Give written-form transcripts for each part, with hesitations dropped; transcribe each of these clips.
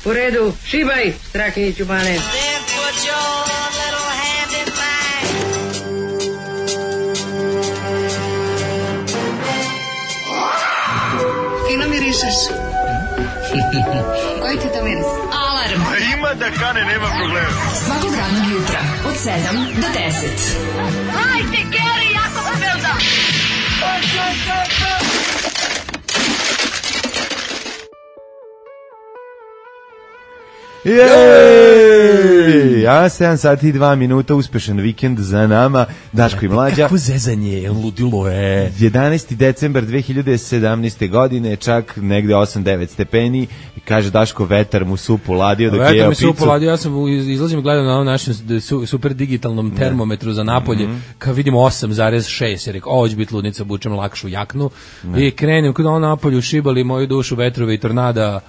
U redu, šibaj, Strahinjiću Bane. Fino mirišeš. Koji ti to miris? Alarm. Ima da kane, nema problema. Svakog radnog jutra, od 7 do 10. Hajde, Geri, jako se velda. Jej! A 7 sati i 2 minuta, uspešan vikend za nama, Daško i Mlađa. Kako zezanje, ludilo je. 11. decembar 2017. godine, čak negde 8-9 stepeni, i kaže Daško, vetar mu supu ladio dok je jeo picu. Vetar mi supu ladio, ja sam izlazim i gledam na ovom našem super digitalnom termometru za Napolje, kad vidimo 8,6, jer rekao, ovo će biti ludnica, bučem lakšu jaknu, i krenem kod ono Napolju, šibali moju dušu vetrove i tornada,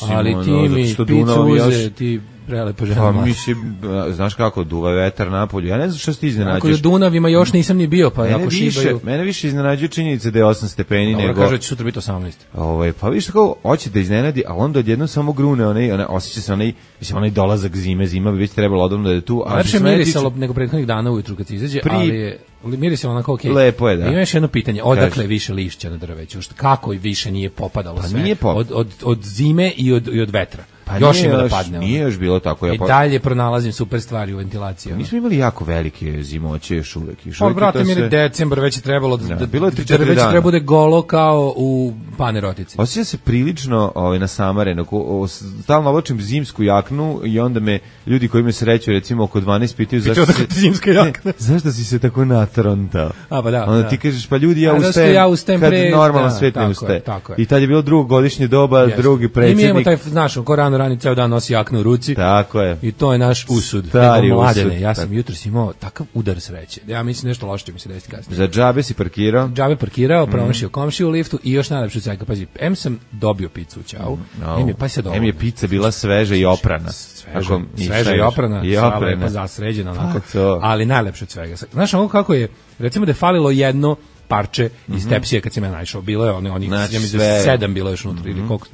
ali ti mi picu uze, ti prelepo žena. Pa mislim, znaš kako duva vetar napolju. Ja ne znam što se ti iznenađuješ. Ako je Dunavima još nisam ni bio, pa ako šibaju. Mene više iznenađuje činjenica da je 8 stepeni nego. Dobro, kaže će sutra biti 18. Pa vidiš kako hoće da iznenadi, a onda odjednom samo grune, osjeća se onaj dolazak zima bi već trebalo odavno da je tu. Lepše mirisalo nego prethodnih dana ujutru kad se izađe, ali mirisalo onako okej. Lepo je, da. Ima još jedno pitanje, odakle više lišća na drveću? Kako više nije popadalo sve? Od zime i od vetra. Pa još ima da padne. Nije još bilo tako. I dalje pronalazim super stvari u ventilaciji. Mi smo imali jako velike zimoće još uvek. Pa, brate, mi je decembar, već je trebalo da bilo je 3-4 već dana. treba bude golo kao u Panerotici. Osjeća se prilično nasamareno. Stalno oblačim zimsku jaknu i onda me ljudi koji me sreću recimo oko 12 pitaju zašto si se tako natrontao. A pa da. Onda ti kažeš pa ljudi ja ustajem kad normalan svet ne ustaje. I tad je bilo drugo godišnje doba, drugi predsjednik. I mi imamo taj, znaš, ko rani ceo dan nosi jaknu u ruci. Tako je. I to je naš usud. Stari usud. Ja sam jutros imao takav udar sreće. Ja mislim nešto loše će mi se desiti kasnije. Za džabe si parkirao? Džabe parkirao, promašio komšiju u liftu i još najlepše od svega. Pazi, M sam dobio picu u ćao. M je pizza bila sveža i oprana. Sveža i oprana. Lepo zasređena onako. Ali najlepše od svega. Znaš ono kako je, recimo da je falilo jedno parče iz tepsije kad sam ja naišao. Bilo je onih, ja mislim 7 bilo još unutra ili koliko,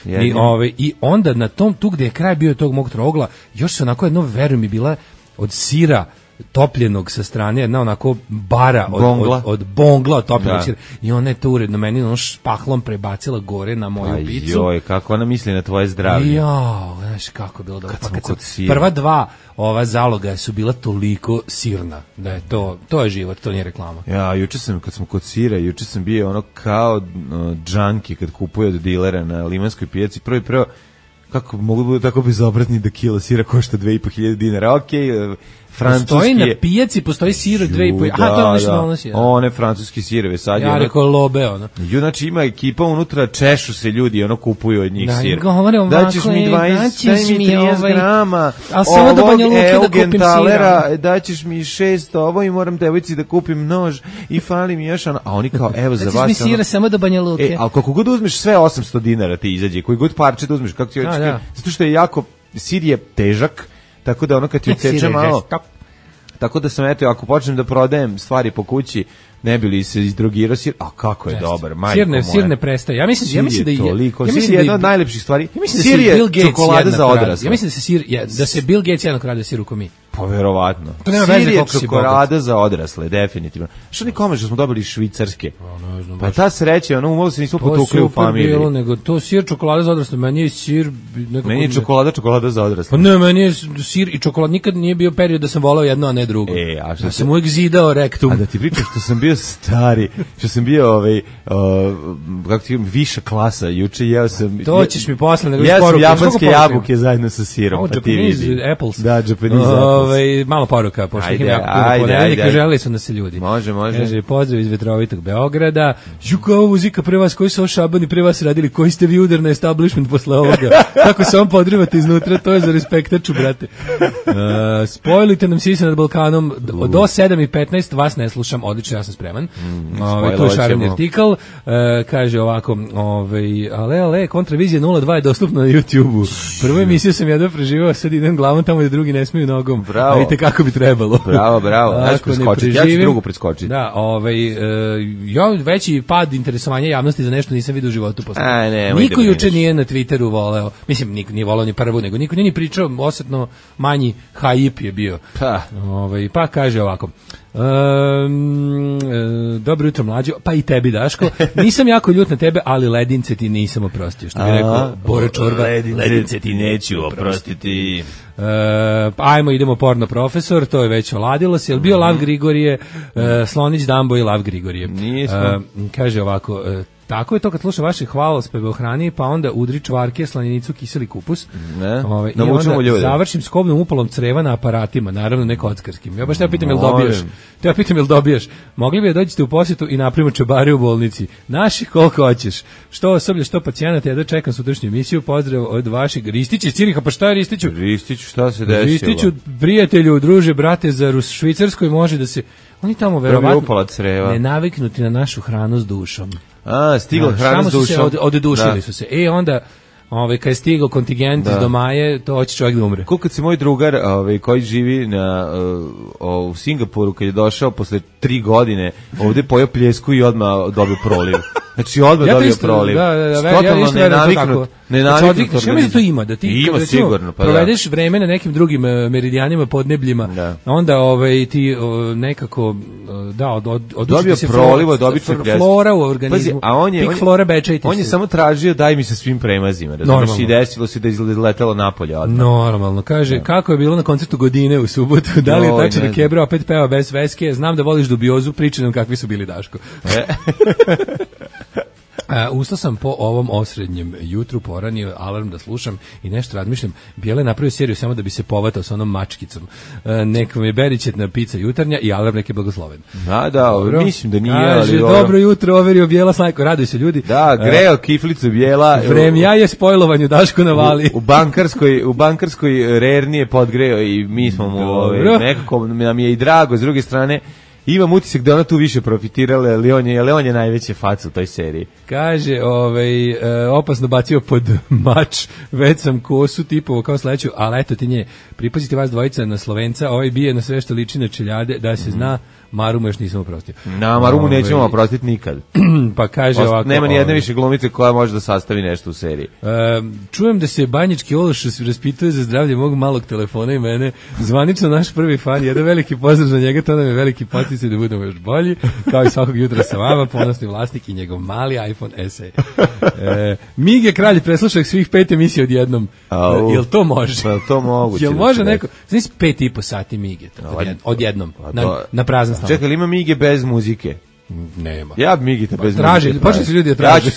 5. I onda na tom, tu gde je kraj bio tog mog trogla, još se onako jedno, verujem mi, bila od sira topljenog sa strane, jedna onako bara od bongla od topljenog sira. I ona je to uredno meni špahlom prebacila gore na moju picu. Joj, kako ona misli na tvoje zdravlje. Jao, znaš kako je bilo dobro. Prva dva ova zaloga su bila toliko sirna da je to je život, to nije reklama. Ja, kad sam kod sira, juče sam bio ono kao džanki kad kupuje od dilera na Limanskoj pijaci. Prvo kako mogu biti tako bezobrazni da kilo sira košta 2.500 dinara. Okej, francuski. Postoji na pijaci, postoji sir od 2.500. Aha, to je nešto donosi. One francuski sireve sad. Ja rekao lobe, ono. Znači ima ekipa unutra, češu se ljudi, kupuju od njih sir. Daćeš mi 20, daj mi 30 grama ovog Eugenthalera, daćeš mi 6 ovo i moram devojci da kupim nož i fali mi još ono. A oni kao, evo za vas. Daćeš mi sira samo do Banja Luke. Ali kako god uzmeš sve 800 dinara ti izađe, koji god parče da uzmeš, kako ti hoćeš. Zato što je jako, sir je težak, tako da kad ti odseče malo, tako da sam, ako počnem da prodajem stvari po kući, ne bi li se izdrogirao sir, a kako je dobar, majko moja. Sir ne prestaje. Ja mislim da je jedna od najlepših stvari. Sir je čokolada za odrasle. Ja mislim da se Bill Gates jednako radio sir u komi. Pa verovatno. Sir je čokolada za odrasle, definitivno. Što nikome što smo dobili iz Švicarske? Pa ta sreća, umalo se nismo potukli u familiji. Bilo, nego to sir čokolada za odrasle, meni je sir... Meni je čokolada za odrasle. Pa ne, meni je sir i čokolada, nikad nije bio period da sam volao jedno, a ne drugo. Ja sam uvijek zidao rektum. A da ti pričam što sam bio stari, što sam bio kako ti viša klasa, juče jeo sam... To ćeš mi posle, nego ja sam japanske jabuke zajedno sa sirom. Japanese apples. Da, Japanese apples. Malo poruka, pošto ih ima jako puno ponedeljnika, želeli su da se ljudi. Može. Kaže, pozdrav iz vetrovitog Beograda. Žuka, ovo muzika pre vas, koji su ovo šabani pre vas radili, koji ste vi udar na establishment posle ovoga? Kako se vam podrivate iznutra, to je za respektaču, brate. Spojlite nam Sisa nad Balkanom, do 7:15 vas ne slušam, odlično, ja sam spreman. Tu je šareni artikal, kaže ovako, ale, kontravizija 02 je dostupna na YouTube-u. Prvu emisiju sam jedva preživao, sad idem glavom tamo gde drugi ne smiju nogom. bravo. Vidite kako bi trebalo. Bravo. Ja ću drugu preskočiti. Da, ja veći pad interesovanja javnosti za nešto nisam vidio u životu posle. Niko juče nije na Twitteru voleo. Mislim, niko nije voleo ni prvu, nego niko nije ni pričao, osetno manji hype je bio. Pa kaže ovako. Dobro jutro mlađo, pa i tebi Daško. Nisam jako ljut na tebe, ali ledince ti nisam oprostio, što bi rekao Boro Čorba. Ledince ti neću oprostiti. Ajmo, idemo porno profesor, to je već oladilo se. Je li bio Lav Grigorije, Slonić Dambo i Lav Grigorije? Nismo. Kaže ovako, tako je to kad sluša vaše hvalospeve o hrani, pa onda udri čvarke, slanjenicu, kiseli kupus. I onda završim skobnom upalom creva na aparatima, naravno ne kockarskim. Ja baš te pitam jel dobijaš. Mogli bi da dođete u posjetu i napravimo čebare u bolnici. Naših koliko hoćeš. Što osoblje, što pacijenata, ja da čekam sutrašnju emisiju. Pozdrav od vašeg Ristića iz Ciriha. Pa šta je Ristiću? Ristiću, šta se desilo? Ristiću, prijatelju, druže, brate, za Švicarskoj može da se... Oni tamo verovatno ne naviknuti na našu hranu s dušom. Stigla hrana s dušom. Odedušili su se. Onda, kad je stigao kontingent iz Domaje, to hoće čovjek da umre. Koliko kad se moj drugar koji živi u Singapuru, kad je došao posle 3 godine, ovde pojeo pljesku i odmah dobio proliv. Znači odmah dobio proliv. Totalno nenaviknut. Što mi da to ima? Da ti ima sigurno. Provedeš vreme na nekim drugim meridijanima, podnebljima, onda ti nekako dobio prolivo, dobio flora u organizmu. Pik flora bečajte. On je samo tražio daj mi sa svim premazima. Razumiješ, i desilo se da je izletelo napolje odmah. Normalno. Kaže, kako je bilo na koncertu Godine u subotu? Da li je tačno da Kebra opet peva bez veske? Znam da voliš dubiozu, pričaj nam kakvi su bili, Daško. Ustao sam po ovom osrednjem jutru, poranio alarm da slušam i nešto razmišljam. Bijele napravio seriju samo da bi se povatao sa onom mačkicom. Nekom je beričetna pizza jutarnja i alarm neki blagosloven. Mislim da nije. Kaže, dobro jutro, overio Bijela Snajko, raduj se ljudi. Da, greo kiflicu Bijela. Vremja je spojlovanje, Daško navali. U bankarskoj rerni je podgreo i mi smo mu nekako nam je i drago, s druge strane imam utisak da ona tu više profitirala, ali on je najveće faca u toj seriji. Kaže, opasno bacio pod mač, već sam kosu tipovo kao sledeću, ali eto ti nje, pripazite vas dvojica na Slovenca, bije na sve što liči na čeljade, da se zna, Marumu još nisam oprostio. Na Marumu nećemo oprostiti nikad. Pa kaže ovako... Nema ni jedne više glumice koja može da sastavi nešto u seriji. Čujem da se Banjički Ološ raspituje za zdravlje mog malog telefona i mene. Zvanično naš prvi fan, jedan veliki pozdrav za njega, to nam je veliki poticaj da budemo još bolji. Kao i svakog jutra sa vama, ponosni vlasnik i njegov mali iPhone SE. Mige kralj preslušao svih 5 emisija odjednom. Jel to može? Jel to moguće? Jel može neko? Znači 5,5 sati Mige odjednom, na prazan stan. Čekaj, li ima Mige bez muzike? Nema. Ja bi Migita bez muzike. Počeli su ljudi da traže.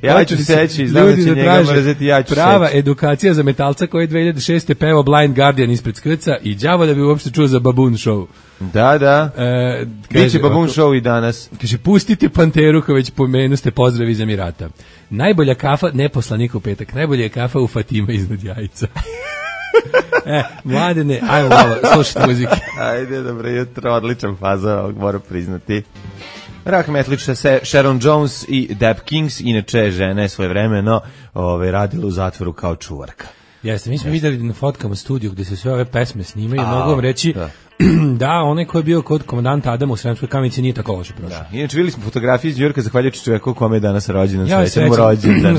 Ja ću seći, znam da će njega mrzeti, ja ću seći. Prava edukacija za metalca koji je 2006. pevao Blind Guardian ispred Skrca i đavo da bi uopšte čuo za Baboon Show. Da. Biće Baboon Show i danas. Kaže, pustite Panteru, ko već pomenu ste, pozdrav iz Emirata. Najbolja kafa, ne poslanik u petak, najbolja je kafa u Fatima iznad Jajca. Mladene, ajmo malo slušati muzike. Ajde, dobro jutro, odličan faza, moram priznati. Rock metlična se Sharon Jones i Dap Kings, inače žena je svoje vremeno radila u zatvoru kao čuvarka. Jeste, mi smo vidjeli na fotkama studiju gde se sve ove pesme snimaju, mogu vam reći da, onaj ko je bio kod komandanta Adama u Sremskoj Kamenici nije tako loše prošao. Inače, vidjeli smo fotografije iz Njujorka zahvaljujući čoveku kome je danas rođendan,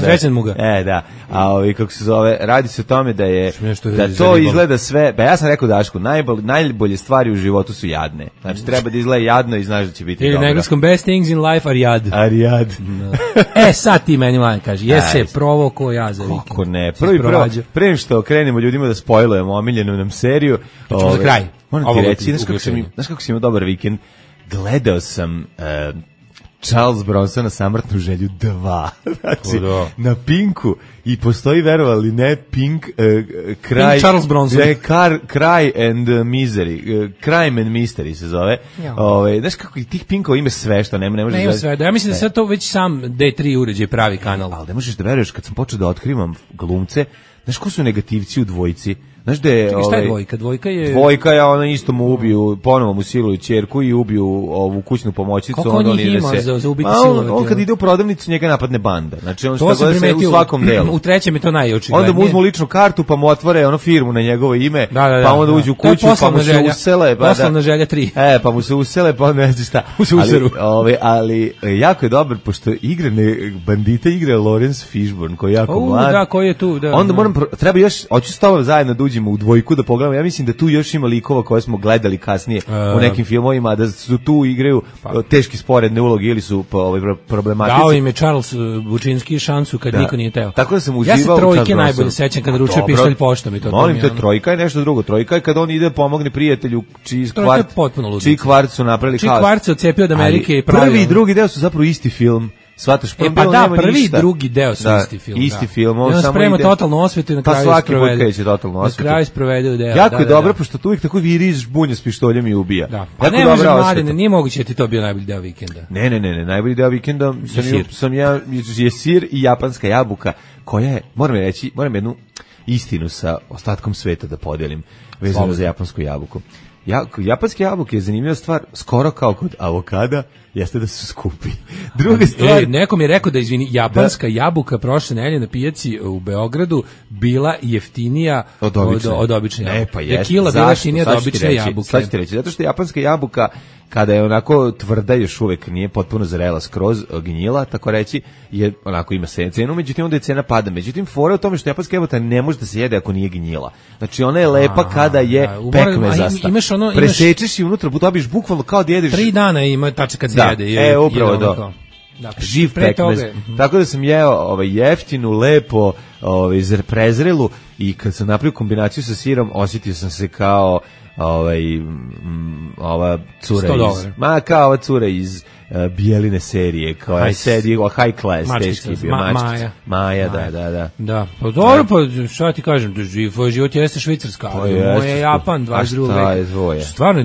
srećan mu ga. Da, a kako se zove, radi se o tome da je, da to izgleda sve, ja sam rekao Dašku, najbolje stvari u životu su jadne. Znači, treba da izgleda jadno i znaš da će biti dobro. Ili na engleskom, best things in life are jad. Sad ti meni mladen kaže, jese provo ko ja za vikend. Kako ne, prvi što krenemo ljudima da spojlujemo omiljenu nam seriju. Za kraj. Moram ti reći, znaš kako si imao dobar vikend? Gledao sam Charles Bronsona Samrtnu želju 2. Znači, na Pinku. I postoji, verovali ne, Pink kraj... Pink Charles Bronson. Cry and Misery. Crime and Mystery se zove. Znaš kako i tih Pinkova ima sve što ne može... Ne ima sve. Ja mislim da sve to već sam D3 uređaj pravi kanal. Ali ne možeš da veruješ, kad sam počeo da otkrivam glumce, Znaš ko su negativci u dvojici? Znaš da je... Čekaj, šta je dvojka? Dvojka je ona isto mu ubiju, ponovo mu siluju ćerku i ubiju ovu kućnu pomoćnicu. Koliko on njih ima za ubiti silovati? On kad ide u prodavnicu, njega napadne banda. Znači on što gleda se u svakom delu. U trećem je to najočiglednije. Onda mu uzmu ličnu kartu, pa mu otvore ono firmu na njegovo ime, pa onda uđu u kuću, pa mu se usele. Poslovna želja 3. Pa mu se usele, pa ne znam šta. Ali jako je dobar, pošto bandite igra Lawrence Fishburne, koji je jako mlad. Da, koji je tu. Onda treba još, hoću s tobom zajedno da uđemo u dvojku da pogledamo. Ja mislim da tu još ima likova koje smo gledali kasnije u nekim filmovima, da su tu igraju teški sporedne uloge ili su problematici. Dao im je Charles Bučinski šansu kad niko nije teo. Tako da sam uživao. Ja se trojke najbolje sećam kada ručuje pištolj poštom i to. Molim te, trojka je nešto drugo. Trojka je kad on ide pomogne prijatelju čiji kvart su napravili haos. Čiji kvart se odcepio od Amerike i pravio. Prvi i drugi deo su zapravo isti film. Svataš, pa da, prvi i drugi deo su isti film. Isti film, on samo sprema totalnu osvetu i na kraju sprovede. Pa svaki totalnu osvetu. Na kraju sprovede u deo. Jako je dobro, pošto tu uvijek tako viri žbunja s pištoljem i ubija. Da. Pa ne može, Mladine, nije moguće da ti to bio najbolji deo vikenda. Ne, najbolji deo vikenda sam ja, je sir i japanska jabuka, koja je, moram jednu istinu sa ostatkom sveta da podelim, vezano za japansku jabuku. Japanske jabuke je zanimljiva stvar, skoro kao kod avokada, jeste da su skupi. Druga stvar... Neko mi je rekao da, japanska jabuka prošle nedelje na pijaci u Beogradu bila jeftinija od obične jabuke. Pa jeste. Kila bila jeftinija od obične jabuke. Sad ću ti reći, zato što japanska jabuka, kada je onako tvrda, još uvek nije potpuno zrela skroz, gnjila, tako reći, je onako ima cenu, međutim onda je cena pada. Međutim, fora je u tome što japanska jabuka ne može da se jede ako nije gnjila. Znači ona je lepa kada je pekmezasta. Presečeš i unutra, dobiš bukvalno kao da jedeš... 3 dana ima tačno kad se jede. Upravo to. Živ pekmez. Tako da sam jeo jeftinu, lepo, prezrelu i kad sam napravio kombinaciju sa sirom, osjetio sam se kao ova cura kao ova cura iz Bijeline serije, koja sedi high class, teški bio Maja, da. Pa dobro, pa šta ti kažem, život jeste Švicarska, ali moje je Japan, 22. Stvarno,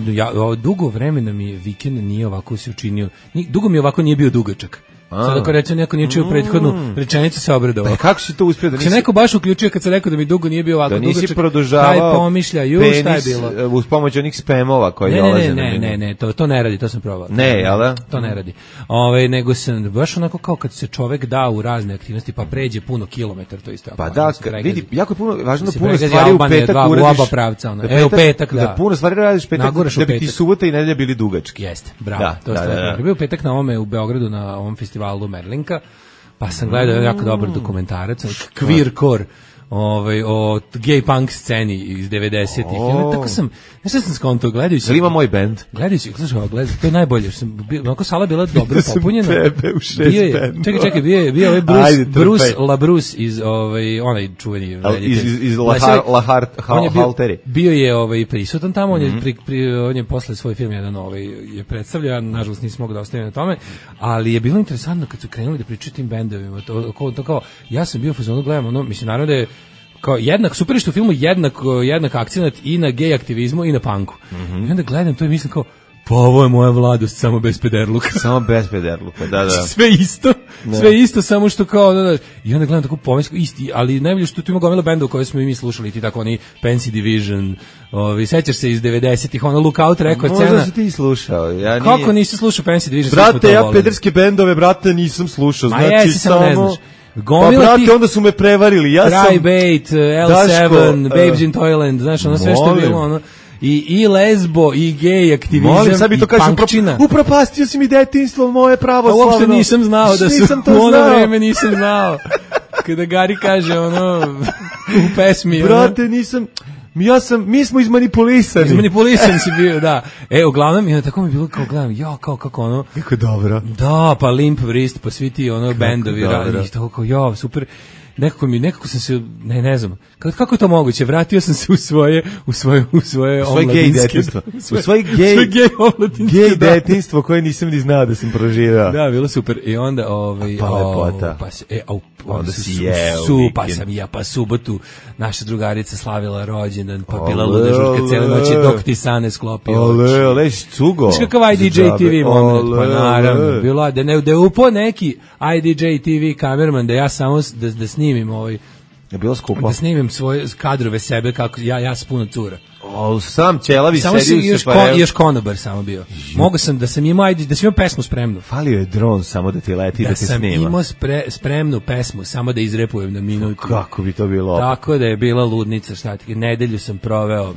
dugo vremena mi vikend nije ovako se učinio, dugo mi ovako nije bio dugačak. Sad ako reče neko nije čuo prethodnu rečenicu se obradovao. Pa kako si to uspio da nisi... neko baš uključio kad se rekao da mi dugo nije bio ovako dugačak. Da nisi produžavao pomišljaju, šta je bilo? Uz pomoć onih spamova koji dolaze na menu. Ne, to ne radi, to sam probao. Ne, jel da? To ne radi. Nego sam baš onako kao kad se čovek da u razne aktivnosti pa pređe puno kilometar, to isto. Pa da, vidi, jako je puno, važno da puno stvari u petak uradiš. U oba pravca, u petak, da. Da puno stvari radiš petak, da bi ti subota i nedelja bili dugački. Jeste, bravo. To je bio petak na ovome u Beogradu na ovom festivalu Merlinka. Pa sam gledao jako dobar dokumentarac, Queer Core, o gay punk sceni iz 90-ih. Tako sam, nešto sam skonto gledajući. Ili ima moj band? Gledajući, to je najbolje. Onako sala bila dobro popunjena. Tebe u 6 band. Čekaj, bio je Bruce LaBruce iz onaj čuveni iz La Halteri. Bio je prisutan tamo, on je posle svoj film jedan je predstavljao, ja nažalost nisam mogao da ostavim na tome, ali je bilo interesantno kad su krenuli da pričaju tim bendovima. To kao, ja sam bio u fazonu, gledam, mislim, naravno da je kao super što u filmu jednak akcenat i na gej aktivizmu i na punku. I onda gledam to i mislim kao, pa ovo je moja mladost, samo bez pederluka. Samo bez pederluka, da. Sve isto, samo što kao, da. I onda gledam tako pomislim, isti, ali najbolje što tu ima gomila benda u kojoj smo i mi slušali, ti tako oni Fancy Division, sećaš se iz 90-ih, Lookout Record scena. Možda si ti slušao. Kako nisi slušao Fancy Division? Brate, ja pederske bendove, brate, nisam slušao, znači samo... Pa brate, onda su me prevarili, ja sam... Tribate, L7, Babes in Toyland, znaš, ono sve što je bilo, ono... I lesbo, i gej aktivizam, i punkčina. Upropastio si mi detinjstvo, moje pravoslavno. Uopšte nisam znao da su, u ono vreme nisam znao. Kada Gari kaže, u pesmi... Brate, nisam... Mi smo izmanipulisani. Izmanipulisan si bio, da. Uglavnom, i tako mi je bilo kao gledam, kako ono... Kako dobro. Da, pa Limp Wrist, pa svi ti bendovi, i tako kao, super... Nekako sam se, ne znam, kako je to moguće, vratio sam se u svoje omladinske, u svoje gej detinjstvo koje nisam ni znao da sam proživao. Da, bilo super. I onda onda si jeo pa subotu naša drugarica slavila rođendan, pa bila luda žurka cijele noći dok ti Sane sklopio. Ole, cugo. Znaš kakav IDJ TV moment, pa naravno, bilo da je upo neki IDJ TV kamerman da ja samo da snimim Je bilo skupo. Da snimim svoje kadrove sebe kako ja s puno cura. Sam ćelavi sedi u separevu. Još konobar samo bio. Mogu sam da sam imao pesmu spremnu. Falio je dron samo da ti leti da te snima. Da sam imao spremnu pesmu samo da izrepujem na minutu. Kako bi to bilo? Tako da je bila ludnica, šta ti. Nedelju sam proveo.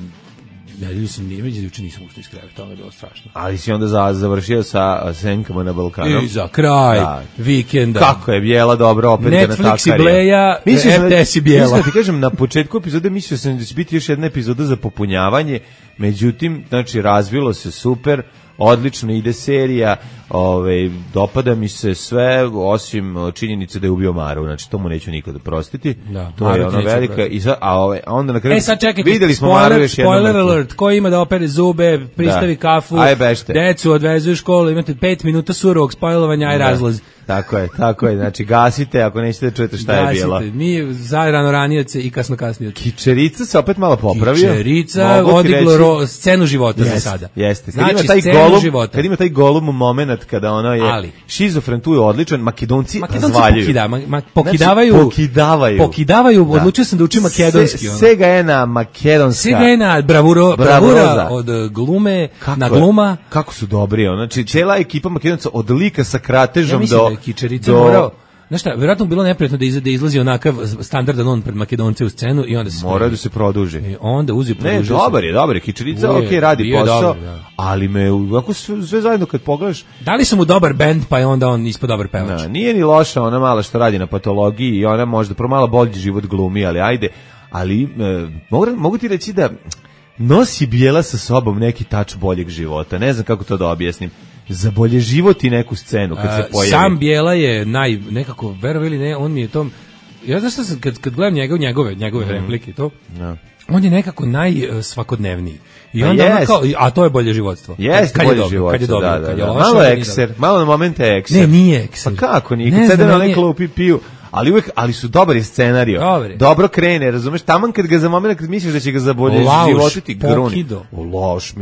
Nedelju sam juče nisam ušto iz kreveta, to je bilo strašno. Ali si onda završio sa Senkama na Balkanu. I za kraj vikenda. Kako je Bijela dobro opet Netflix i Bleja, RTS i Bijela. Mislim da ti kažem, na početku epizode mislio sam da će biti još jedna epizoda za popunjavanje, međutim, znači, razvilo se super, odlično ide serija, dopada mi se sve, osim činjenice da je ubio Maru, znači to mu neću nikad oprostiti. Da, to je ona velika, a onda na kraju sad čekajte, videli smo Maru još jednom. Spoiler alert, ko ima da opere zube, pristavi kafu, decu odvezu u školu, imate 5 minuta surovog spojlovanja, aj razlaz. Tako je, znači gasite ako nećete da čujete šta je bilo. Mi zarano ranioce i kasno kasnioce. Kičerica se opet malo popravio. Kičerica odiglo scenu života za sada. Jeste, znači kad ima taj golub moment kada ono je šizofren, tu je odličan, Makedonci razvaljuju. Pokidavaju, odlučio sam da učim makedonski. Sega je na makedonska. Sega je na bravura od glume na gluma. Kako su dobri, znači cijela ekipa Makedonca od lika sa kratežom do Kičerica morao. Znaš šta, vjerojatno bilo neprijatno da izlazi onakav standardan on pred Makedonce u scenu i onda se mora da se produži. I onda uzi produži. Ne, dobar je, Kičerica, radi posao, ali me ako sve zajedno kad pogledaš, dali su mu dobar bend, pa je onda on ispod dobar pevač. Nije ni loša ona mala što radi na patologiji i ona možda promala bolji život glumi, ali ajde, ali mogu ti reći da nosi Bijela sa sobom neki tač boljeg života. Ne znam kako to da objasnim. Za bolje život i neku scenu kad se pojavi. Sam Bijela je nekako, verovali ili ne, on mi je to, ja znaš što sam, kad gledam njegove replike to, on je nekako najsvakodnevniji. I onda a to je bolje životstvo. Jeste bolje životstvo, kad je dobro, kad je loše. Malo ekser, malo na momente ekser. Ne, nije ekser. Pa kako nije, kad sede na nekolo piju. Ali su dobar je scenario. Dobro krene, razumeš? Taman kad ga za moment kad misliš da će ga zabolje životiti gruni. Loš,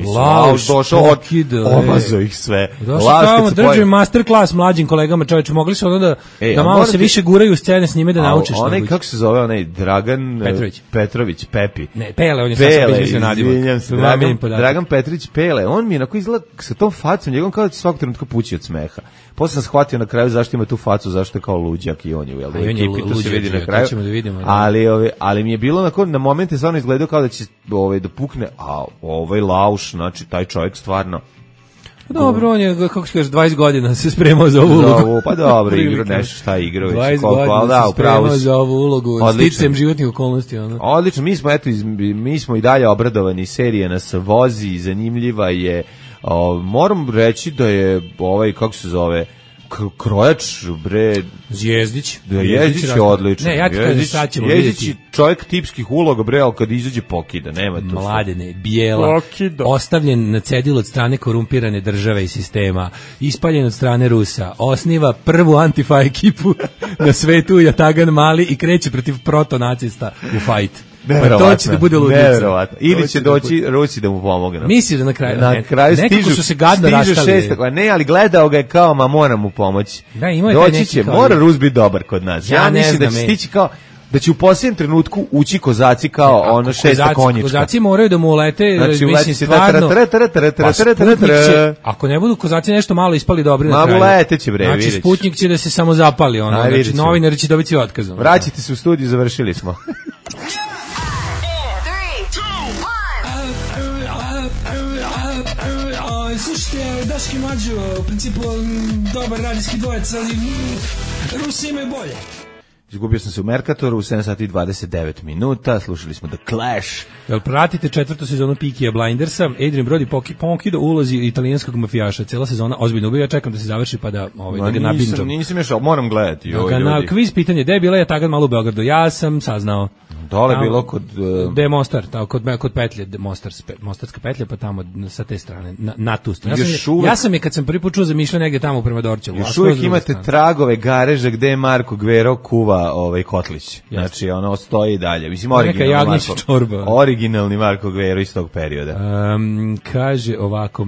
došao omazao ih sve. Došao drži masterclass mlađim kolegama, čoveče, mogli su onda da malo se više guraju u scene s njime da naučiš. Onaj, kako se zove, onaj Dragan Petrović, Pepi. Ne, Pele, on je sad izmislio nadimak. Dragan Petrović Pele, on mi je onako izgleda sa tom facom, njegom kao da će svakog trenutka pući od smeha. Posle sam shvatio na kraju zašto ima tu facu, zašto je kao luđak i on je, jel da je ekipi, to se vidi na kraju. Ali mi je bilo na momente stvarno izgledao kao da će da pukne, a lauš, znači taj čovjek stvarno. Dobro, on je, kako se kaže, 20 godina se spremao za ovu ulogu. Pa dobro, nešto šta je igrao. 20 godina se spremao za ovu ulogu, sticam životnih okolnosti. Odlično, mi smo i dalje obradovani, serija nas vozi, zanimljiva je. Moram reći da je kako se zove, krojač, Jezdić. Jezdić je odličan. Ne, ja ti kažem, sad ćemo vidjeti. Jezdić je čovjek tipskih uloga, ali kad izađe pokida, nema to. Mladene, Bijela, ostavljen na cedilu od strane korumpirane države i sistema, ispaljen od strane Rusa, osniva prvu antifa ekipu na svetu, Jatagan Mali, i kreće protiv protonacista u fajt. Pa to će da bude ludica. Ili će doći Rusi da mu pomogne. Misli da na kraju nekako su se gadno rastali. Ne, ali gledao ga je kao, moram mu pomoći. Doći će, mora Rus biti dobar kod nas. Ja mislim da će stići kao, da će u posljednjem trenutku ući kozaci kao ono šesta konjička. Kozaci moraju da mu ulete, mislim stvarno. Ako ne budu kozaci nešto malo ispali dobri na kraju. Uleteće bre, znači Sputnik će da se samo zapali, znači novinari će dobiti otkazom. Vraćite se u studiju, završili smo. Slušajte, Daški Mađo, u principu dobar radijski dvojec, ali Rusi imaju bolje. Izgubio sam se u Mercatoru u 7 sati i 29 minuta, slušali smo The Clash. Jel pratite 4. sezonu Peaky Blindersa, Adrian Brody Ponkido ulozi italijanskog mafijaša, cijela sezona ozbiljno ubija, ja čekam da se završi pa da ga nabinđam. Nisam još, moram gledati. Kviz pitanje, gde je bila Jatagan Malo u Beogradu? Ja sam saznao. Dole bilo kod... Gde je Mostar, kod petlje, Mostarska petlja, pa tamo sa te strane, na tu stranu. Ja sam je kad sam prvi put čuo zamišljao negdje tamo prema Dorćevu. Još uvijek imate tragove gareža gde je Marko Gvero kuva kotlić. Znači, ono stoji i dalje. Mislim, originalni Marko Gvero iz tog perioda. Kaže ovako,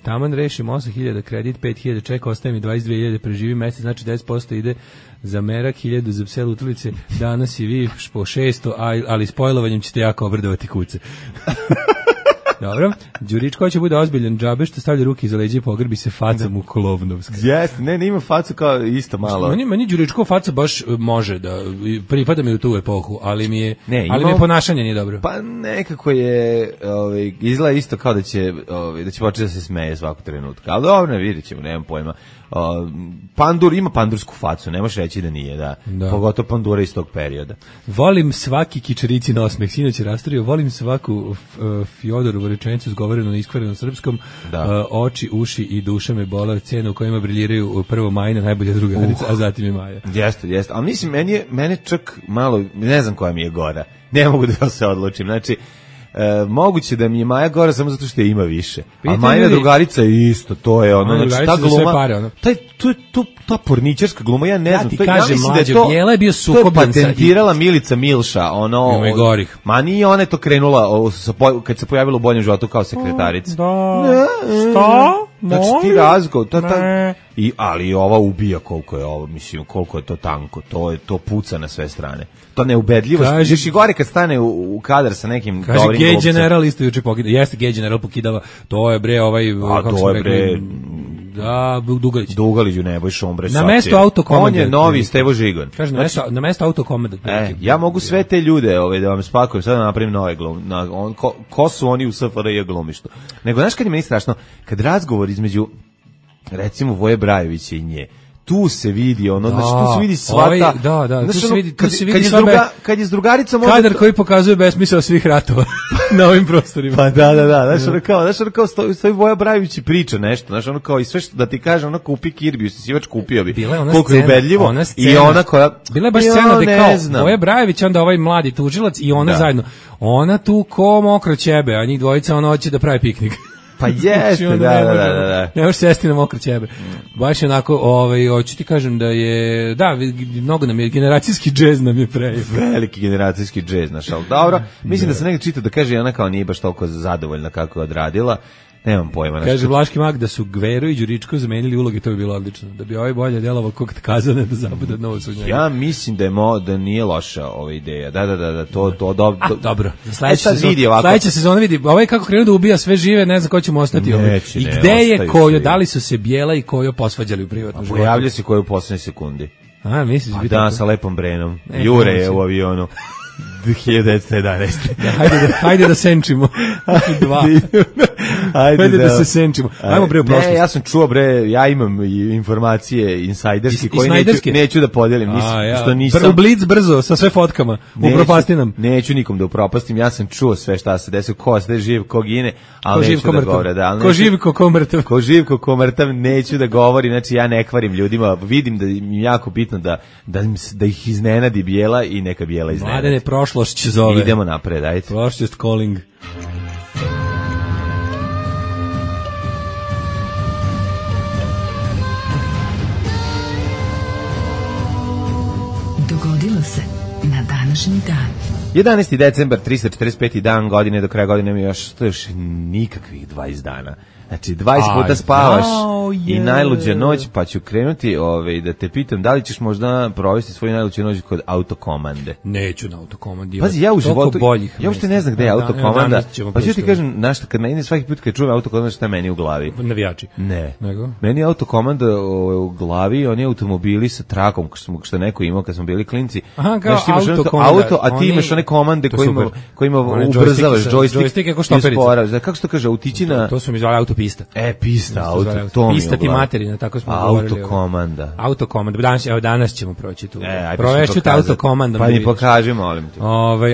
taman rešim 8.000 kredit, 5.000 čeka, ostaje mi 22.000, preživi mesec, znači 10% ide za merak, 1000 za pse lutalice, danas i vi po 600, ali s pojlovanjem ćete jako obradovati kuce. Dobro, Đuričko će bude ozbiljan džabe što stavlja ruke iza leđa i pogrbi se facom u Kolovnovsku. Jeste, ne ima facu kao isto malo. Meni Đuričko faca baš može da pripada mi u tu epohu, ali mi je ponašanje nije dobro. Pa nekako je izgleda isto kao da će početi da se smeje svakog trenutka. Ali dobro, vidjećemo, nemam pojma. Pandur ima pandursku facu, ne možeš reći da nije, da. Pogotovo Pandura iz tog perioda. Volim svaki kičerici osmeh, sinoć je rastorio, volim svaku Fjodorovu rečenicu izgovorenu na iskvarenom srpskom, oči, uši i duša me bole, cena u kojima briljiraju prvo Majina, najbolja drugarica, a zatim je Maja. Jeste, ali mislim, mene čak malo, ne znam koja mi je gora, ne mogu da se odlučim, znači, moguće da mi je Maja gora samo zato što je ima više. A Majina drugarica je isto, to je ono, znači ta gluma, ta porničarska gluma, ja ne znam, ja ti kažem, mlađe, Bijela je bio sukobljen. To je patentirala Milica Milša, ono, ma nije ona je to krenula kad se pojavila u Boljem životu kao sekretarica. Šta? Znači ti razgovor, ali ova ubija koliko je ovo, mislim, koliko je to tanko, to puca na sve strane. To neubedljivost, još i gore kad stane u kadar sa nekim dobrim glumcem. Kaže, Gay General isto juče pokidava, jeste Gay General pokidava, to je bre to je bre... Da, Dugalić. Dugalić u Nebojša, on bre na mesto autokomande. On je novi Stevo Žigon. Kaže, na mesto autokomande. Ja mogu sve te ljude da vam spakujem, sad da napravim nove glume. Ko su oni u SFRJ glumištu? Nego, znaš kad je meni strašno? Kad razgovor između, recimo, Voje Brajovića i nje, tu se vidi ono, znači tu se vidi svata. Tu se vidi sva kad je s drugaricom kadar koji pokazuje besmisao svih ratova na ovim prostorima. Pa da. Znaš ono kao stoji Voja Brajović i priča nešto, znaš ono kao i sve što da ti kaže, ono kupi Kirbiju, sivač kupio bi. Koliko je ubedljivo i ona koja bila je baš scena da kao Voja Brajović, onda ovaj mladi tužilac i ona zajedno. Ona tu ko mokro ćebe, a njih dvojica ona hoće da pravi piknik. Pa jeste, da. Ne možeš sesti na mokro ćebe. Baš onako, hoću ti kažem da je, mnogo nam je, generacijski džez nam je veliki generacijski džez, znaš, ali dobro, mislim da se negdje čita da kaže ona kao nije baš toliko zadovoljna kako je odradila. Nemam pojma. Kaže Vlaški mag da su Gvero i Đuričko zamenili uloge, to bi bilo odlično. Da bi ovaj bolje delovao kog Kazane da zabude novo su njega. Ja mislim da nije loša ova ideja. Da, to dobro. Sledeća sezona vidi, ovaj kako krenu da ubija sve žive, ne znam ko će mu ostati. I gde je Kojo, da li su se Bijela i Kojo posvađali u privatnom životu? Pojavlja se Kojo u poslednjoj sekundi. A, misliš biti? Da, sa lepom Brenom. Jure je u avionu. 1911. Hajde da senčimo. Hajde da se senčimo. Ajmo bre u prošlost. Ne, ja sam čuo bre, ja imam insajderski koje neću da podijelim, što nisam. Prvo blic brzo sa sve fotkama. Upropastinam. Neću nikom da upropastim. Ja sam čuo sve šta se desilo, ko se živ, ko gine, ali neću da govorim, ko živ, ko mrtav. Ko živ, ko mrtav, neću da govorim, znači ja ne kvarim ljudima, vidim da im je jako bitno da ih iznenadi Bijela i neka Bijela iznenadi. Mladene, prošlost će zove. Idemo napred, ajde. Prošlost calling. Dogodilo se na današnji dan. 11. decembar, 345. dan godine, do kraja godine mi još nikakvih 20 dana. Znači, 20 puta spavaš i najluđa noć, pa ću krenuti da te pitam da li ćeš možda provesti svoju najluđu noć kod autokomande. Neću na autokomandi. Pazi, ja u životu, ja uopšte ne znam gde je autokomanda, pa ću ti kažem, znaš, kad meni svaki put kad čujem autokomanda, šta je meni u glavi? Navijači. Ne. Meni je autokomanda u glavi, oni automobili sa trakom, što neko imao kad smo bili klinci. Aha, kao autokomanda. A ti imaš one komande kojima ubrzavaš joystick kako štoperica. Kako se to kaže, utići na... To su mi zvali autopista. Pista, auto, pista ti materina, tako smo govorili. Autokomanda. Danas ćemo proći tu. Provešću te autokomandom. Pa mi pokaži, molim te.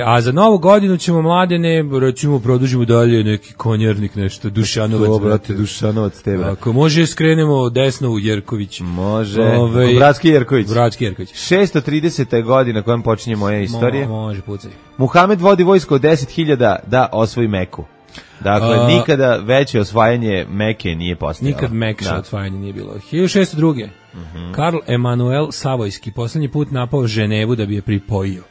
A za novu godinu ćemo mladene, recimo, produžimo dalje neki konjernik, nešto, Dušanovac. To, brate, Dušanovac tebe. Ako može, skrenemo desno u Jerković. Može. Bratski Jerković. 630. godina kojom počinje moja istorija. Može, pucaj. Muhamed vodi vojsko od 10.000 da osvoji Meku. Dakle, nikada veće osvajanje Meke nije postojalo. Nikad mekše osvajanje nije bilo. 1602. Karl Emanuel Savojski poslednji put napao Ženevu da bi je pripojio.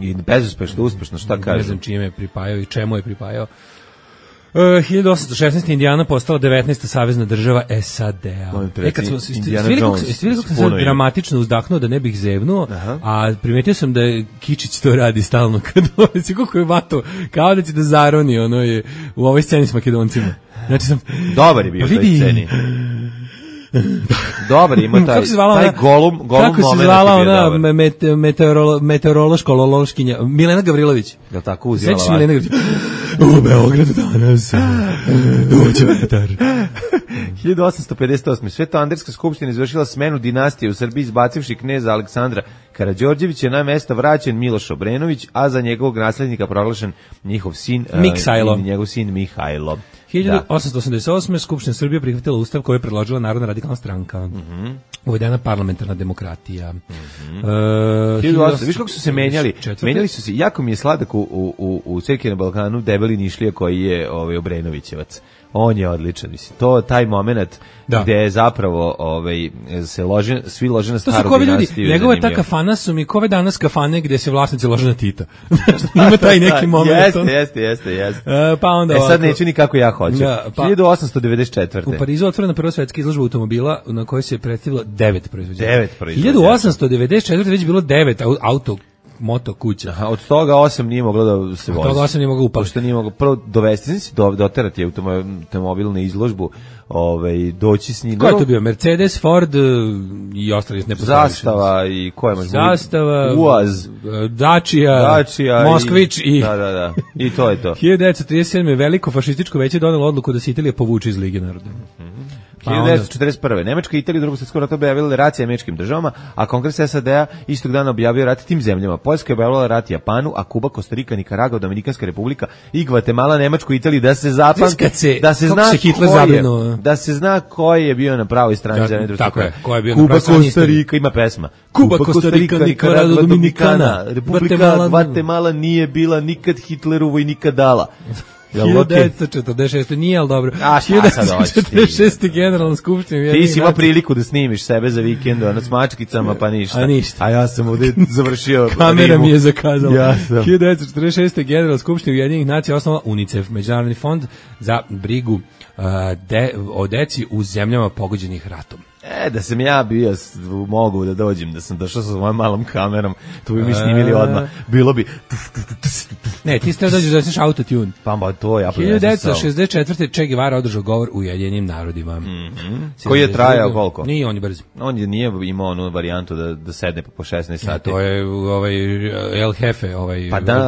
I bezuspešno, uspešno, šta kaže? Ne znam čime je pripajao i čemu je pripajao. 1816. Indijana postala 19. savezna država SAD-a. Kad smo vidjeli kako sam sad dramatično uzdahnuo da ne bih zevnuo, a primetio sam da je Kičić to radi stalno kad dolazi, kako je vato, kao da će da zaroni ono je u ovoj sceni s Makedoncima. Znači sam dobar je bio u toj sceni. Dobar ima taj golum moment. Kako se zvala ona meteorološkinja Milena Gavrilović? Da tako uzela. Sećaš Milena Gavrilović? U Beogradu danas dođe vetar. 1858. Svetoanderska skupština izvršila smenu dinastije u Srbiji izbacivši kneza Aleksandra Karađorđevića, na mesto vraćen Miloš Obrenović, a za njegovog naslednika proglašen njihov sin Mihajlo. 1888. Skupština Srbije prihvatila ustav koji je predložila Narodna radikalna stranka. Uvedena parlamentarna demokratija. Viš kako su se menjali? Menjali su se, jako mi je sladak u Ceki na Balkanu debeli Nišlija koji je Obrenovićevac. On je odličan, mislim. Taj moment gde je zapravo se svi lože na staru dinastiju. Njegova ta kafana su mi kove danas kafane gde se vlasnici lože na Tita. Ima taj neki moment. Jeste. Pa onda sad neću ni kako ja hoću. 1894. U Parizu otvorena prva svetska izložba automobila na kojoj se predstavilo 9 proizvođača. 1894. već bilo 9 moto kuća. Od toga 8 nije moglo da se vozi. Od toga 8 nije moglo upali. Pošto nije moglo prvo dovesti, doterati automobil na izložbu, doći s njim. Ko je to bio? Mercedes, Ford i ostali ne postoji. Zastava i ko je Zastava, UAZ, Dacia Moskvić i Da. I to je to. 1937. veliko fašističko veće donelo odluku da se Italija povuče iz Lige naroda. 1941. Nemačka i Italija u Drugom svjetskom ratu objavile rat američkim državama, a Kongres SAD-a istog dana objavio rat tim zemljama. Poljska je objavila rat Japanu, a Kuba, Kostarika, Nikaragva, Dominikanska republika i Gvatemala, Nemačku i Italiju, da se zapamti, da se zna ko je bio na pravoj strani zemlje. Tako je, ko je bio Kuba, Kostarika, ima pesma. Kuba, Kostarika, Nikaragva, Dominikana, Republika Gvatemala nije bila nikad Hitlerovo i nikad dala. 1946. nije, ali dobro. 1946. generalna skupština. Ti si imao priliku da snimiš sebe za vikend, s mačkicama, pa ništa. A ja sam ovdje završio kamera mi je zakazala. 1946. generalna skupština Ujedinjenih nacija osnovala UNICEF, Međunarodni fond za brigu o deci u zemljama pogođenih ratom. Da sam ja bio, mogu da dođem, da sam došao sa svojom malom kamerom, tu bi mi snimili odmah. Bilo bi... Ne, ti ste dođeš da sneš autotune. Pa to ja... 1964. Che Guevara održao govor u Ujedinjenim narodima. Koji je trajao koliko? Nije, on je brz. On nije imao onu varijantu da sedne po 16 sati. To je El Jefe,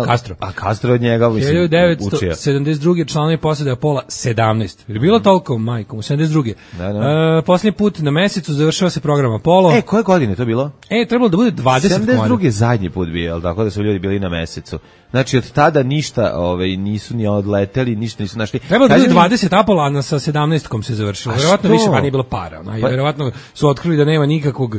Castro. A Castro od njega učio. 1972. članovi posade Apola 17. Je bilo toliko, majkom, 72. Posljednji put na mesecu završava se program Apollo. Koje godine to bilo? Trebalo da bude 20. 72. zadnji put bio, tako da su ljudi bili na mesecu. Znači od tada ništa nisu ni odleteli, ništa nisu našli. Trebalo da bude 20 Apola, sa 17-kom se završilo. Verovatno više, pa nije bilo para. Verovatno su otkrili da nema nikakvog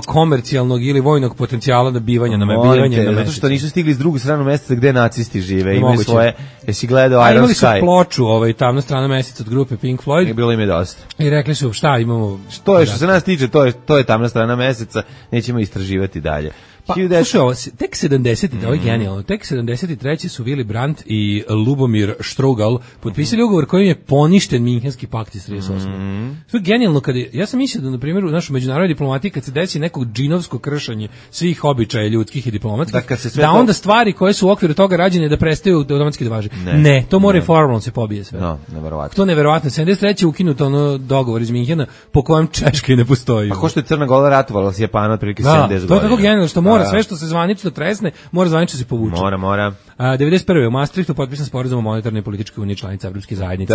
komercijalnog ili vojnog potencijala nabivanja na mesecu. Zato što nisu stigli s drugu stranu meseca gde nacisti žive. Imaju svoje, jesi gledao Iron Sky. Imali su ploču, tamna strana meseca od grupe Pink Floyd. Bilo im je dosta. I rekli su šta imamo. Što se nas tiče, to je tamna strana meseca, nećemo istraživati dalje. Pa, slušaj, tek 70. ovo je genijalno, tek 73. su Willy Brandt i Lubomir Strugal potpisali ugovor kojim je poništen Minhenski pakt iz 38. To je genijalno, ja sam mislio da, na primjer, u našoj međunarodnoj diplomatiji, kad se desi nekog džinovsko kršenje svih običaja ljudskih i diplomatskih, da onda stvari koje su u okviru toga rađene da prestaju automatski da važe. Ne, to mora i formalno se pobije sve. Neverovatno. To je neverovatno. 73. ukinuto dogovor iz Minhena po kojem Češka i ne postoji. A ko što je Crna Gora ratovala s Japanom otprilike 70 godina. To je tako genijalno što mora sve što se zvanično tresne, mora zvanično se povuče. Mora. 91. u Maastrichtu potpisan sporazum o monetarnoj i političkoj uniji članica Evropske zajednice.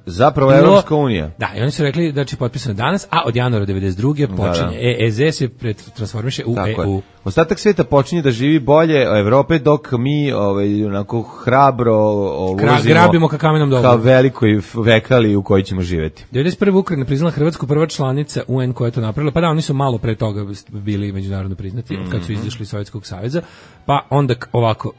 Zapravo Evropska unija. Da, i oni su rekli da će potpisano danas, a od januara 92. počinje. EEZ se transformiše u EU. Ostatak svijeta počinje da živi bolje Evrope, dok mi onako hrabro grabimo ka kamenom dolu. Kao velikoj vekali u kojoj ćemo živjeti. 91. Ukrajina priznala Hrvatsku, prva članica UN koja je to napravila. Pa da, oni su malo pre toga bili međunarodno priznati, kad su izašli iz Sovjetskog saveza. Pa onda ovako,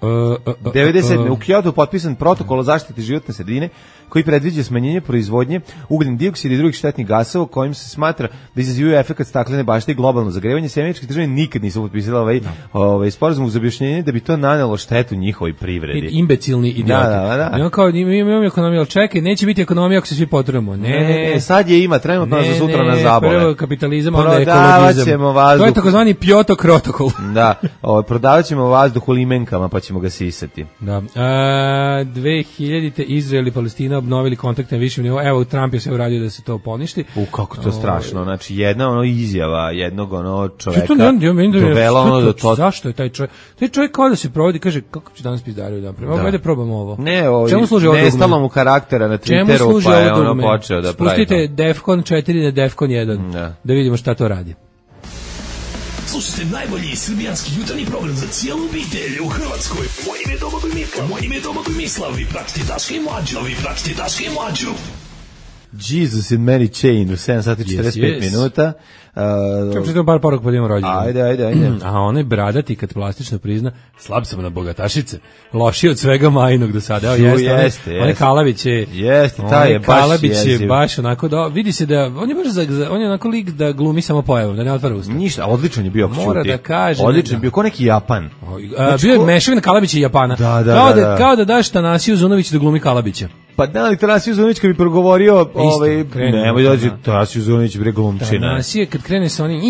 97. u Kyotu potpisan protokol o zaštiti životne sredine koji predviđa smanjenje proizvodnje ugljen dioksida i drugih štetnih gasova kojim se smatra da izazivaju efekat staklene bašte i globalno zagrevanje. Američke države nikad nisu potpisale ovaj sporazum uz objašnjenje da bi to nanelo štetu njihovoj privredi. Imbecilni idioti. Da. Imamo kao imamo ekonomiju, čekaj, neće biti ekonomija ako se svi potrujemo. Ne, sad je ima, trenutno za sutra na zabole. Prvo kapitalizam, onda ekologizam. To je takozvani Kyoto protokol. Da, prodavaćemo vazduh u limenkama pa ćemo ga sisati. Da. 2000-te Izrael i Palestina obnovili kontakte na višem nivou. Evo, Trump je se uradio da se to poništi. Kako to strašno. Znači, jedna izjava jednog čoveka dovela do to. Zašto je taj čovjek? Taj čovjek kao da se provodi, kaže, kako će danas pizdariju dan prema. Ajde probamo ovo. Ne, nestalo mu karaktera na Twitteru, pa je ono počeo da pravi. Spustite Defcon 4 na Defcon 1, da vidimo šta to radi. Slušajte najbolji srbijanski jutarnji program za cijelu obitelj u Hrvatskoj. Moje ime je Domagoj Mirka. Moje ime je Domagoj Mislav. Vi pratite Daška i Mlađu. Jesus in Mary Chain u 7 sati 45 minuta. Kako ćete par poruka podijemo rođendan? Ajde. A onaj bradati kad plastično prizna, slab sam na bogatašice, lošiji od svega majnog do sada. Evo jeste. Onaj Kalabić je... Jeste, taj je baš Kalabić je baš onako da... Vidi se da... On je baš on je onako lik da glumi samo pojavom, da ne otvara usta. Ništa, odličan je bio. Mora da kaže... Odličan je bio, ko neki Japan. Bio je mešavina Kalabića i Japana. Kao da daš Tanasiju Zunović da glumi Kalabića. Pa da li Tanasiju Zunović kad bi progovorio, nemoj dođi Tanasiju Zunović bre glumčina. Tanasije kad krene sa onim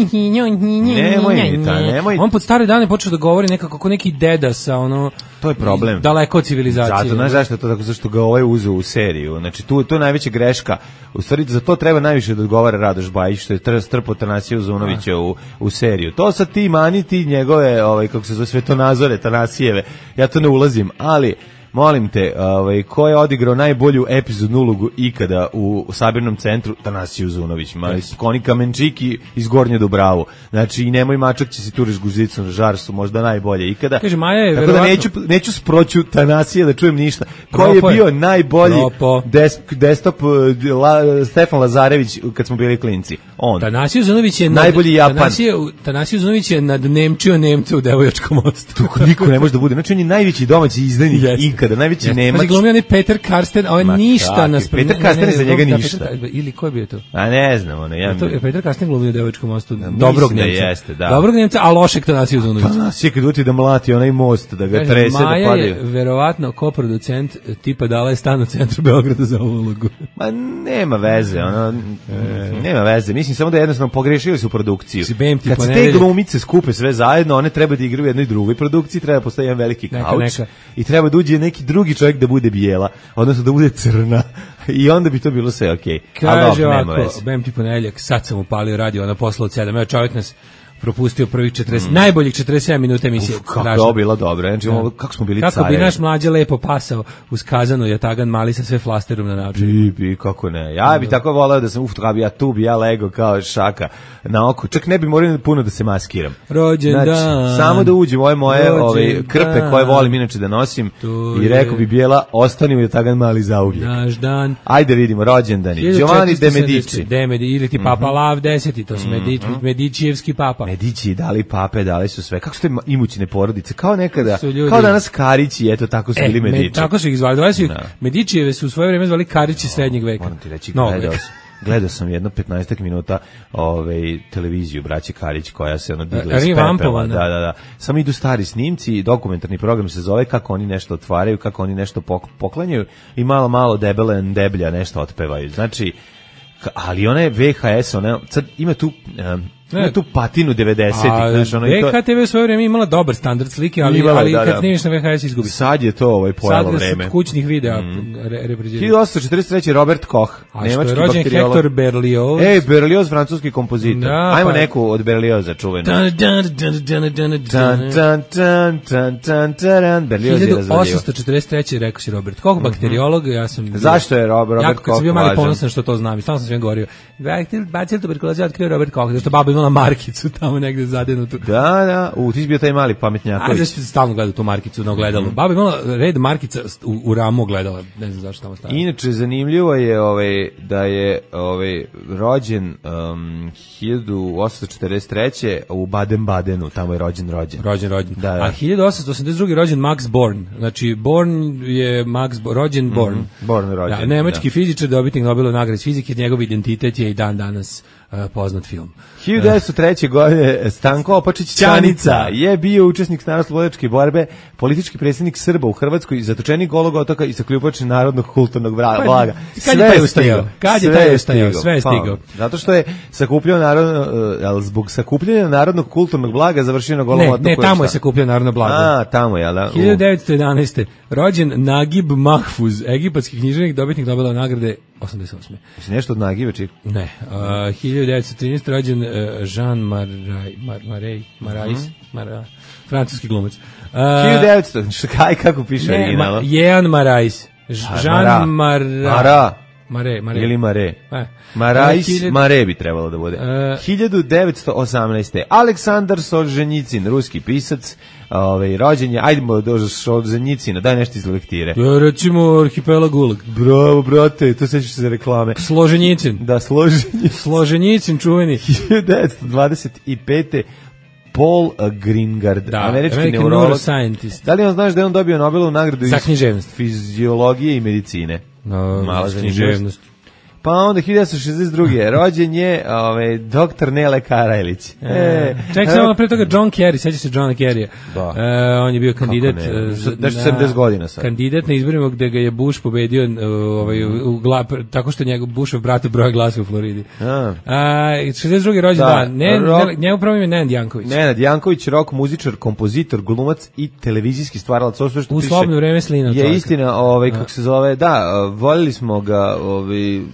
nemoj. On pod stare dane počeo da govori nekako kako neki deda sa ono. To je problem. Daleko od civilizacije. Zato, znaš zašto je to tako, zašto ga uzeo u seriju. Znači, to je najveća greška. U stvari, za to treba najviše da odgovara Radoš Bajić, što je strpao Tanasiju Zunovića u seriju. To sad ti maniti njegove, kako se zove, svetonazore Tanasijeve. Ja to ne ulazim, ali... Molim te, ko je odigrao najbolju epizodnu ulogu ikada u sabirnom centru? Tanasiju Zunović, Koni Kamenčiki iz Gornje Dubravu. Znači, i Nemoj mačak će si turiš guzicu na žar su možda najbolje ikada. Kaže, Maja je tako verovatno... da neću sproću Tanasije da čujem ništa. Ko je bio najbolji desktop Stefan Lazarević kad smo bili klinci? On. Tanasiju Zunović je najbolji Japan. Tanasiju Zunović je nadnemčio Nemca u Devojačkom mostu. To niko ne može da bude. Znači, on je najveći domaći izdajnik kada najveći Nemac. Glumio je Peter Karsten, a on ništa Peter Karsten je za njega ništa. Ili ko je bio to? A ne znam, Peter Karsten glumio u Devojačkom mostu. Dobrog Nemca. Jeste, da. Dobrog Nemca, a lošeg Tanasiju Zunovića. Tanasije kad uti da mlati onaj most, da ga trese, da padaju. Maja je verovatno koproducent tipa dala je stan u centru Beograda za ovu ulogu. Ma nema veze, nema veze. Mislim samo da jednostavno pogrešili su produkciju. Kad se te glumice skupe sve zajedno, one treba da igraju u jednoj drugoj produkciji, treba postoji jedan veliki kauč i treba da uđe neki drugi čovjek da bude bijela, odnosno da bude crna i onda bi to bilo sve okej. Kaže ovako, bem ti ponedjeljak, sad sam upalio radio, ona posla od 7, evo čovjek nas propustio prvih 40, najboljih 47 minuta emisije. Kako je bilo dobro, znači kako smo bili carevi. Kako bi naš mlađe lepo pasao uz kazanu Jatagan Mali sa sve flasterom na način. Bi, kako ne. Ja bi tako voleo da sam ja lego kao šaka na oko. Čak ne bi morao puno da se maskiram. Rođendan. Znači, samo da uđem moje krpe koje volim inače da nosim i rekao bi bijela, ostani u Jatagan Mali zauvijek. Naš dan. Ajde vidimo, rođendani. Giovanni de Medici. Ili ti Papa Lav 10, to su Medicijevski papa. Medići dali pape, dali su sve. Kako su te imućne porodice? Kao nekada, kao danas Karići, eto tako su bili Medići. Tako su ih zvali. Medićijeve su u svoje vrijeme zvali Karići srednjeg veka. Moram ti reći, gledao sam jedno 15 minuta televiziju braće Karić koja se digla iz pepela. Da. Samo idu stari snimci, dokumentarni program se zove kako oni nešto otvaraju, kako oni nešto poklanjaju i malo debele deblja nešto otpevaju. Znači, ali ona je VHS, sad ima tu patinu 90-ih, znaš, VHTV u svoje vrijeme imala dobar standard slike, ali kad snimiš na VHS izgubi. Sad je to pojelo vreme. Sad kućnih videa reprezentiraju. 1843. Robert Koch, nemački bakteriolog. A što je rođen Hector Berlioz. Berlioz, francuski kompozitor. Ajmo neku od Berlioza čuvenu. Berlioz je razvalio. 1843. rekao si Robert Koch, bakteriolog, ja sam... Zašto je Robert Koch važan? Ja sam bio mali ponosan što to znam i stalno sam sve govorio. Bacil tuberkuloze otkrio Robert Koch, zašto baba imala markicu tamo negde zadenutu. Da, ti si bio taj mali pametnjaković. A zašto stalno gledao tu markicu na ogledalu? Baba imala red markica u ramu ogledala, ne znam zašto tamo stavila. Inače, zanimljivo je da je rođen 1843. u Baden-Badenu, tamo je rođen. Da. A 1882. rođen Max Born, znači Born je rođen Born. Born rođen. Da, nemački fizičar, dobitnik Nobelove nagrade iz fizike, njegov identitet je i dan danas poznat film. 1903. godine Stanko Opačić Ćanica je bio učesnik narodnooslobodilačke borbe, politički predsjednik Srba u Hrvatskoj, zatočenik Golog otoka i sakljubač Narodnog kulturnog blaga. Kad je taj ustajao? Sve je stigao. Zato što je zbog sakupljanja Narodnog kulturnog blaga završio na Golom otoku. Ne, tamo je sakupljeno Narodno blago. A, tamo je, da. 1911. rođen Nagib Mahfuz, egipatski književnik, dobitnik Nobelove nagrade 88. Jesi nešto od Nagiba, čik? Ne. 1913. rođen Jean Marais, francuski glumac. 1900, kako piše originalno? Jean Marais. Jean Mara. Mare. Ili Mare. Marais, Mare bi trebalo da bude. 1918. Aleksandar Solženjicin, ruski pisac, rođen je, ajdemo do Solženjicina, daj nešto iz lektire. Recimo Arhipelag Gulag. Bravo, brate, to sećaš se za reklame. Složenjicin. Da, Složenjicin, čuveni. 1925. Paul Greengard, američki neurolog. Da li on znaš da je on dobio Nobelovu nagradu za književnost, fiziologije i medicine? Mala književnost. Pa onda 1962. rođen je doktor Nele Karajlić. Ček, samo pre toga John Kerry, seća se Johna Kerrya. On je bio kandidat da što 70 godina sad. Kandidat na izborima gde ga je Bush pobedio tako što njegov Bushov brat broja glasa u Floridi. 62. rođen njegov pravo ime je Nenad Janković. Nenad Janković, rock muzičar, kompozitor, glumac i televizijski stvaralac. U slobodno vreme slina. Je istina, kako se zove, da, voljeli smo ga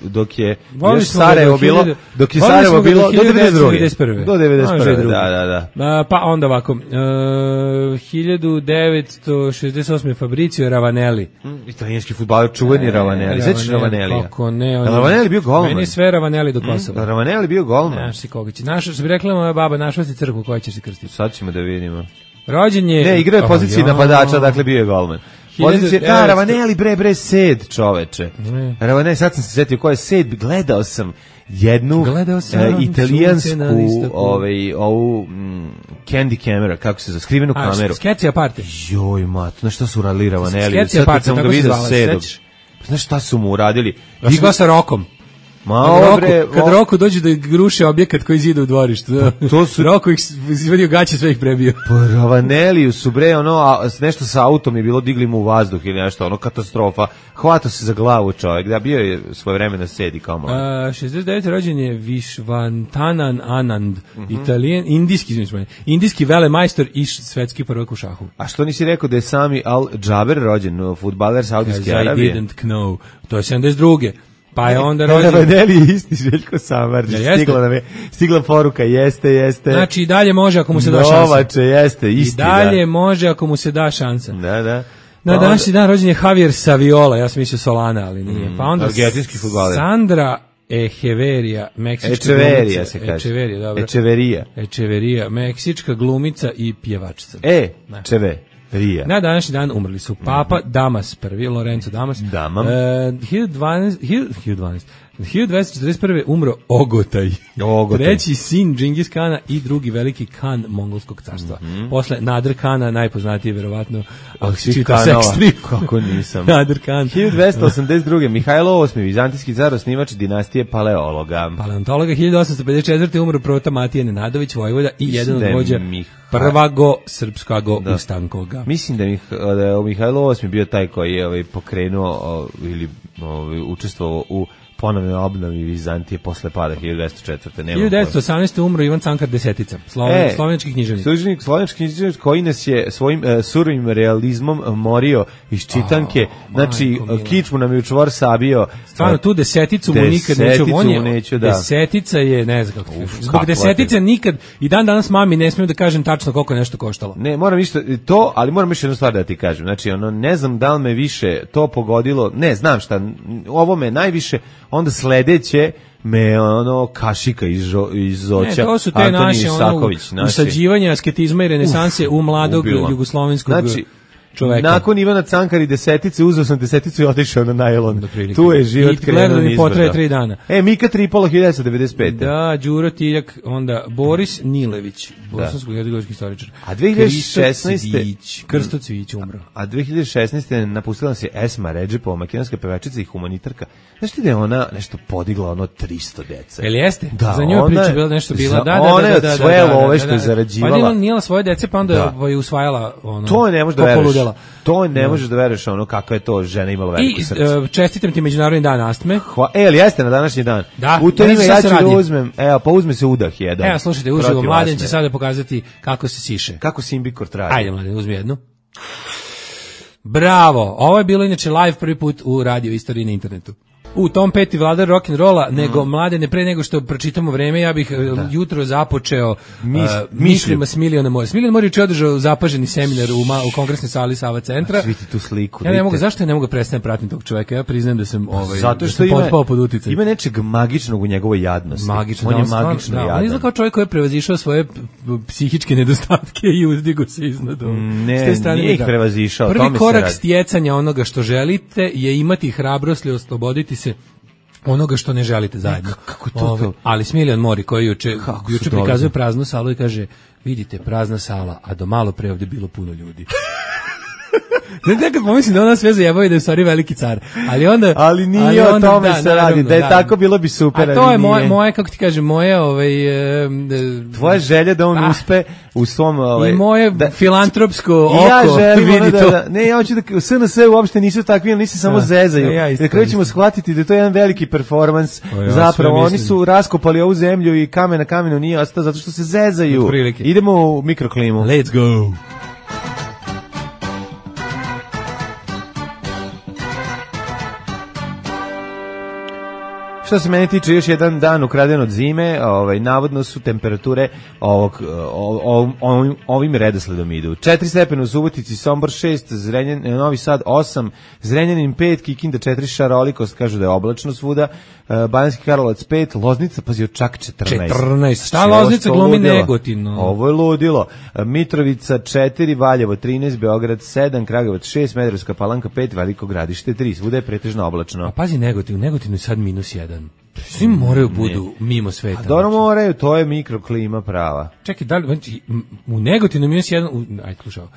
dok je Sarajevo bilo do 92. Do 91. Da. Pa onda ovako 1968. Fabrizio Ravanelli, italijanski fudbaler, čuveni Ravanelli. Sećaš Ravanellija? Kako ne, Ravanelli bio golman. Meni sve Ravanelli do Kosova. Ravanelli bio golman. Znaš si koga će. Našao se bi rekla moja baba, našla si crkvu koja će se krstiti. Sad ćemo da vidimo. Rođen je... Ne, igrao je poziciji napadača, dakle bio je golman. Ravanelli bre Sed, čoveče. Ravanelli, sad sam se setio ko je Sed, gledao sam jednu italijansku ovu Candy Camera, kako se za skrivenu kameru. Sketch Aparte. Joj, mat, znaš šta su uradili Ravanelli? Sad sam ga vidio Sedom. Znaš šta su mu uradili? Išla sa Rokom. Kad Roku dođe da gruše objekat koji zida u dvorištu. Roku ih izvadio gaće, sve ih prebio. Pa Ravanelliju su nešto sa autom je bilo, digli mu u vazduh ili nešto, katastrofa. Hvatao se za glavu čovjek, da bio je svoje vreme na sedi kao malo. 69. rođen je Vishwanathan Anand, indijski velemajstor i svetski prvak u šahu. A što nisi rekao da je Sami Al-Džaber rođen, fudbaler Saudijske Arabije? I didn't know. To je 72. Pa je onda rođen... Ravanelli je isti Željko Samardžić. Stigla poruka, jeste. Znači i dalje može ako mu se da šansa. Novače, jeste, isti. I dalje može ako mu se da šansa. Da. Na današnji dan rođen je Javier Saviola, ja sam mislio Solana, ali nije. Pa onda argentinski fudbaler. Sandra Echeverija, meksička glumica. Se kaže. Echeverija, meksička glumica i pjevačica. Na današnji dan umrli su Papa Damas I, Lorenzo Damas. 1241. umro Ogotaj. Treći sin Džingis Kana i drugi veliki kan mongolskog carstva. Posle Nadir Kana, najpoznatiji verovatno, ako si čitao seks strip. Kako nisam. Nadir Kan. 1282. Mihajlo VIII, vizantijski car, osnivač dinastije Paleologa. 1854. umro Prota Matija Nenadović, vojvoda i jedan od vođa prvago srpskago ustankoga. Mislim da je Mihajlo VIII bio taj koji je pokrenuo ili učestvovao u ponovnoj obnovi Vizantije posle pada 1904. 1918. umro Ivan Cankar Desetica, slovenski književnik. Slovenski književnik koji nas je svojim surovim realizmom morio iz čitanke. Znači, kičmu nam je u čvor sabio. Stvarno, tu Deseticu mu nikad neću. Desetica je, ne znam kako. Zbog Desetice nikad, i dan danas mami ne smijem da kažem tačno koliko je nešto koštalo. Ne, moram to, ali moram još jednu stvar da ti kažem. Znači, ne znam da li me više to pogodilo, ne, znam šta, ovo me najviše onda sledeće me ono kašika iz Zoća. To su te naše usađivanja asketizma i renesanse u mladog jugoslovenskog čoveka. Nakon Ivana Cankar i desetice, uzeo sam deseticu i otišao na najlon. Tu je život krenuo nizbrdo. I potraje 3 dana. Mika Tripolo 1995. Da, Đuro Tiljak, onda Boris Nilević, bosansko-hercegovački istoričar. A 2016. Krsto Cvijić umro. A 2016. napustila se Esma Redžepova, makedonska pevačica i humanitarka. Znaš ti da je ona nešto podigla 300 deca? Jel jeste? Da, za nju priča bila nešto bila. Ona je od svoje love što je zarađivala. Pa nije svoje dece, pa onda je usvajala to ne može da veruješ. To ne možeš da veruješ kakva je to žena imala veliko srce. I čestitam ti Međunarodni dan astme. Ali jeste na današnji dan. Da, u to ime ja ću da uzmem. Pa uzme se udah jedan. Evo, slušajte, uživo, Mladen će sada pokazati kako se siše. Kako Simbikort radi. Ajde, Mladen, uzmi jednu. Bravo, ovo je bilo inače live prvi put u radio istoriji na internetu. U Tom Petty vladar rock'n'rolla, nego Mladene, pre nego što pročitamo vreme, ja bih jutro započeo mislima s Miliona Morić. Milion Morić je održao zapaženi seminar u kongresnoj sali Sava centra. Vidite tu sliku. Ja ne mogu, zašto ja ne mogu prestati pratiti tog čoveka? Ja priznajem da sam zato što potpao pod uticajem. Ima nečeg magičnog u njegovoj jadnosti. Magično, on je magično jadan. On izgleda kao čovjek koji je prevazišao svoje psihičke nedostatke i uzdigo se iznad. Nije ih prevazišao. Prvi korak stjecanja onoga što želite je imati hrabrost i osloboditi se onoga što ne želite zajedno. Kako to? Ali Smiljan Mori koji juče prikazuje praznu salu i kaže, vidite, prazna sala, a do malo pre ovdje bilo puno ljudi. Nekad pomislim da ona sve zajebao i da je u stvari veliki car. Ali nije o tome se radi. Da je tako bilo bi super. A to je moje, kako ti kažem, moje... tvoja želja da on uspe u svom... I moje filantropsko oko. Ja želim ja hoću da SNS uopšte nisu takvi, ali nisu samo zezaju. Da kraju ćemo shvatiti da je to jedan veliki performans. Zapravo, oni su raskopali ovu zemlju i kamen na kamenu nije ostao zato što se zezaju. Idemo u mikroklimu. Let's go. Što se mene tiče, još jedan dan ukraden od zime, navodno su temperature ovim redosledom idu. 4 stepena u Subotici, Sombor 6, Novi Sad 8, Zrenjanin 5, Kikinda 4, šarolikost, kažu da je oblačno svuda, Banjski Karlovac 5, Loznica, pazio, čak 14. 14, šta Loznica glumi Negotin? Ovo je ludilo. Mitrovica 4, Valjevo 13, Beograd 7, Kragujevac 6, Smederevska Palanka 5, Veliko Gradište 3, svuda je pretežno oblačno. A pazi Negotin, u Negotinu je sad -1. Svi moraju budu mimo sveta. A dobro moraju, to je mikroklima prava. Čekaj, da li u Negotinu -1, ajde slušao.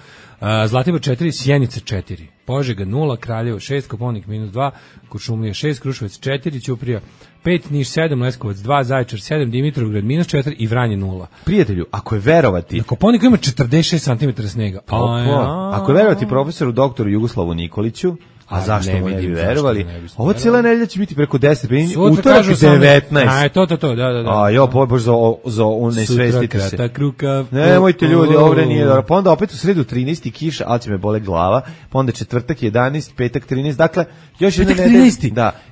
Zlatibor 4, Sjenica 4, Požega 0, Kraljevo 6, Koponik -2, Kuršumlija 6, Kruševac 4, Ćuprija 5, Niš 7, Leskovac 2, Zaječar 7, Dimitrovgrad -4 i Vranje 0. Prijatelju, ako je verovati... Na Koponiku ima 46 cm snega. Ako je verovati profesoru doktoru Jugoslavu Nikoliću, a zašto mu ne bi verovali? Ovo cijela nedelja će biti preko 10, utorak 19. Da. A jo, bož za unesvestite se. Sutra kratak rukav. Nemojte ljudi, ovdje nije dobro. Pa onda opet u sredu 13 kiša, ali će me bole glava. Pa onda četvrtak 11, petak 13. Dakle,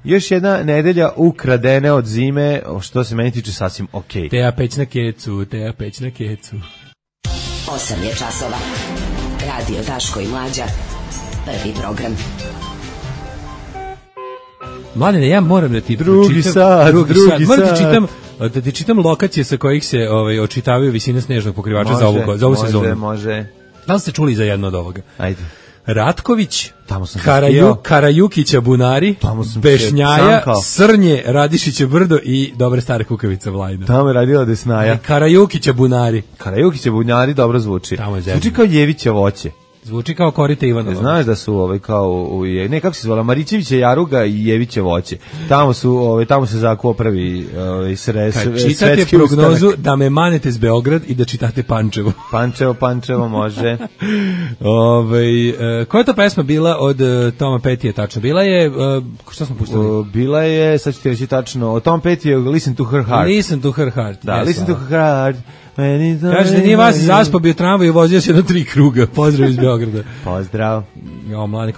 još jedna nedelja ukradene od zime, što se meni tiče sasvim okej. Teja peć na kecu. 8 je časova. Radio Daško i Mlađa. Prvi program. Mladene, ja moram da ti drugi sad. Da ti čitam lokacije sa kojih se očitavaju visine snežnog pokrivača za ovu sezonu. Može. Da li ste čuli za jedno od ovoga? Ajde. Ratković, Karajukića Bunari, Bešnjaja, Srnje, Radišića Brdo i dobre stare Kukavica Vlajna. Tamo je radila Desnaja. Karajukića Bunari dobro zvuči. Zvuči kao Ljevića voće. Zvuči kao korite Ivanova. Znaš da su kao kako se zvala Marićevića Jaruga i Jevića voće. Tamo se zakuo prvi kad čitate prognozu da me manete s Beograd i da čitate Pančevo. Pančevo može. Koja je to pesma bila od Toma Pettyja tačno? Bila je šta smo pustili? Bila je, sad ću ti reći tačno, od Tom Petty Listen to Her Heart. Listen to Her Heart. Da, Listen to Her Heart. Kaže da nije vas zaspao, bio tramvaj i vozio se na 3 kruga. Pozdrav iz Beograda. Pozdrav. Jo, mladi,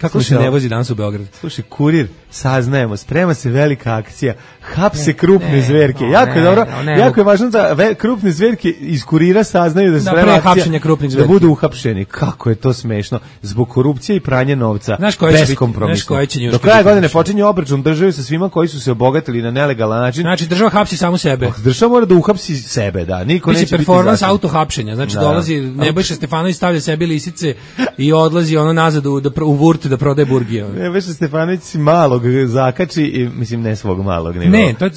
kako se ne vozi danas u Beograd? Slušaj, kurir, saznajemo, sprema se velika akcija, hapse krupne zverke. Jako je dobro, jako je važno da krupne zverke iz kurira saznaju da se sprema akcija, da budu uhapšeni. Kako je to smešno. Zbog korupcije i pranja novca, beskompromisno. Do kraja godine počinje obračun države sa svima koji su se obogatili na nelegalan način. Znači, država hapsi samo sebe. Država mora da uhapsi sebe, da. Niko neće biti performans auto-hapšenja. Znači, dolazi Nebojša Stefanović, stavlja sebi lisice i odlazi nazad u Vurt da prodaje burgije. Nebojša Stefanović si malog zakači i, mislim, ne svog malog, nego ne, to je,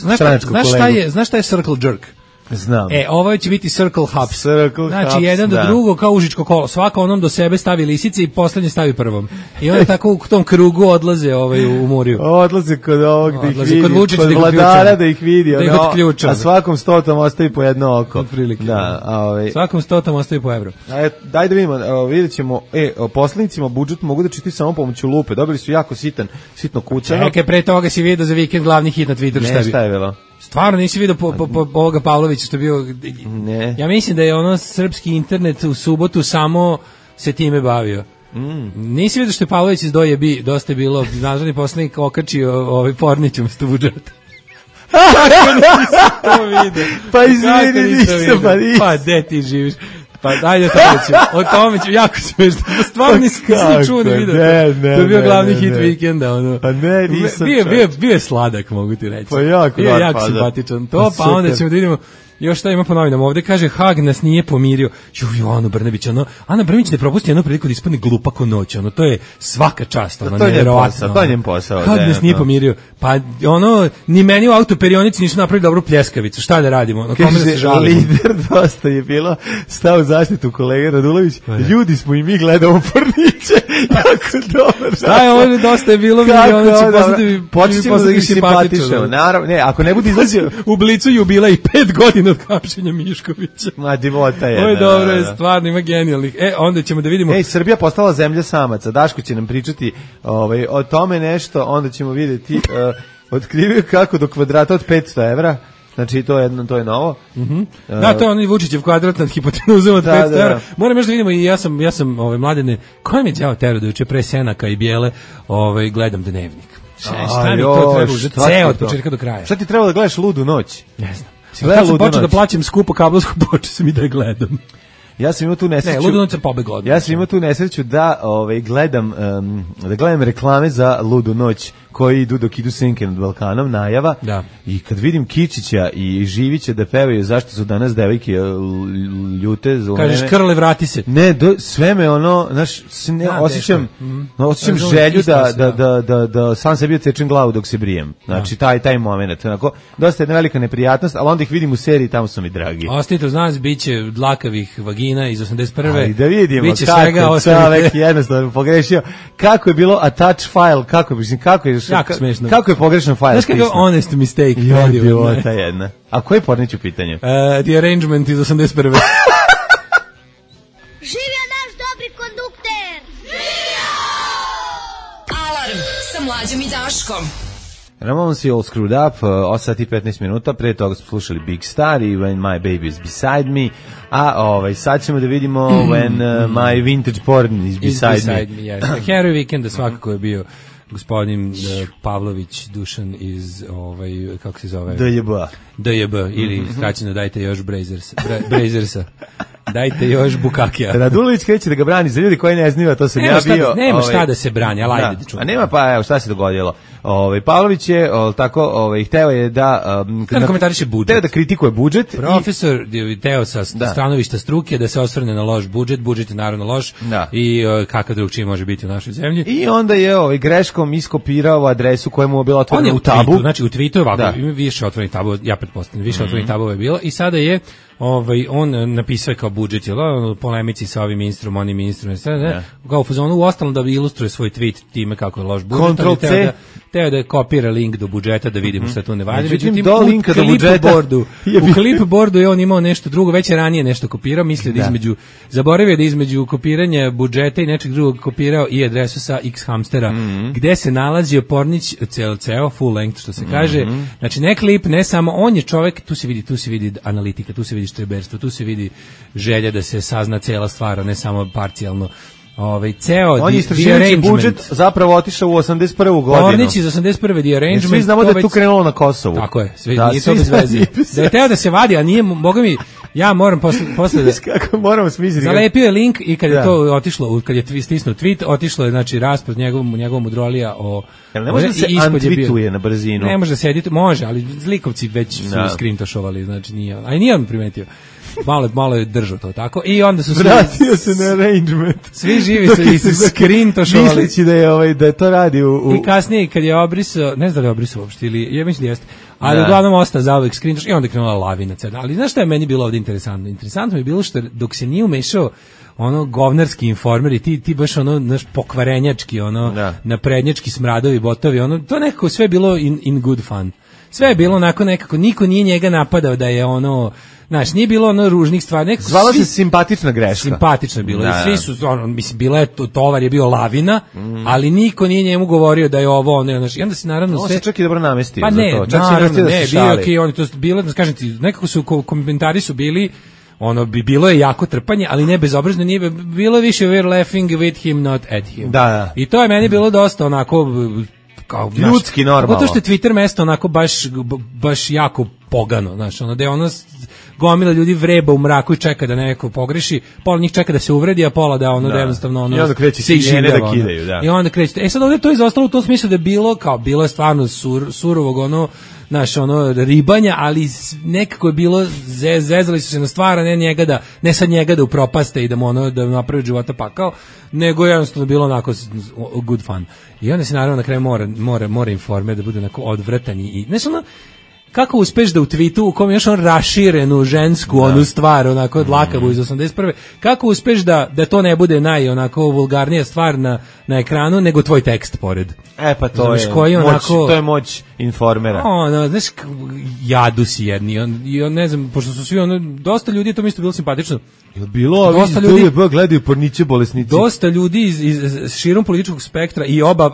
znaš šta je circle jerk? Znam. Ovo će biti circle hops. Znači, jedan do drugog kao užičko kolo. Svako onom do sebe stavi lisice i poslednje stavi prvom. I onda tako u tom krugu odlaze u Muriju. Odlaze kod ovog da ih vidi, kod vladara da ih vidi. A svakom 100 ostavi po jedno oko. Svakom 100 ostavi po evro. Daj da vidimo, vidjet ćemo, poslanicima budžet mogu da čiti samo pomoću lupe. Dobili su jako sitno kucano. Čekaj, pre toga si vidio za vikend glavni hit na Twitteru. Šta je bilo? Stvarno nisi vidio ovoga Pavlovića što je bio... Ne. Ja mislim da je srpski internet u subotu samo se time bavio. Nisi vidio što je Pavlović iz Dojebi, dosta je bilo, nazvani poslanik okačio Pornić umesto budžeta. Kako nisi to vidio? Pa izvini, nisam. Pa gde ti živiš? Pa ajde o tome ću, jako smešno. Stvarno nisi čuo ni vidio. To je bio glavni hit vikenda. A ne, nisam. Bio je sladak, mogu ti reći. Pa jako simpatičan. To, pa onda ćemo da vidimo još šta ima po novinama. Ovde kaže, Hag nas nije pomirio. Ano Brnabić, Ana Brnabić ne propusti jednu priliku da ispadne glupa ko noć. To je svaka čast. To je njen posao. Hag nas nije pomirio. Pa ni meni u autoperionici nisu napravili dobru pljeskavicu. Šta da radimo? Kome da se žalimo? Lider dosta je bilo stao u zaštitu kolega Radulović. Ljudi smo i mi gledamo Porniće. Jako dobro. Šta je ovo dosta je bilo? Počnemo da ih simpatišemo. Naravno, ne, ako ne bude izlazio u Blicu jubila i 5 godina od hapšenja Miškovića. Ma divota je. Ovo je dobro, je stvarno, ima genijalnih. Onda ćemo da vidimo. Srbija postala zemlja samaca. Daško će nam pričati o tome nešto, onda ćemo vidjeti otkrivio kako do kvadrata od 500 evra. Znači, to je novo. Da, to je onaj Vučićev kvadrat nad hipotenuzom od 500 evra. Moram još da vidimo i ja sam mladene, ko mi je đavo tero da juče pre Senaka i Bijele gledam Dnevnik. Šta mi to treba uzeti? Ceo od početka do kraja. Šta ti treba da gledaš Ludu noć? Ne znam. Kad sam počeo da plaćam skupo kablovsku, počeo sam i da je gledam. Ja sam imao tu nesreću. Ne, Ludu noć sam pobegao. Ja sam imao tu nesreću da gledam reklame za Ludu noć koji idu dok idu senke nad Balkanom, najava. Da. I kad vidim Kičića i Živića da pevaju zašto su danas devojke ljute. Kažeš Krle, vrati se. Ne, sve me osjećam želju da sam sebi odsečem glavu dok se brijem. Znači, taj moment. Onako, dosta jedna velika neprijatnost, ali onda ih vidim u seriji, tamo su mi dragi. Ostanite uz nas, bit će dlakavih vagina iz 81. Ali da vidimo kako čovek jednostavno pogrešio. Kako je bilo a touch file, kako je jako smešno. Kako je pogrešan file? Znaš kako je honest mistake? Idiota jedna. A koji je Pornić u pitanju? The Arrangement iz 81. Živio naš dobri kondukter! Živio! Alarm sa Mlađom i Daškom. Ramones i All Screwed Up, 8 sati i 15 minuta, pre toga smo slušali Big Star i When My Baby Is Beside Me, a sad ćemo da vidimo When My Vintage Porn Is Beside Me. Harry Weekend svakako je bio gospodin Pavlović Dušan iz kako se zove? DJB ili skraćeno dajte još Brazersa. Dajte još Bukakija. Radulović kreće da ga brani za ljudi koji ne znaju, to sam ja bio. Nema šta da se brani, ali ajde da čujemo. A nema, pa evo šta se dogodilo. Pavlović je tako hteo je da komentariše budžet. Hteo da kritikuje budžet. Profesor je hteo sa stanovišta struke da se osvrne na loš budžet. Budžet je naravno loš i kakav drugčiji može biti u našoj zemlji. I onda je greškom iskopirao adresu koja mu je bila otvorena u tabu. Znači u tweetu je ovako, ima više otvorenih tabova, ja pretpostavljam, više otvorenih tabova je bilo i sada je on napisao kao budžet, polemici sa ovim ministrom, onim ministrom, kao u fazonu u ostalom da ilustruje svoj tweet time kako je loš budžet. Ctrl+C. Teo da kopira link do budžeta da vidimo šta tu ne valja. Međutim, do linka do budžeta u clipboardu je on imao nešto drugo, već je ranije nešto kopirao, mislio da zaboravio da između kopiranja budžeta i nečeg drugog kopirao i adresu sa X hamstera, gde se nalazio Pornić full length što se kaže. Znači ne klip, ne samo, on je čovjek, tu se vidi analitika, tu se vidi štreberstvo, tu se vidi želja da se sazna cela stvar, a ne samo parcijalno. Ceo on je istraživački budžet zapravo otišao u 81. godinu. Ornić iz 81. The Arrangement. Svi znamo da je tu krenulo na Kosovu. Tako je, nije to bez veze. Da je teo da se vadi, a nije, boga mi, ja moram posle da... Kako moramo smisliti. Zalepio je link i kad je to otišlo, kad je stisnuo tweet, otišlo je, znači, raspad njegovom udrolija o... Ne može da se untweetuje na brzinu. Ne može da se edituje, može, ali zlikovci već su screenshotali, znači nije on. A i nije on primetio. Malo je držao to tako i onda su vratio se na Arrangement. Svi živi se screenshotali misleći da je to radi u... I kasnije kad je obrisao, ne znam da je obrisao uopšte ili ja mislim da jeste, ali uglavnom ostao zauvek screenshot i onda je krenula lavina cena. Ali znaš šta je meni bilo ovdje interesantno? Interesantno mi je bilo što dok se nije umešao ono govnarski informer i ti baš ono naš pokvarenjački, ono naprednjački smradovi botovi, ono to nekako sve bilo in good fun. Sve je bilo onako nekako, niko nije njega napadao da je ono, znaš, nije bilo ono ružnih stvari. Zvala se simpatična greška. Simpatično je bilo. I svi su, ono, mislim, bila je, tovar je bio lavina, ali niko nije njemu govorio da je ovo, ono, znaš, i onda se naravno sve... On se čak i dobro namestio pa za ne, to. Čak naravno, ne, bio on to bilo, da kažem ti, nekako su, komentari su bili, ono, bilo je jako trpanje, ali ne bezobrazno, nije, bilo više we're laughing with him, not at him. Da. I to je meni bilo dosta onako... kao ljudski normalno. Zato što je Twitter mesto onako baš jako pogano, znaš, ono da je ono gomila ljudi vreba u mraku i čeka da neko pogreši, pola njih čeka da se uvredi, a pola da ono da jednostavno ono i onda kreće se iživljava da kidaju, da. I onda kreće. Sad ovdje to je izostalo u tom smislu da je bilo je stvarno surovog ono, znaš, ono ribanja, ali nekako je bilo zezali su se na stvar, ne sad njega da upropaste i da mu ono da napravi života pakao, nego jednostavno bilo onako good fun. I onda se naravno na kraju mora informer da bude onako odvratan i znaš ono kako uspeš da u tweetu u kom još on raširenu žensku onu stvar onako dlakavu iz 81. Kako uspeš da to ne bude onako vulgarnija stvar na ekranu nego tvoj tekst pored. Pa to je moć, to je moć informera. Znaš, jadu si jedni i on ne znam, pošto su svi dosta ljudi, to mi isto bilo simpatično. Bilo, dosta ljudi gledaju porniće bolesnici. Dosta ljudi iz širom političkog spektra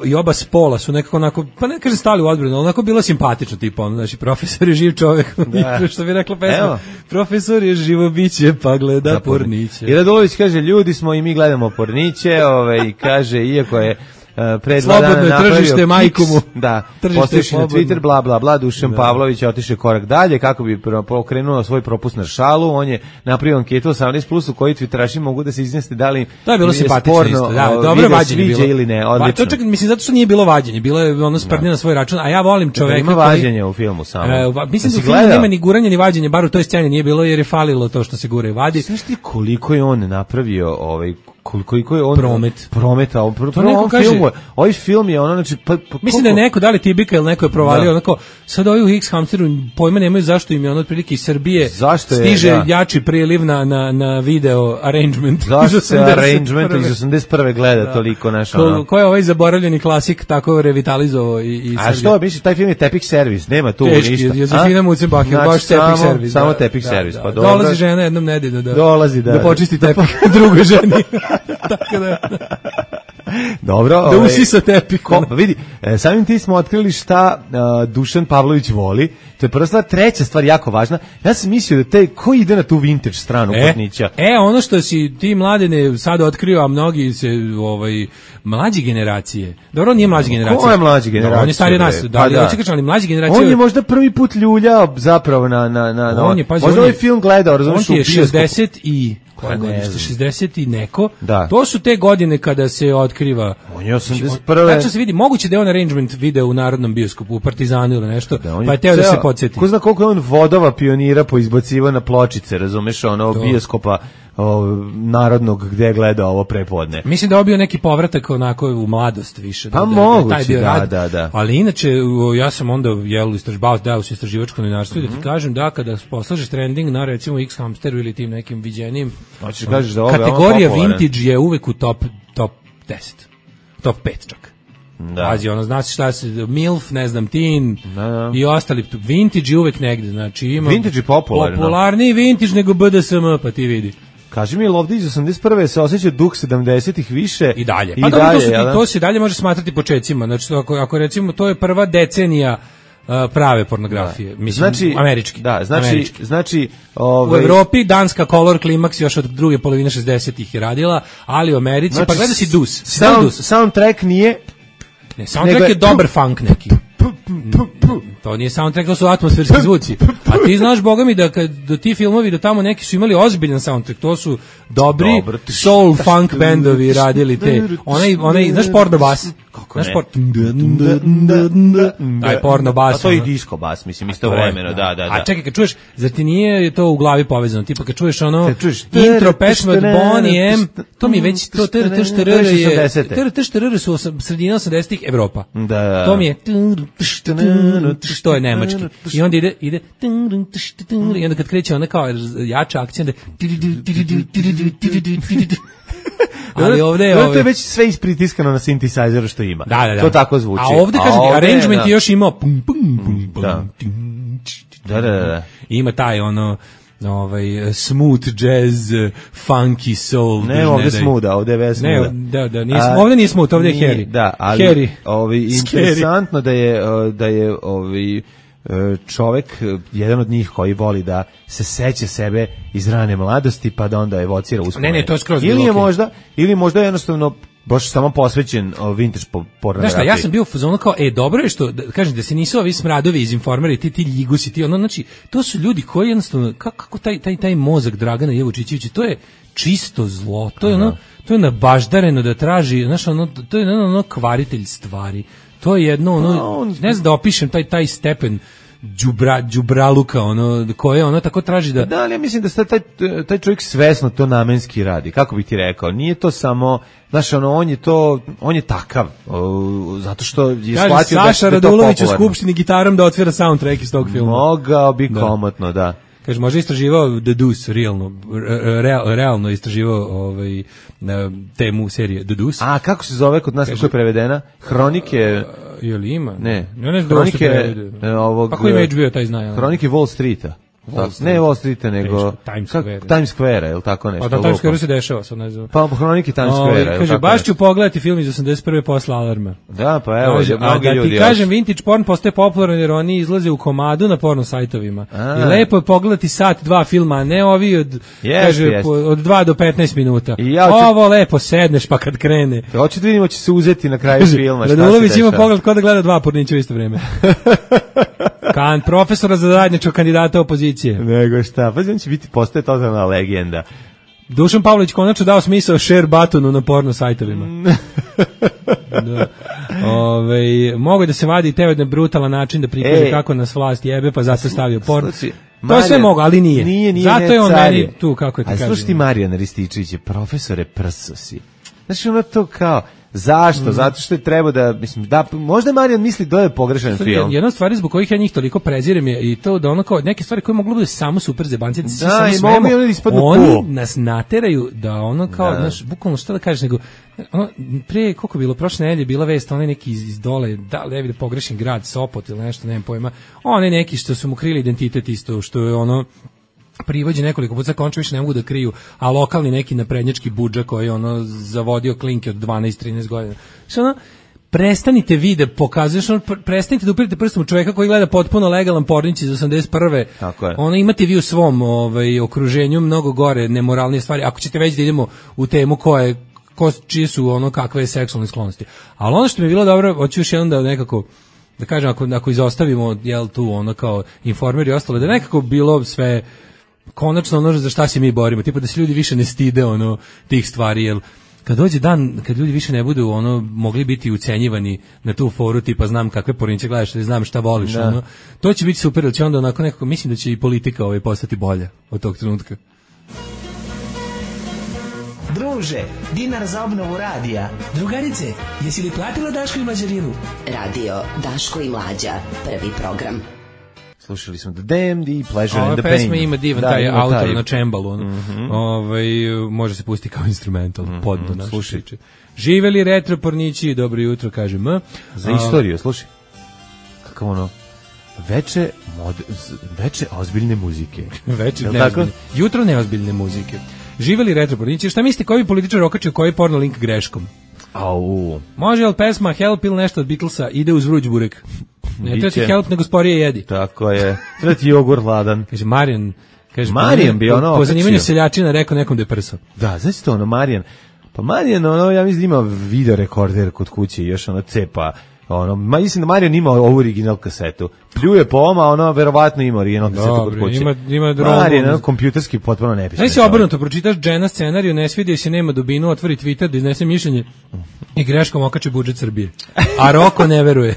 i oba spola su nekako onako, pa ne kažem stali u odbranu, ali onako bilo simpatično, tipa znači profesor je živ čovjek, što bi rekla pesma. Profesor je živo biće, pa gleda porniće. I Radulović kaže, ljudi smo i mi gledamo porniće, i kaže, iako je pred dva dana napravio tržište majkomu. Da, postojiš na Twitter, bla, bla, bla, Dušan Pavlović je otišao korak dalje, kako bi pokrenuo svoj propust na šalu, on je napravio anketu 18+, u kojoj Twitteraši mogu da se izjasne da li to je bilo simpatično isto, dobro vađenje bilo. Ili ne, odlično. To čak, mislim, zato što nije bilo vađenje, bilo je ono sprdnje na svoj račun, a ja volim čoveka ima vađenje u filmu samo. Mislim da u filmu nema ni guranja ni vađenje, bar u toj sceni nije bilo jer je falilo to što se gura i vadi. Znaš ti koliko je on napravio koliko je on prometa ovaj film je ono, znači mislim da je neko, da li Tibika ili neko je provalio onako, sad ovi u X-Hamsteru pojma nemaju zašto im je ono otprilike iz Srbije stiže jači priliv na video Arrangement. Zašto se Arrangement iz 81. gleda toliko naša ko je ovaj zaboravljeni klasik tako revitalizovao i a što, misliš, taj film je Tepih servis, nema tu ništa. Josefina Mucenbach je baš Tepih servis. Samo Tepih servis, pa dobro. Dolazi žena jednom nedeljno da počisti tepih drugoj ženi. Tako da dobro, da usisa tepih. Vidi, samim ti smo otkrili šta Dušan Pavlović voli. To je prva stvar. Treća stvar jako važna. Ja sam mislio da ko ide na tu vintage stranu pornića. Ono što si ti mladene sad otkrio, a mnogi se mlađe generacije. Dobro, nije mlađe generacije. Ko je mlađe generacije? On je stariji nas, ali mlađe generacije. On je možda prvi put ljuljao zapravo na možda ovaj film gledao, razumiješ, on je 60 i 60 i neko. To su te godine kada se otkriva. On je 81. Tačno se vidi, moguće da je on Arrangement video u Narodnom bioskopu, u Partizanu ili nešto, pa je teo da se podsjeti. Ko zna koliko je on vodova pionira poizbaciva na pločice, razumeš, bioskopa narodnog gdje je gledao ovo prepodne. Mislim da je bio neki povratak onako u mladost više. Pa moguće, da. Ali inače, ja sam onda dao se istraživačko novinarstvo i da ti kažem da kada poslažeš trending na recimo X-Hamsteru ili tim nekim viđenim, kategorija vintage je uvek u top 10. Top 5 čak. Pazi, znači šta se, MILF, ne znam, teen i ostali, vintage je uvek negde, znači ima vintage je popularniji vintage nego BDSM, pa ti vidi. Kaži mi, ovdje iz 81. se osjeća duh 70-ih više i dalje. Pa dobro, to se dalje može smatrati počecima, znači ako recimo to je prva decenija prave pornografije, mislim, znači, američki. Da, znači u Evropi danska Color Climax još od druge polovine 60-ih je radila, ali u Americi, znači, pa gleda si Dus. Soundtrack nije... Ne, soundtrack je dobar funk neki. To nije soundtrack, to su atmosferski zvuci. A ti znaš, boga mi, da ti filmovi, da tamo neki su imali ozbiljan soundtrack, to su dobri soul funk bendovi radili te. Onaj, znaš porno bas? Kako ne? Taj porno bas. A to je i disco bas, mislim, istovremeno, da. A čekaj, kad čuješ, zar ti nije to u glavi povezano? Tipa kad čuješ ono intro pesme od Bonnie M, to mi već, to TRTŠTR su sredina 80-ih Evropa. To mi je što je nemački. I onda ide i onda kad kreće ona kao jača akcija, onda ali ovde je to je već sve ispritiskano na synthesizeru što ima. Da. To tako zvuči. A ovde kaže arrangement je još imao pum pum pum. Da. Ima taj ono smooth jazz, funky soul. Ne, ovde smootha, ovde je vesno. Ne, da, ovde nije smooth, ovde je Harry. Da, ali interesantno da je čovek, jedan od njih koji voli da se seća sebe iz rane mladosti, pa da onda evocira uspomene. Ne, to je skroz ili možda jednostavno baš samo posvećen vintage pornografiji. Znaš šta, ja sam bio u fazonu kao, dobro je što, kažem, da se nisu ovi smradovi iz Informera i ti ljigusi, znači, to su ljudi koji jednostavno, kako taj mozak Dragana Jevučićevića, to je čisto zlo, to je nabaždareno da traži, znaš, to je ono kvaritelj stvari, to je jedno, ne znam da opišem taj stepen đubraluka, koje tako traži da... Da, ali ja mislim da taj čovjek svesno to namenski radi, kako bih ti rekao, nije to samo, znaš, on je takav, zato što je shvatio da je to popularno. Saša Radulović u Skupštini gitarom da otvira soundtrack iz tog filma. Mogao bi komotno, da. Kaže, možda istraživao The Deuce, realno istraživao temu serije The Deuce. A, kako se zove kod nas, kako je prevedena? Hronike... Je li ima? Ne. Ja ne znam da što prevede. Pa ko ima HBO, taj zna. Hronike Wall Streeta. Ne Wall Streeta, nego Times Square, je li tako nešto? Pa da, Times Square se dešava, sad ne znam. Pa hronike Times Square. Kaže, baš ću pogledati film iz 81. posle Alarma. Da, pa evo, mnogi ljudi. Da ti kažem, vintage porn postaje popularan jer oni izlaze u komadu na porno sajtovima. I lepo je pogledati sat, dva filma, a ne ovi od 2 do 15 minuta. Ovo lepo sedneš pa kad krene. Hoću da vidimo, će se uzeti na kraju filma. Radulović ima pogled ko da gleda dva pornića u isto vreme. Profesora za zajedničkog kandidata opozicije. Nego šta, pa on će biti postaje totalna legenda. Dušan Pavlović konačno dao smisao share buttonu na porno sajtovima. Da. Mogu da se vadi teo na brutalan način da prikaže kako nas vlast jebe, pa zato stavio porno. To sve mogu, ali nije. Zato je on meni tu, kako ti kažem. A slušaj ti Marijan Rističević, profesore prso si. Znači ono to kao... Zašto? Zato što je treba da, mislim, da, možda Marijan misli da je pogrešan film. Jedna stvar zbog kojih ja njih toliko prezirem je i to da ono kao neke stvari koje moglo biti samo super zebanci, oni nas nateraju da ono kao, znaš, bukvalno šta da kažeš, nego pre, koliko bilo, prošle nedelje bila vest, onaj neki iz dole, da li da pogrešen grad, Sopot ili nešto, nemam pojma, onaj neki što su mu krili identitet isto, što je ono, privođe nekoliko puta, končno više ne mogu da kriju, a lokalni neki naprednjački budža koji je zavodio klinke od 12-13 godina. Što prestanite vi da pokazuješ, prestanite da upirite prstom u čovjeka koji gleda potpuno legalan pornić iz 81. Tako je. Imate vi u svom okruženju mnogo gore, nemoralnije stvari, ako ćete već da idemo u temu čije su kakve seksualne sklonosti. Ali ono što mi je bilo dobro, hoću još jednom da nekako da kažem, ako izostavimo tu kao Informer i ostalo, da nekako bilo sve konačno za šta se mi borimo, tipa da se ljudi više ne stide tih stvari, jer kad dođe dan kad ljudi više ne budu mogli biti ucenjivani na tu foru, tipa znam kakve porniće gledaš, znam šta voliš, to će biti super, jer će onda nekako, mislim da će i politika postati bolja od tog trenutka. Druže, dinar za obnovu radija. Drugarice, jesi li platila Daško i Mlađarinu? Radio Daško i Mlađa, prvi program. Slušali smo The Damned i Pleasure and the Pain. Ova pesma ima divan taj autor na čembalu. Može se pustiti kao instrumental. Podno naš. Slušajte. Živeli retro pornići, dobro jutro, kaže M. Za istoriju, slušaj. Kako veče ozbiljne muzike. Jutro neozbiljne muzike. Živeli retro pornići. Šta mislite, koji političar okačio koji porno link greškom? Au. Može li pesma Help ili nešto od Beatlesa ide uz vruć burek? Ne treba ti help, nego sporije jedi. Tako je. Treba ti jogurt hladan. Kaže Marijan, bi ono po zanimanju seljačina rekao nekom da je prso. Da, znači to ono Marijan. Pa Marijan, ono, ja mislim da ima video rekorder kod kuće i još ono cepa. Ono, mislim da Marijan ima ovu original kasetu. Pljuje po oma, ono verovatno ima original kasetu kod kuće. Ima drogu. Marijan, kompjuterski potpuno nepisno. Znači se obrnuto, pročitaš Džena scenariju, ne svidio se, nema dubinu, otvori Twitter da iznese mišljenje i greškom okače budžet Srbije. A Roko ne veruje.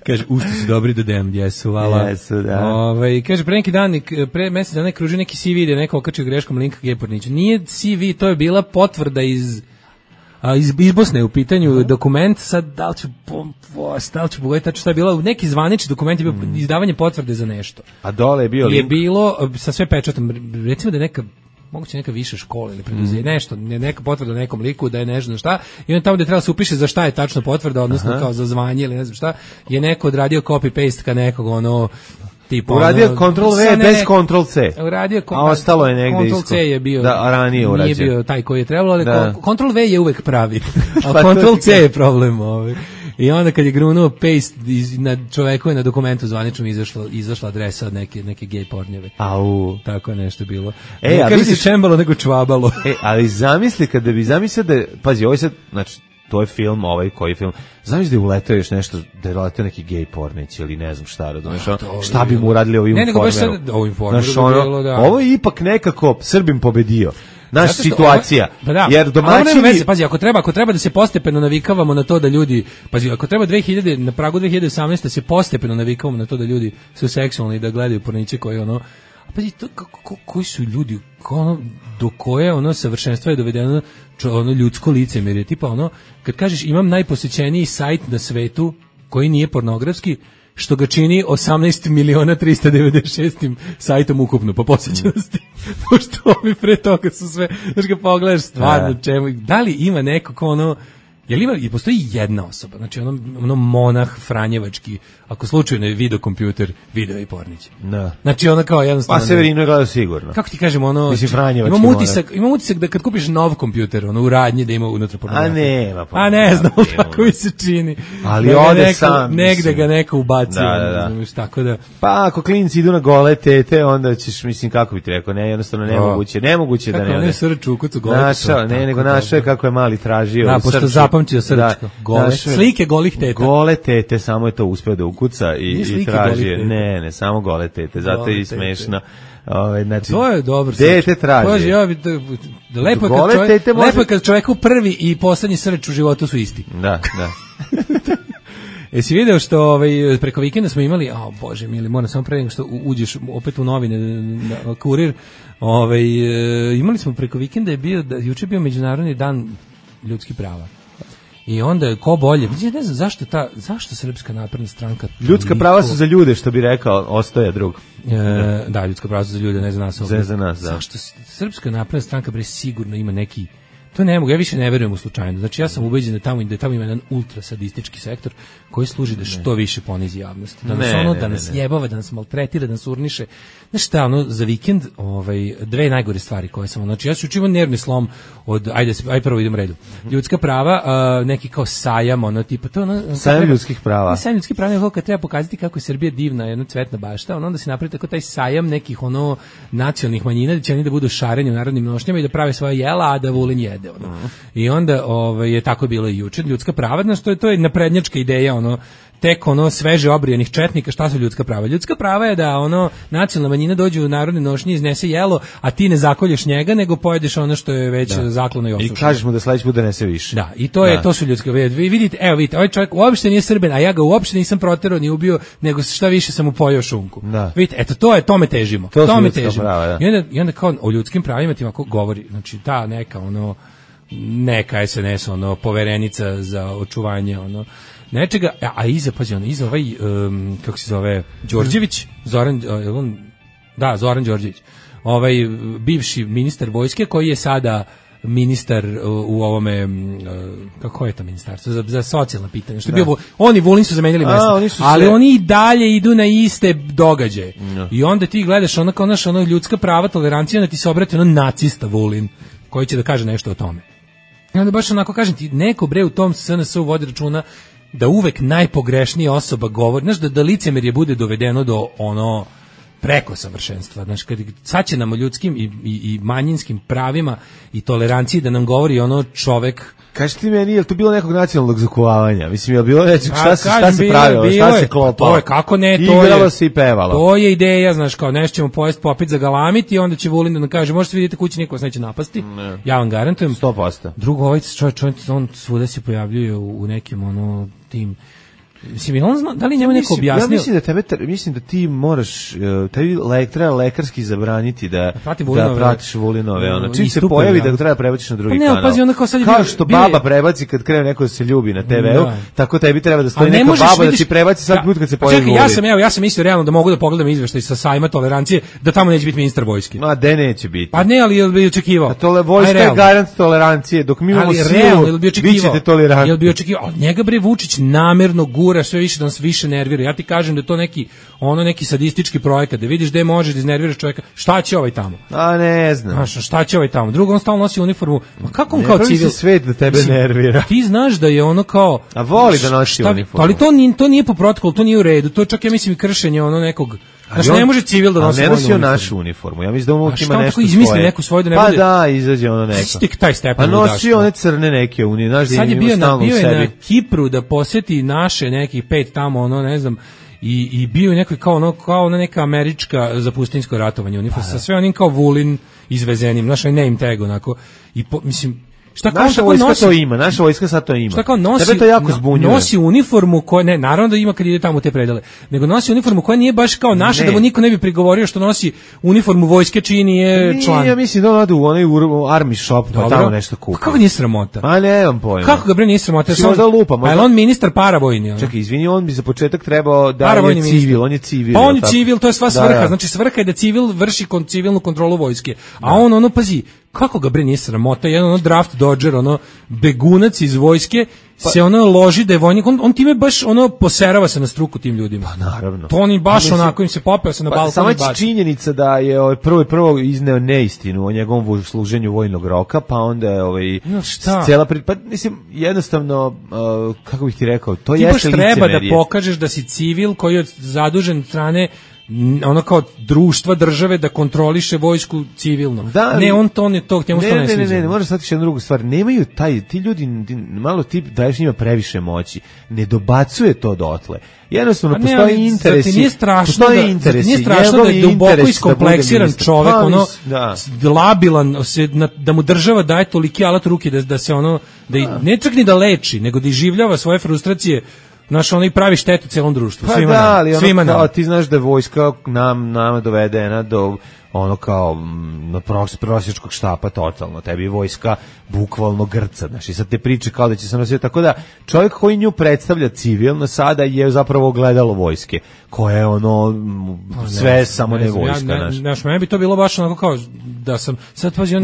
Kaže, ušto su dobri do dem, jesu, hvala. Jesu, da. Kaže, pre neki dan, pre mesec dana kruži neki CV ide neko okačio greškom linka Geporniću. Nije CV, to je bila potvrda iz Bosne u pitanju dokument, sad da li ću pogledati tačno šta je bilo, neki zvanični dokument je bio izdavanje potvrde za nešto. A dole je bio link? Je bilo sa sve pečatom, recimo da je moguće neka viša škola ili preduzeće, nešto, neka potvrda nekom liku da je nešto šta, i on tamo gde treba se upiše za šta je tačno potvrda, odnosno kao za zvanje ili ne znam šta, je neko odradio copy-paste ka nekog, ono, tipa uradio Ctrl-V bez Ctrl-C. A ostalo je negde isto. Ctrl-C je bio, da, ranije urađen. Nije bio taj koji je trebalo, ali Ctrl-V je uvek pravi, a Ctrl-C je problem. I onda kad je grunuo paste na čoveku je na dokumentu zvaničnom izašla adresa od neke gej pornjeve. Au. Tako je nešto bilo. Ne kaže se čembalo, nego čvabalo. Ali zamisli kada bi zamislio da, pazi, ovo je sad, znači, to je film, koji film, zamisli da je uletao još nešto, da je uletao neki gej pornić ili ne znam šta, razumiješ, šta bi mu uradili ovim informerom. Ovo je ipak nekako Srbim pobedio. Naša situacija, jer domaćini... Pazi, ako treba da se postepeno navikavamo na to da ljudi, pazi, ako treba na pragu 2018 da se postepeno navikavamo na to da ljudi su seksualni i da gledaju porniće koji ono, pazi, koji su ljudi, do koje savršenstva je dovedeno ljudsko licemerje, tipa kad kažeš imam najposećeniji sajt na svetu koji nije pornografski, što ga čini 18.396 sajtom ukupno po posjećenosti. Pošto ovi pre toga su sve, znaš ga pogledaš stvarno čemu, da li ima neko ko i postoji jedna osoba, znači monah franjevački, ako slučajno je video kompjuter, video i pornić. Da. Znači kao jednostavno... Pa Severino je gledao sigurno. Kako ti kažem, mislim, franjevački imam utisak da kad kupiš nov kompjuter, u radnji da ima unutra pornografiju. A ne znam kako mi se čini. Ali ode sam. Negde ga neko ubacio. Da. Tako da... Pa ako klinci idu na gole tete, onda ćeš, mislim, kako bi ti rekao, jednostavno nemoguće da ne ode. Kako ne srč u kucu gole tete. Nego našao je kako je mali tražio. Pošto zapamćio srčko. Slike golih teta. Gole tete, samo je to uspeo da ukuca i traži. Ne, samo gole tete, zato je i smešno. Znači, to je dobro. Dete traži. Lepo je kad čoveku prvi i poslednji srč u životu su isti. Da. Jesi video što preko vikenda smo imali, bože mili, moram samo pre nego što uđeš opet u novine na Kurir, imali smo preko vikenda juče je bio Međunarodni dan ljudskih prava. I onda ko bolje, ne znam zašto Srpska napredna stranka... Ljudska prava su za ljude, što bi rekao Ostoja drug. Da, ljudska prava su za ljude, ne za nas. Za nas, da. Zašto Srpska napredna stranka sigurno ima neki... To ne mogu, ja više ne verujem u slučajno. Znači ja sam ubeđen da tamo ima jedan ultrasadistički sektor koji služi da što više ponizi javnost. Da nas jebava, da nas maltretira, da nas urniše. Znaš šta, za vikend dve najgore stvari koje sam... Znači ja ću učimo nervni slom od... Ajde prvo idem redu. Ljudska prava, neki kao sajam, tipa to... Sajam ljudskih prava. Sajam ljudskih prava je kad treba pokazati kako je Srbija divna, jedna cvetna bašta, onda se napravi tako taj sajam nekih nacionalnih manjina, da će oni da budu šareni u narodnim nošnjama i da prave svoje jela, a da Vulin jede. I onda je tako bilo i juče. Ljudska prava, znači to je naprednjačka ideja, tek sveže obrijanih četnika. Šta su ljudska prava? Ljudska prava je da nacionalna manjina dođe u narodne nošnje, iznese jelo, a ti ne zakolješ njega, nego pojedeš ono što je već zaklano i osušeno. I kažeš mu da sledeći put da nese više. Da, i to su ljudske. Vidite, ovaj čovjek uopšte nije Srbin, a ja ga uopšte nisam proterao ni ubio, nego šta više sam mu pojeo šunku. Da. Vidite, eto tome težimo. Tome težimo. Prava, da. I onda kao o ljudskim pravima ti ovako govori, znači ta neka SNS, poverenica za očuvanje, nečega, a iza ovaj, kako se zove, Đorđević, Zoran Đorđević, bivši ministar vojske, koji je sada ministar u ovome, kako je to ministarstvo, za socijalna pitanja, što je bio, oni Vulin su zamenjali mjesto, ali oni i dalje idu na iste događaje. I onda ti gledaš ljudska prava, tolerancija, da ti se obrati nacista Vulin, koji će da kaže nešto o tome. I onda baš onako kažem ti, neko u tom SNS-u vodi računa da uvek najpogrešnija osoba govori, znaš, da licemerje bude dovedeno do ono preko savršenstva. Znači, kad sad će nam o ljudskim i manjinskim pravima i toleranciji da nam govori ono čovek. Kaži ti meni, je li to bilo nekog nacionalnog zakuhavanja? Mislim, je li bilo nečeg, šta se pravilo, šta se klopalo? To je, kako ne, igralo se i pevalo. To je ideja, znaš, kao nešto ćemo pojesti, popiti, zagalamiti i onda će Vulin da nam kaže, možete vidjeti kući, niko vas neće napasti. Ne. Ja vam garantujem. 100%. Drugo, ovaj čovjek, on svuda se pojavljuje u nekim, ono, tim... Mislim, on zna, da li njemu neko objasnio? Ja mislim da ti moraš, treba lekarski zabraniti da pratiš Vulinove. Ono. Čim se pojavi da ga treba prebaciš na drugi kanal. Pazi, onda kao sad kao što baba prebaci kad krene neko da se ljubi na TV-u, tako tebi treba da stoji neka baba da ti prebaci sad put kad se pojavi Vulin. Čekaj, ja sam mislio realno da mogu da pogledam izveštaj sa sajma tolerancije, da tamo neće biti ministar vojske. Ma, de neće biti. Pa ne, ali bi očekivao. A vojska je garant tolerancije, dok mi imamo silu, vi ćete tolerantni. Jel bi očekivao? Njega bre Vučić namerno gura sve više da nas više nervira. Ja ti kažem da je to neki sadistički projekat, da vidiš gde možeš da iznerviraš čovjeka. Šta će ovaj tamo? A ne znam. Znaš, šta će ovaj tamo? Drugo, on stalno nosi uniformu. Ma kako on kao civil? Ne pravi se svet da tebe nervira. Ti znaš da je ono kao... A voli da nosi uniformu. Ali to nije po protokolu, to nije u redu. To je čak, ja mislim, i kršenje ono nekog... Znaš, ne može civil da nosi vojnu uniformu. A ne nosi našu uniformu. Ja mislim da on ima nešto svoje. Izmisli neku svoju da ne bude... Pa da, izađe ono neko. Stik taj stepen. A nosi one crne neke unije. Znaš da sad je bio na Kipru da posjeti naše nekih 5 tamo, ono, ne znam, i bio je neki kao neka američka za pustinjsko ratovanje uniforma sa sve onim kao Vulin izvezenim, znaš, name tag onako. I mislim, šta kao naša vojska nosi, to ima, naša vojska sad to ima. Šta kao nosi, tebe to jako zbunjuje. Nosi uniformu koja, ne, naravno da ima kad ide tamo u te predele, nego nosi uniformu koja nije baš kao naša, da mu niko ne bi prigovorio što nosi uniformu vojske čiji nije član. Ja mislim da on ode u onaj army shop, pa tamo nešto kupi. Kako nije sramota? Ma nemam pojma. Kako ga bre nije sramota? Možda lupa, možda. A on ministar paravojni. Čekaj, izvini, on bi za početak trebao da je civil, on je civil. Pa on je civil, to je sva svrha, znači svrha je da civil vrši civilnu kontrolu vojske. A on ono pazi, kako ga bre nije sramota, jedan ono draft dodger, ono begunac iz vojske, se ono loži da je vojnik, on time baš ono poserava se na struku tim ljudima. Pa naravno. To oni baš onako im se popeo se na balkon. Sama činjenica da je prvo izneo neistinu o njegovom služenju vojnog roka, pa onda je cela pa mislim jednostavno kako bih ti rekao, to jeste licemerje. Treba da pokažeš da si civil koji je zadužen od strane ono kao društva države da kontroliše vojsku civilno. Da, ne, on to ne to, njemu to ne sviđa. Ne, možeš shvatiti jednu drugu stvar. Nemaju ti ljudi, malo ti daješ njima previše moći. Ne dobacuje to dotle. Jednostavno postoji interes. Nije strašno da je duboko iskompleksiran čovek, ono labilan, da mu država daje toliki alat ruke da se ono, da ne čak ni da leči, nego da iživljava svoje frustracije. Naš ono i pravi štetu celom društvu, svima nam. Ali svima nam. Ti znaš da je vojska nama dovedena do ono kao na prosječkog štapa totalno. Tebi je vojska bukvalno grca, znaš, i sad te priče kao da će se nositi, tako da čovjek koji nju predstavlja civilno sada je zapravo ogledalo vojske, koje je ono sve samo ne vojska, znaš. Meni bi to bilo baš onako kao da sam sad pazi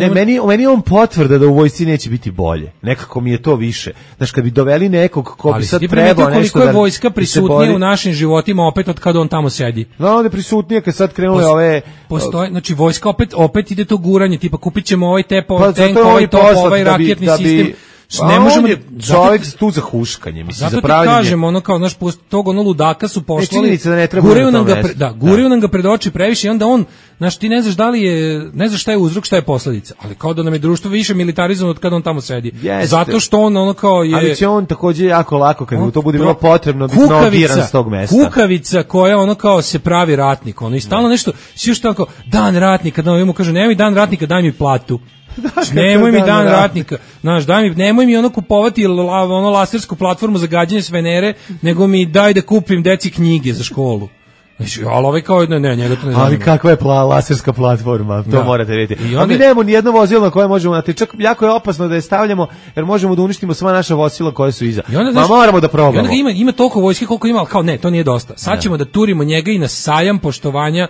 meni on potvrda da u vojsci neće biti bolje. Nekako mi je to više. Znaš, kad bi doveli nekog ko bi sad trebao nešto da... koliko je vojska prisutnija u našim životima opet od kada on tamo sedi. No, onda je prisutnija kad sad krenule ove... Postoje, znači vojska opet ide to guranje, tipa kupit ćemo ovaj tep, ovaj tank, ovaj top, ovaj raketni sistem. Ne možemo čovjek tu za huškanje, mislim, za pravljenje. Zato ti kažem, ono kao, znaš, tog ono ludaka su poslali, da guraju nam ga pred oči previše i onda on, znaš, ti ne znaš da li je, ne znaš šta je uzrok, šta je posledica, ali kao da nam je društvo više militarizovano od kada on tamo sedi. Zato što on ono kao je... Ali će on takođe jako lako, kad mu to bude bilo potrebno, biti nogiran s tog mesta. Kukavica koja ono kao se pravi ratnik, ono i stalno nešto, svi još tako, dan ratnika, da mu kažu, nemoj dan ratnika, daj mi platu. Nemoj mi dan ratnika, znaš, nemoj mi ono kupovati ono lasersku platformu za gađanje s Venere, nego mi daj da kupim deci knjige za školu. Znači, ali ovaj kao ne, njega to ne zanima. Ali kakva je laserska platforma, to morate vidjeti. A mi nemamo ni jedno vozilo na koje možemo, čak jako je opasno da je stavljamo, jer možemo da uništimo sva naša vozila koje su iza. Ma moramo da probamo. I onda ima toliko vojske koliko ima, ali kao ne, to nije dosta. Sad ćemo da turimo njega i na sajam poštovanja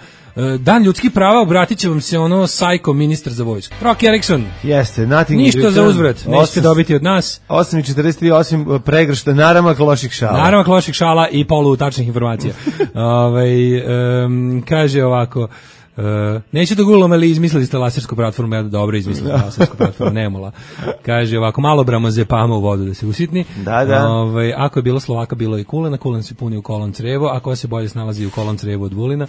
Dan ljudskih prava, obratit će vam se ono sajko ministar za vojsku. Rocky Erickson. Jeste, ništa za uzvrat, nećete dobiti od nas. 8.43, osim pregršta naravak loših šala. Naravak loših šala i polu tačnih informacija. Kaže ovako, Neće da gulom, ali izmislili ste lasersku platformu, ja dobro izmislili lasersku platformu, Nemula. Kaže ovako, malo bramo zepama u vodu da se usitni. Da. Ako je bilo Slovaka, bilo i Kulena, Kulen se puni u kolon crevo, a ko se bolje snalazi u kolon crevo od Vulina.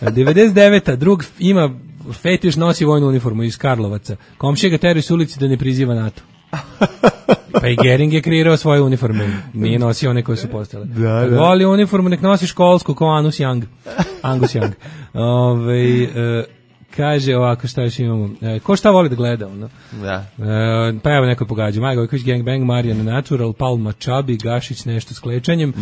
99. drug ima fetiš, nosi vojnu uniformu iz Karlovaca. Komšija ga teraju s ulici da ne priziva NATO. Pa i Gering je kreirao svoje uniforme, nije nosio one koje su postale. Da. Voli uniformu, nek nosi školsku kao Angus Young. Kaže ovako, šta još imamo? Ko šta voli da gleda? Ono? Da. Pa evo neko pogađa. Maja Gojković, Gang Bang, Marijan Natural, Palma Čabi, Gašić nešto s klečanjem.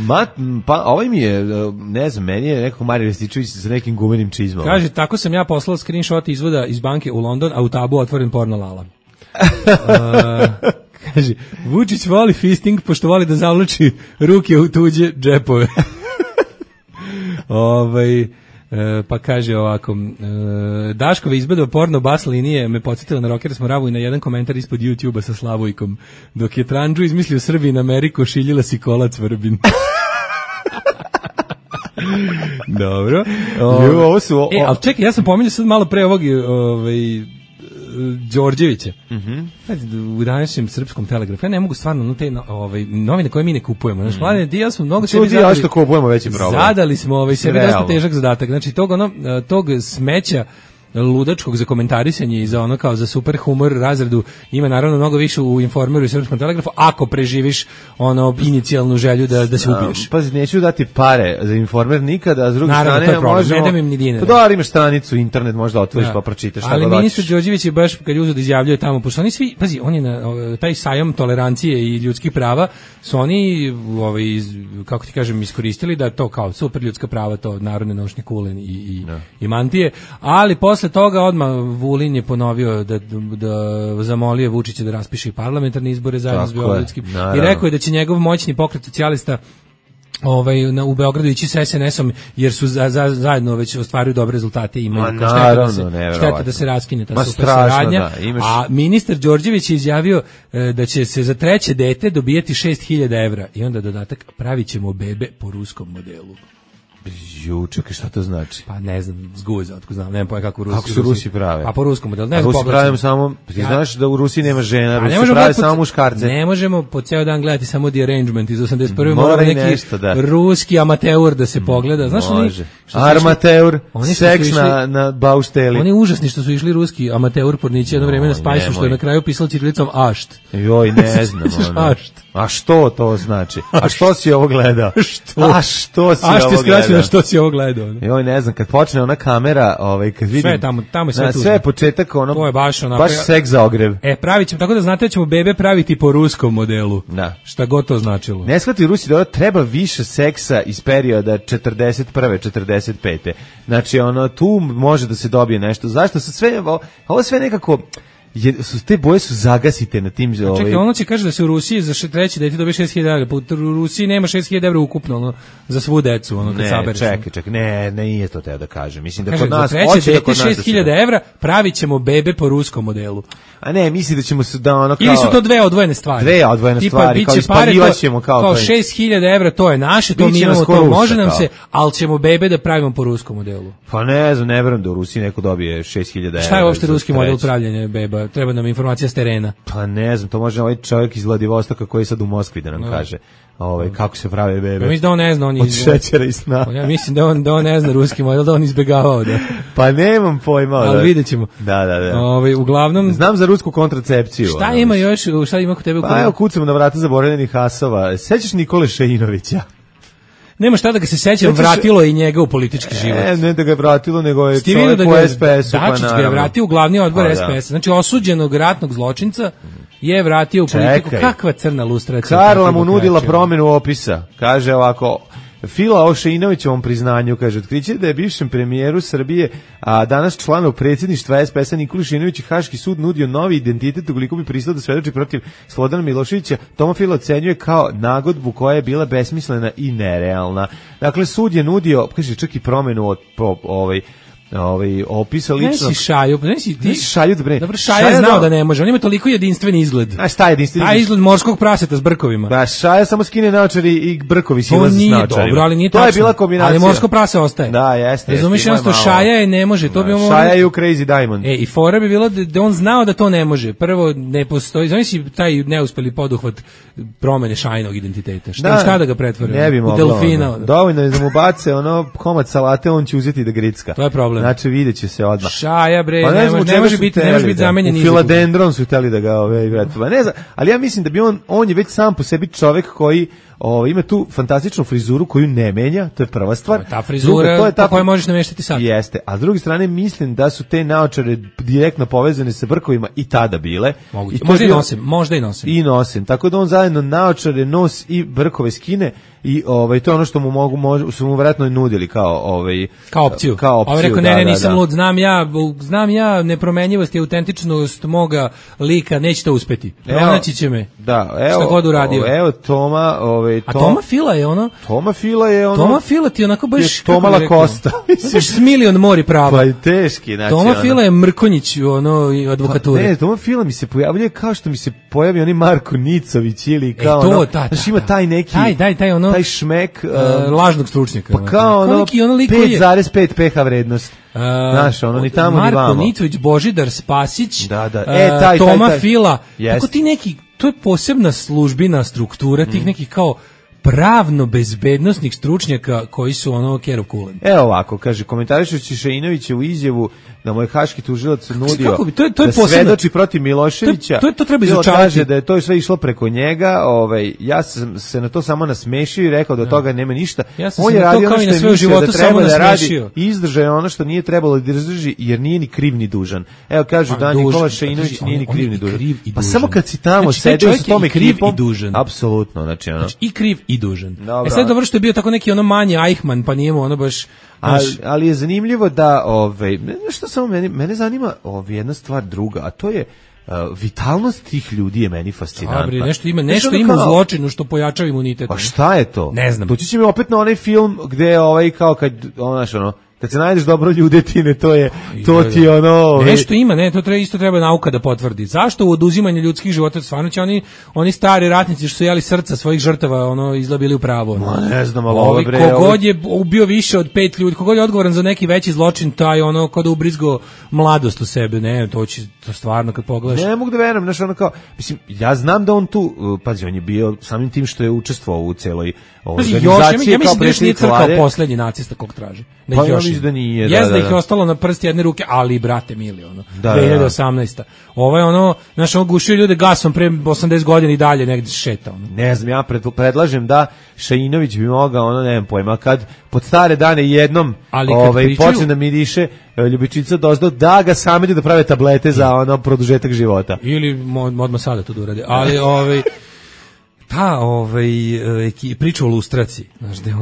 Pa ovaj mi je, ne znam, meni je nekako Marijan Rističević sa nekim gumenim čizmama. Kaže, tako sam ja poslao screenshot izvoda iz banke u London, a u tabu otvoren porno lala. Kaže, Vučić voli fisting, pošto voli da zavlači ruke u tuđe džepove. Pa kaže ovako, Daškove izbedova porno bas linije me podsjetila na Rockers Moravu i na jedan komentar ispod YouTube-a sa Slavojkom. Dok je Tranđu izmislio Srbiji na Ameriku, šiljila si kolac Vrbin. Dobro. Ali čekaj, ja sam pominjao sad malo pre ovog Đorđevića. U današnjem Srpskom telegrafu. Ja ne mogu stvarno te novine koje mi ne kupujemo. Znači, mlade, ja smo mnogo sebi zadali. Što kupujemo veći problem. Zadali smo sebi dosta težak zadatak. Znači, tog smeća ludačkog za komentarisanje i za ono kao za super humor razredu ima naravno mnogo više u Informeru i Srpskom telegrafu ako preživiš ono inicijalnu želju da se ubiješ. Pazi, neću dati pare za Informer nikada, a s druge strane možemo... Ne dam im ni dinara. Pa da, imaš stranicu, internet, možda otvoriš pa pročitaš šta god hoćeš. Ali ministar Đorđević je baš kad je uzeo da izjavljuje tamo, pošto oni svi, pazi, on je na taj sajam tolerancije i ljudskih prava, su oni, kako ti kažem, iskoristili da to kao super ljudska prava, to narodne nošnje kulen i mantije, ali posle toga odmah Vulin je ponovio da zamolio Vučića da raspiše parlamentarne izbore zajedno s beogradskim i rekao je da će njegov moćni pokret socijalista u Beogradu ići sa SNS-om jer su zajedno već ostvaruju dobre rezultate i imaju šteta da se raskine ta super saradnja. A ministar Đorđević je izjavio da će se za treće dete dobijeti 6.000 evra i onda dodatak pravit ćemo bebe po ruskom modelu. Čekaj, šta to znači? Pa ne znam, zguza, otko znam, nemam pojma kako su Rusi prave. Pa po ruskom modelu, ne znam. Rusi pravimo samo, ti znaš da u Rusiji nema žena, Rusi prave samo muškarce. Ne možemo po ceo dan gledati samo The Arrangement iz 81. Mora neki ruski amateur da se pogleda. Znaš može. Armateur, seks na baušteli. Oni užasni što su išli ruski amateur pornići jedno vreme na Spajsu, što je na kraju pisalo ćirilicom ašt. Joj, ne znam. Ašt. A što to znači? A što si ovo gledao? A što si ovo gledao? Što si ovo gledao? Joj, ne znam, kad počne ona kamera, kad vidim... Sve tamo je sve tu. Sve je početak, ono... To je baš seks za ogrev. Pravit ćemo, tako da znate da ćemo bebe praviti po ruskom modelu. Da. Šta god to značilo. Ne shvati Rusi da treba više seksa iz perioda 41. 45. Znači, tu može da se dobije nešto. Zašto su sve... Ovo sve nekako... te boje su zagasite na tim... Čekaj, ono će kaže da se u Rusiji za treće dete dobije 6.000 evra. U Rusiji nema 6.000 evra ukupno za svu decu. Čekaj, ne, nije to teo da kažem. Mislim da kod nas... Za treće dete 6.000 evra pravit ćemo bebe po ruskom modelu. A ne, misli da ćemo se da ono kao... Ili su to dve odvojene stvari. Kao ispaljivaćemo kao... Kao 6.000 evra, to je naše, to mi imamo, to može nam se, ali ćemo bebe da pravimo po ruskom modelu. Pa ne znam, ne verujem da u Rusiji neko dobije 6.000 evra. Šta je uopšte ruski model pravljenja beba? Treba nam informacija s terena. Pa ne znam, to može ovaj čovjek iz Vladivostoka koji je sad u Moskvi da nam kaže kako se prave bebe. Mislim da on ne zna. Od šećera i sna. Ja mislim da on ne zna ruski model, da on izbjegavao. Pa nemam pojma. Ali vidjet ćemo. Da. Uglavnom... Znam za rusku kontracepciju. Šta ima još? Šta ima kod tebe? Pa evo, kucamo na vrata zaboravljenih asova. Sećaš Nikole Šeinovića? Nema šta da ga se sećam, vratilo i njega u politički život. Ne da ga je vratilo, nego je čovjek u SPS-u. Dačić ga je vratio u glavni odbor SPS-a. Znači, osuđenog ratnog zločinca je vratio u politiku. Kakva crna lustracija. Karla mu nudila promjenu opisa. Kaže ovako... Fila o Šeinovićevom priznanju, kaže, otkriće da je bivšem premijeru Srbije, a danas članu predsjedništva SPS-a Nikoli Šeinović Haški sud nudio novi identitet ukoliko bi pristao da svedoči protiv Slobodana Miloševića. Toma Fila ocenjuje kao nagodbu koja je bila besmislena i nerealna. Dakle, sud je nudio, kaže, čak i promjenu opisa lično. Ne si Šaju, ti Šaju da bre. Dobro, Šaja je znao da ne može, on ima toliko jedinstven izgled. A šta je jedinstveni? Taj izgled morskog praseta s brkovima. Da, Šaja samo skine naočari i brkovi silaze s naočarima. Dobro, ali nije to tačno. je bila kombinacija. Ali morsko prase ostaje. Da, jeste. Razumiješ, jednostavno Šaja je ne može, to bi on. Šaja je u Crazy Diamond. I fora bi bilo da on znao da to ne može. Prvo ne postoji, znači taj neuspeli poduhvat promene Šajinog identiteta. Šta da ga pretvore? Ne bi moglo. Delfina. Dovoljno je da mu bace komad salate, on će uzeti da gricka. To je problem. Znači videće se odmah. Šaja bre, ne može biti zamenjen izgled. U Filadendron su hteli da ga ne znam, ali ja mislim da bi on je već sam po sebi čovek koji ima tu fantastičnu frizuru koju ne menja, to je prva stvar. Ta frizura to je ta koju možeš nameštati sad. Jeste, a s druge strane mislim da su te naočare direktno povezane sa brkovima i tada bile. Možda i nosim. I nosim, tako da on zajedno naočare, nos i brkove skine i to je ono što su mu vjerojatno nudili kao opciju. Ovaj rekao ne, nisam lud, znam ja nepromenjivost i autentičnost moga lika, neće to uspeti. Pronaći će me. Da, šta god uradio. Evo Toma, a Toma Fila je ono. Toma Fila ti onako baš Toma Lacosta. Baš s milion mori prava. Pa i teški, znači. Toma Fila je Mrkonjić advokature. Ne, Toma Fila mi se pojavljuje kao što mi se pojavi oni Marko Nicović ili kao znači ima taj neki taj šmek lažnog stručnjaka. Pa kao 5,5 pH vrednost. Znaš, ni tamo ni vamo. Marko Nicović, Božidar Spasić, taj Toma Fila. Tako ti neki, to je posebna službina struktura tih nekih kao pravno-bezbednosnih stručnjaka koji su kerov kulen. Evo ovako, kaže, komentarišući Šainovića u izjavu da mu je haški tužilac nudio da svedoči protiv Miloševića. To treba izučavati. Kaže da je to sve išlo preko njega, ja sam se na to samo nasmešio i rekao da od toga nema ništa. On je radio ono što je mislio da treba da radi i izdržao je ono što nije trebalo da izdrži jer nije ni kriv ni dužan. Evo kažu da Nikola Šainović nije ni kriv ni dužan. Pa samo kad si tamo sedio sa tom ekipom, apsolutno, znači i kriv i dužan. Sad dobro što je bio tako neki manji Eichmann, pa nije mu baš. Ali je zanimljivo da što samo mene zanima jedna stvar druga, a to je vitalnost tih ljudi je meni fascinantna. Nešto ima u zločinu što pojačava imunitet. Pa šta je to? Ne znam. Doći će mi opet na onaj film gde kao kad kad se najdeš dobro ljudetine, to ti je ono... Nešto ima, isto treba nauka da potvrdi. Zašto u oduzimanju ljudskih života stvarno će oni stari ratnici što su jeli srca svojih žrtava, izlabili u pravo. Ne znam, ali kogod je ubio više od 5 ljudi, kogod je odgovoran za neki veći zločin, taj kod ubrizgo mladost u sebe, to stvarno kad pogledaš. Ne mogu da verujem, mislim, ja znam da on tu, pazi, on je bio samim tim što je učestvovao u celoj organizaciji. Ja mislim da još nije crkao poslednji nacista kog traži. Pa ja mislim da nije. Da ih je ostalo na prst jedne ruke, ali brate mili, 2018. Ovo je znaš, gušio ljude gasom pre 80 godina i dalje negdje šeta. Ne znam, ja predlažem da Šainović bi mogao, nemam pojma, kad pod stare dane jednom počne da miriše ljubičica dozdo, da ga samedi da prave tablete za produžetak života. Ili odmah sada to da urade. Ali ta priča o lustraciji, znaš, da je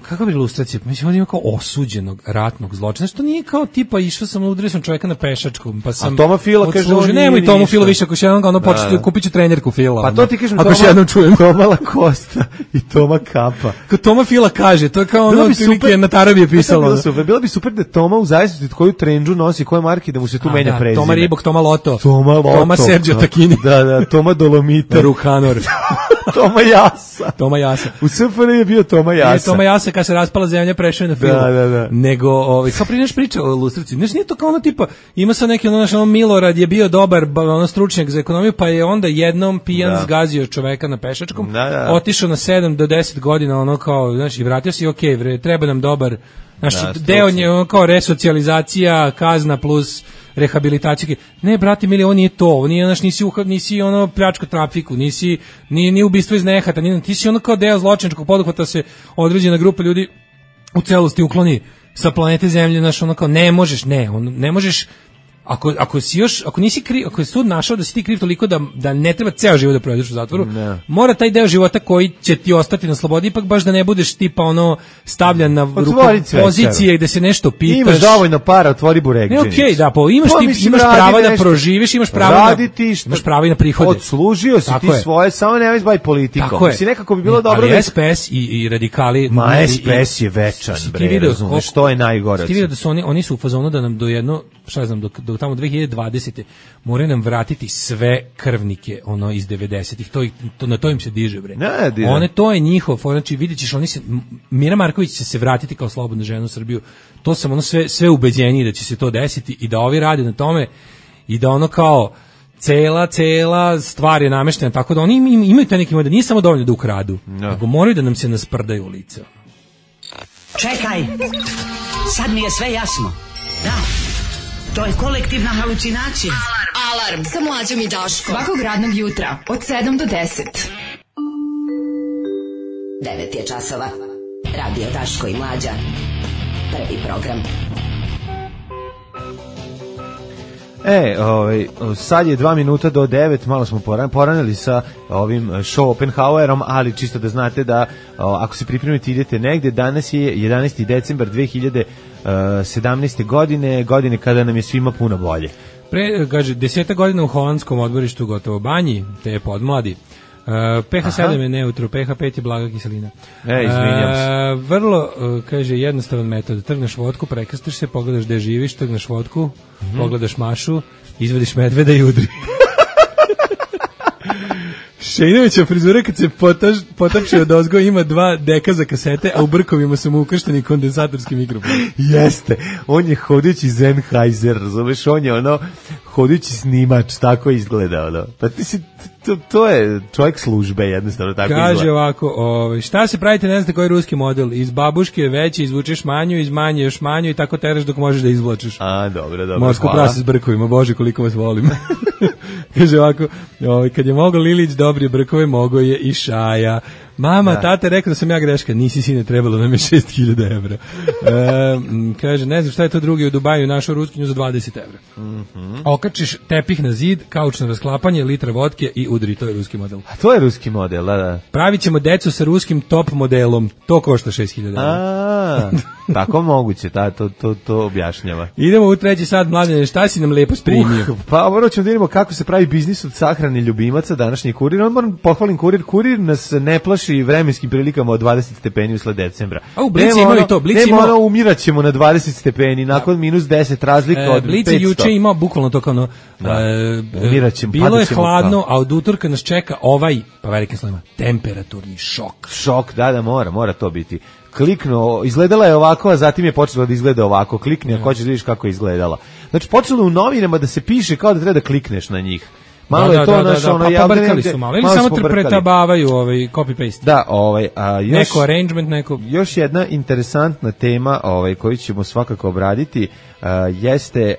kakva bi lustracija, mislim, ima kao osuđenog ratnog zločina, znaš, to nije kao tipa išao sam, udario sam čovjeka na pešačkom, pa sam... A Toma Fila kaže, nemoj Tomu Fila više, ako će jednom početi, kupit ću trenerku Fila. Pa to ti kažem, ako će jednom čujem. Toma Lacosta i Toma Kapa. Kao Toma Fila kaže, to je kao otprilike na Tarabi je pisalo. Bilo bi super da Toma u zavisnosti koju trendžu nosi, koje marke, da mu se tu menja prezime. Toma Ribok, Toma Loto. Toma Sergio Tacchini. Da, Toma Dolomita. Rukanor. Toma Jasa. U SFRJ je bio Toma Jasa. Toma Jasa kad se raspala zemlja prešao je na film. Da. Nego, kao prije priča o lustraciji. Nije to kao tipa, ima sad neki Milorad je bio dobar stručnjak za ekonomiju, pa je onda jednom pijan zgazio čoveka na pešačkom, otišao na 7 do 10 godina, i vratio se i okej, treba nam dobar, deo nje, kao resocijalizacija, kazna plus rehabilitacija. Ne, brate mili, ovo nije to, nisi pljačko trafiku, nije ubistvo iz nehata, ti si kao deo zločinačkog poduhvata se određena grupa ljudi u celosti ukloni sa planete Zemlje, ne možeš, ako nisi kriv, ako je sud našao da si ti kriv toliko da ne treba ceo život da provedeš u zatvoru, mora taj deo života koji će ti ostati na slobodi ipak baš da ne budeš tipa ono stavljan na pozicije gde se nešto pitaš. Imaš dovoljno para, otvori buregđenicu. Ne, okej, da, imaš pravo da proživiš, imaš pravo i na prihode. Odslužio si ti svoje, samo nemoj bavi politikom. Si nekako bi bilo dobro da SPS i radikali. Ma SPS je večan, bre, razumeš, što je najgore. Ti vidio da su oni su u fazonu da nam do jedno, šta znam, do tamo 2020. moraju nam vratiti sve krvnike ono iz 90-ih. Na to im se diže, bre. One, to je njihov, znači vidjet ćeš, Mira Marković će se vratiti kao slobodna žena u Srbiju. To sam ono sve ubeđeniji da će se to desiti i da ovi rade na tome i da ono kao cela stvar je nameštena, tako da oni imaju taj neki model, nije samo dovoljno da ukradu, nego moraju da nam se nasprdaju u lice. Čekaj, sad mi je sve jasno. Da, to je kolektivna halucinacija. Alarm sa Mlađom i Daškom. Svakog radnog jutra od 7 do 10. 9 je časova. Radio Daško i Mlađa. Prvi program. Sad je 2 minuta do 9, malo smo poranili sa ovim show Oppenhauerom, ali čisto da znate da ako se pripremite idete negde, danas je 11. decembar 2017. godine kada nam je svima puno bolje. Kaže, 10 godina u holandskom odmorištu gotovo banji, te je podmladi. pH 7 je neutro, pH 5 je blaga kiselina. Izvinjam se. Vrlo, kaže, jednostavan metod. Trgneš vodku, prekrstiš se, pogledaš gde živiš, trgneš vodku, pogledaš Mašu, izvediš medveda i udri. Šejnovića frizura kad se potapše od ozgo ima 2 deka za kasete, a u brkovima su mu ukršteni kondenzatorski mikrofon. Jeste, on je hodajući Sennheiser, razumeš, on je ono hodajući snimač, tako izgleda ono. Pa ti si, to je čovjek službe, jednostavno tako izgleda. Kaže ovako, šta se pravite, ne znate koji je ruski model, iz babuške veće izvučeš manju, iz manje još manju i tako teraš dok možeš da izvlačiš. A, dobro, morsko prase s brkovima, bože koliko vas volim. Kaže ovako, kad je mogao Lilić dobri brkove, mogao je i Šaja. Mama, tate rekao da sam ja greška, nisi sine, trebalo nam je 6.000 evra. Kaže, ne znam šta je to drugi u Dubaju, našao ruskinju za 20 evra. Okačiš tepih na zid, kaučno rasklapanje, litra vodke i udri, to je ruski model. A to je ruski model, da. Pravit ćemo decu sa ruskim top modelom, to košta 6.000 evra. Tako moguće, to objašnjava. Idemo u 3. sat, Mladene, šta si nam lepo sprimio? Pa morat ćemo da vidimo kako se pravi biznis od sahrane ljubimaca, današnji Kurir. Moram pohvalim Kurir nas ne plaši vremenskim prilikama od 20 stepeni usled decembra. A u Blici imao i to. Nema umirat ćemo na 20 stepeni, nakon minus 10 razlika od 500. Blici juče imao bukvalno to kao umirat ćemo. Bilo je hladno, a od utorka nas čeka pa velikim slovima, temperaturni šok. Šok, da, mora to biti. Kliknuo, izgledala je ovako, a zatim je počelo da izgleda ovako. Klikni ako hoćeš da vidiš kako je izgledala. Znači, počelo u novinama da se piše kao da treba da klikneš na njih. Malo je to naš ono pobrkali su malo. Ili samo pretabavaju copy-paste. Da, neko arrangement, neko. Još jedna interesantna tema koju ćemo svakako obraditi jeste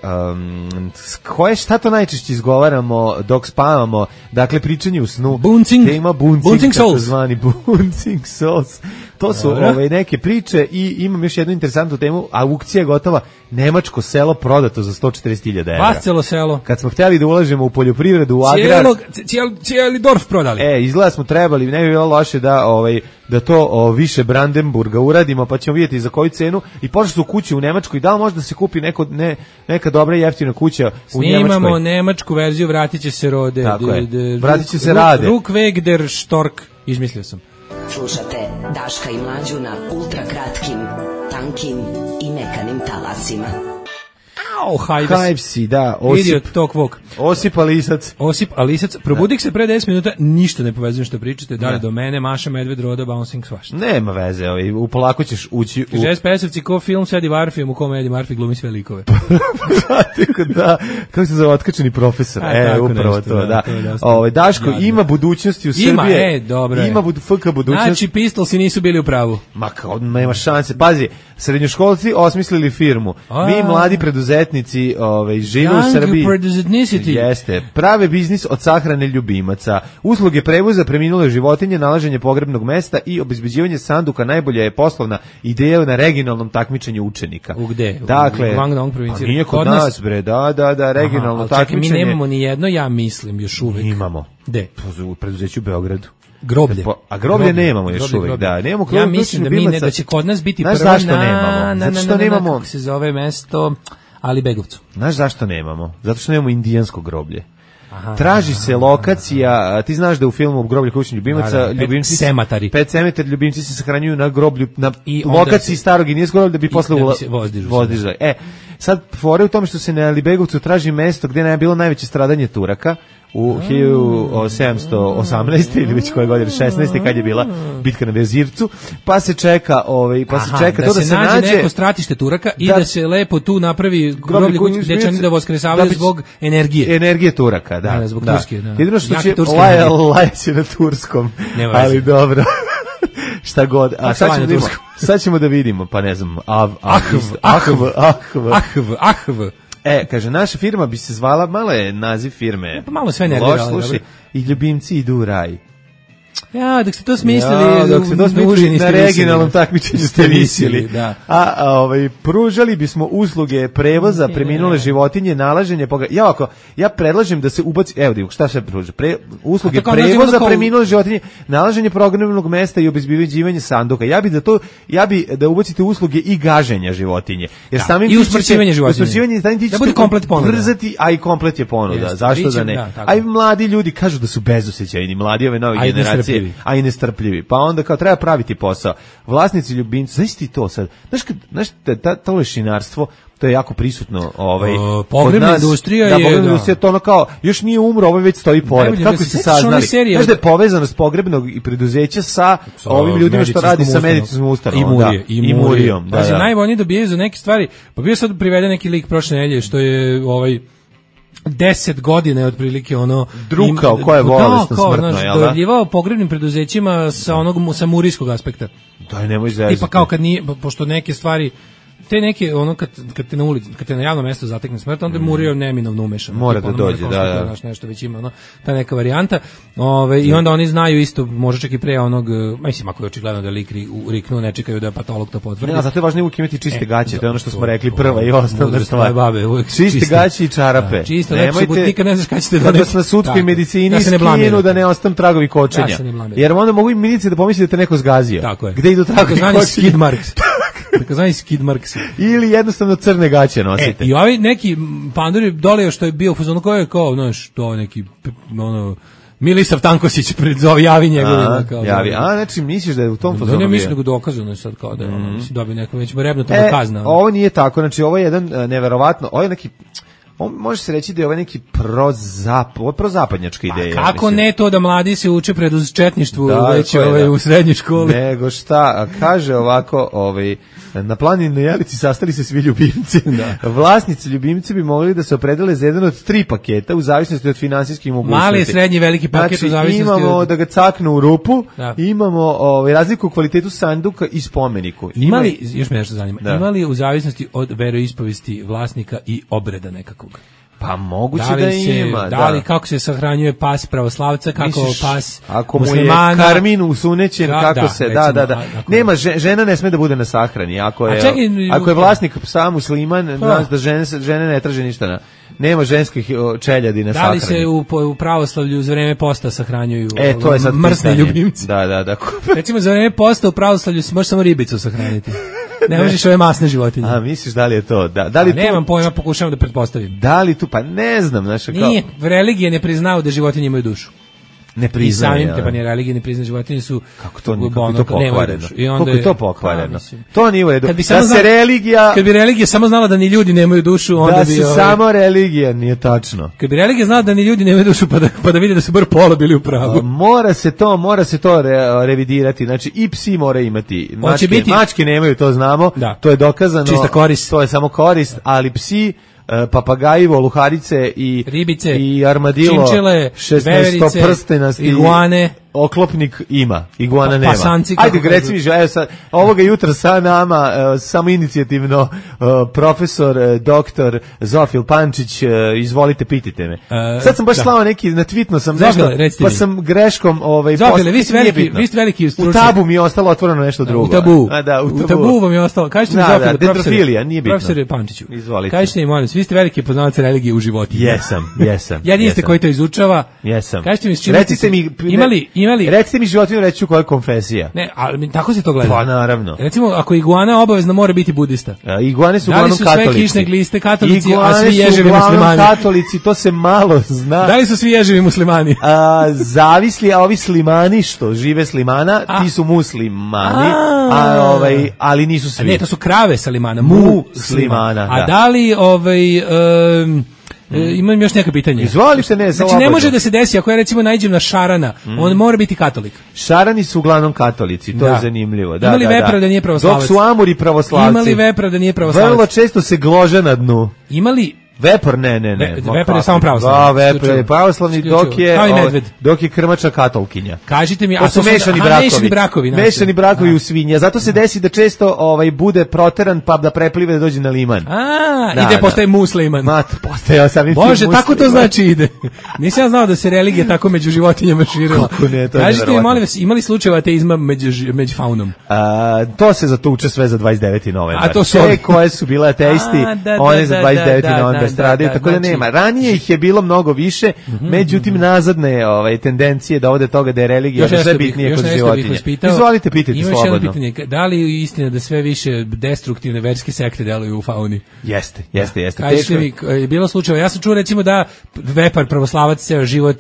šta to najčešće izgovaramo dok spavamo, dakle pričanje u snu. Tema buncing, takozvani buncing souls. To su neke priče i imam još jednu interesantnu temu, aukcija je gotova, nemačko selo prodato za 140.000 evra. Vascelo selo. Kad smo htjeli da ulažemo u poljoprivredu, u agrar... Cijeli dorf prodali. Izgleda smo trebali, ne bi bilo loše da to više Brandenburga uradimo, pa ćemo vidjeti za koju cenu. I pošli su kuće u Nemačkoj, da li može da se kupi neka dobra i jeftina kuća u Nemačkoj? Snimamo nemačku verziju, vratit će se rode. Tako je, vratit će se rade. Rukveg der Stork, izmislio sam. Slušate Daška i Mlađu na ultrakratkim, tankim i mekanim talasima. Hajvsi, da, Osip Alisac, probudik se pre 10 minuta, ništa ne povezujem što pričate, dalje do mene, Maša, Medved, Roda, Bouncing, svašta. Nema veze, polako ćeš ući u... Kaže SPS-evci ko film sa Eddie Murphyjem u kome Eddie Murphy glumi sve likove. Da, kako se zove otkačeni profesor, upravo to, da. Daško, ima budućnosti u Srbije. Ima FK budućnosti. Znači, pistolsi nisu bili u pravu. Ma kao, nema šanse, pazi, srednjoškolci osmislili firmu, mi mladi preduzetnici preduzetnici žive u Srbiji. Jeste. Prave biznis od sahrane ljubimaca. Usluge prevoza preminule životinje, nalaženje pogrebnog mesta i obezbeđivanje sanduka najbolja je poslovna ideja na regionalnom takmičenju učenika. U gde? Dakle, u Guangdong provinciji. Nije kod nas, bre, da, regionalno takmičenje. Čekaj, mi nemamo ni jedno, ja mislim, još uvek. Imamo. Gde? U preduzeću u Beogradu. Groblje. A groblje nemamo još uvek, da. Nemamo ja mislim da će kod nas biti prvo zašto nemamo? Zato što nemamo. Kako se zove mesto Alibegovcu. Znaš zašto nemamo? Zato što nemamo indijansko groblje. Traži se lokacija, ti znaš da u filmu Groblje kućnih ljubimaca ljubimci Sematari. Pet cemetar ljubimci se sahranjuju na groblju na lokaciji starog indijskog groblja da bi posle vozdižali. Sad fore u tome što se na Alibegovcu traži mesto gde je bilo najveće stradanje Turaka u 1718. ili već koje godine, 16. kad je bila bitka na Vezircu, pa se čeka to da se nađe neko stratište Turaka i da se lepo tu napravi groblje gde će oni da voskresavaju zbog energije Turaka, da. Zbog Turske, da. Jedino što će lajaći na turskom, ali dobro. Šta god. A sad ćemo da vidimo, pa ne znam, Ahv. Kaže, naša firma bi se zvala, malo je naziv firme. Pa malo sve nerviralo. I ljubimci idu u raj. Ja, dok ste to smislili, na regionalnom takmičenju ste visili. Da. Pružali bismo usluge prevoza preminule životinje, nalaženje ja predlažem da se ubaci, evo šta se pruža, usluge prevoza preminule životinje, nalaženje pogrebnog mesta i obezbeđivanje sanduka. Ja bi da ubacite usluge i gaženja životinje. Jer samim i usmrćivanje životinje. Da bude komplet ponuda. Brzati, a i komplet je ponuda. Zašto da ne? A i mladi ljudi kažu da su bezosećajni, mladi ove nove generacije. A i nestrpljivi. Pa onda kao treba praviti posao. Vlasnici ljubimci, znaš ti to sad? Znaš to lešinarstvo, to je jako prisutno pogrebna industrija je pogrebna industrija, to ono kao još nije umro, ovo već stoji pored. Kako se saznali? Znaš da je povezanost pogrebnog i preduzeća sa ovim ljudima što radi sa medicinskom ustanovom i Murijom. Da, najbolji dobijaju za neke stvari. Pa bio sad priveden neki lik prošle nedelje što je 10 godina je otprilike drukao koja je bolesna smrtno, jel da? Dojavljivao pogrebnim preduzećima sa murijskog aspekta. Daj, nemoj zezati. Tipa kao kad nije, pošto neke stvari, te neke, kad te na ulici, kad te na javnom mestu zatekne smrt, onda je Murio neminovno umešan. Mora da dođe, da. Nešto već ima, ta neka varijanta. I onda oni znaju isto, može čak i pre mislim, ako je očigledno da lik riknu, ne čekaju da patolog to potvrdi. Ne, zato je važno uvijek imati čiste gaće, to je ono što smo rekli prva i osnovna stvar. Čiste gaće i čarape. Čisto, nikad ne znaš kada ćete da na sudskoj medicini skinu da ne ostanu tragovi kočenja. Jer onda mogu i milicije da pomisli da te neko zgazio. Gde idu tragovi kočenja? Takozvani skid marks. Ili jednostavno crne gaće nosite. I ovi neki panduri dole što je bio u fazonu koji je kao, znaš, to neki Milisav Tankosić javi njegovima. Javi, znači misliš da je u tom fazonu bio? Ne mislim da ga dokazano je sad kao da dobio neko već rebnutom kazna. Ovo nije tako, znači ovo je jedan neverovatno, ovo je neki, može se reći da je ovo neki prozapadnjačka ideja. Kako ne to da mladi se uče preduzčetništvu već u srednjoj školi? Nego šta, kaže ovako, na planini Jelici sastali se svi ljubimci. Vlasnici ljubimci bi mogli da se opredele za jedan od 3 paketa u zavisnosti od finansijskih mogućnosti. Mali, srednji, veliki paket u zavisnosti od... Imamo da ga caknu u rupu, imamo razliku u kvalitetu sanduka i spomeniku. Još me nešto zanima, imali u zavisnosti od veroispovesti vlasnika i obreda nekakvog? Pa moguće da ima. Da li kako se sahranjuje pas pravoslavca, kako pas ako muslimana. Ako mu je karmin usunećen, kako se, da. Nema, žena ne sme da bude na sahrani. Ako je vlasnik psa musliman, da žene ne traže ništa nema ženskih čeljadi na sahrani. Da li se u pravoslavlju za vreme posta sahranjuju to je sad mrsni ljubimci? Da. Recimo za vreme posta u pravoslavlju se može samo ribicu sahraniti. Ne možeš ove masne životinje. A misliš da li je to? Da li nemam pojma, pokušavam da pretpostavim. Da li tu, pa ne znam, Nije, religije ne priznaju da životinje imaju dušu. Ne priznaju. I samim te religije ne priznaju životinje su kako to pokvareno. Kako je to pokvareno? To nije u redu. Kad bi religija samo znala da ni ljudi nemaju dušu, onda bi samo religija, nije tačno. Kad bi religija znala da ni ljudi nemaju dušu, pa da vide da su bar pola bili u pravu. Mora se to revidirati. Znači i psi moraju imati. Mačke nemaju, to znamo. To je dokazano. Čista korist. To je samo korist, ali psi, papagaji, voluharice i ribice i armadilo, činčile, 16 prstenasti, iguane, oklopnik ima, iguana nema. Pasanci, ajde, reci mi, ovoga jutra sa nama samo inicijativno profesor, doktor Zofil Pančić, izvolite, pitajte me. Sad sam baš slao neki, na tweetno sam nešto, pa sam greškom Zofile, vi ste veliki stručnjak. U tabu mi je ostalo otvoreno nešto drugo. U tabu vam je ostalo. Kažete mi, Zofile, dendrofilija, nije bitno. Profesore Pančiću, izvolite. Kažete mi, molim, vi ste veliki poznavac religije u životinju. Jesam. Jedini ste koji to izučava. Jesam. Kažete mi, s čim imali... Recite mi životinju, reći ću koja je konfesija. Ne, ali tako se to gleda. Pa naravno. Recimo, ako iguana obavezno mora biti budista. Iguane su uglavnom katolici. Da li su sve kišne gliste katolici, iguane a svi ježevi muslimani? Katolici, to se malo zna. Da li su svi ježevi muslimani? Zavisli, a ovi slimani što žive slimana, ti su muslimani, ali nisu svi. Ne, to su krave salimana, muslimana. A da li imam još neka pitanja. Izvolite, ne, znači ne može da se desi ako ja recimo naiđem na šarana, on mora biti katolik. Šarani su uglavnom katolici, to je zanimljivo. Ima li vepra da nije pravoslavac? Dok su amuri pravoslavci. Ima li vepra da nije pravoslavac? Vrlo često se glože na dnu. Ima li Vepor, ne. Vepor je samo pravoslavni. Da, vepor je pravoslavni, dok je krmača katolkinja. Kažite mi, a su mešani brakovi. Mešani brakovi u svinja. Zato se desi da često bude proteran pa da preplive da dođe na liman. Ide postaje musliman. Postaje samim tim Bože, tako to znači ide. Nisam ja znao da se religija tako među životinjama širila. Kažite mi, molim vas, imali slučajeva ateizma među faunom? To se zatuče sve za 29. novembar. A to su koje su bile ateisti, one za 29. novembar stradaju, tako da nema. Ranije ih je bilo mnogo više, međutim nazadne tendencije da ode toga da je religija sve bitnije kod životinja. Izvolite, pitajte slobodno. Još jedno pitanje, da li je istina da sve više destruktivne verske sekte deluju u fauni? Jeste. Kažete mi, je bilo slučajeva, ja sam čuo recimo da vepar pravoslavac ceo život,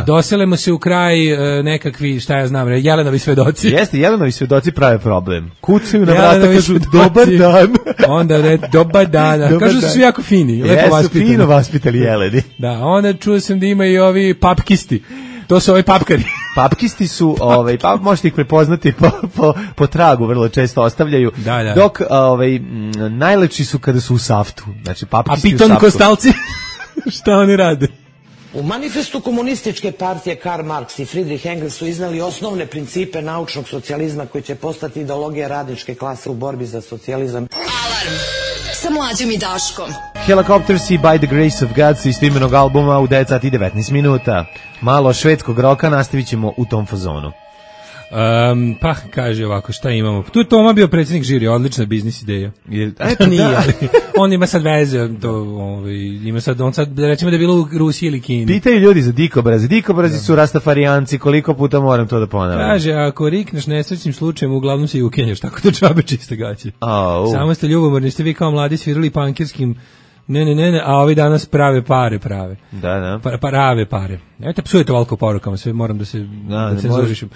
doselimo se u kraj nekakvi, šta ja znam, Jelenovi svedoci. Jeste, Jelenovi svedoci prave problem. Kucaju na vrata, kažu dobar dan. Onda dobar dan, kažu su svi jako fini, lepo fino vaspitali jeleni. Da, onda čuo sam da ima i ovi papkisti. To su ovi papkari. Papkisti su, možete ih prepoznati po tragu, vrlo često ostavljaju. Da. Dok najlepši su kada su u saftu. Znači, papkisti u saftu. A piton kostalci? Šta oni rade? U manifestu komunističke partije Karl Marx i Friedrich Engels su iznali osnovne principe naučnog socijalizma koji će postati ideologija radničke klase u borbi za socijalizam. Alarm sa Mlađom i Daškom. Helicopters i By the Grace of God sa istoimenog albuma u 9 sati i 19 minuta. Malo švedskog roka, nastavit ćemo u tom fazonu. Pa kaže ovako, šta imamo? Tu je Toma bio predsjednik žiri, odlična biznis ideja. Nije, ali on ima sad veze, ima sad, on sad recimo da je bilo u Rusiji ili Kini. Pitaju ljudi za dikobrazi. Dikobrazi su rastafarijanci, koliko puta moram to da ponavljam. Kaže, ako rikneš nesrećnim slučajem, uglavnom se i ukenjaš, tako da džabe čiste gaće. Samo ste ljubomorni, ste vi kao mladi svirali pankirskim. Ne, a ovi danas prave pare. Da. Prave pare. Eto, psujete toliko porukama, sve moram da se cenzurišem.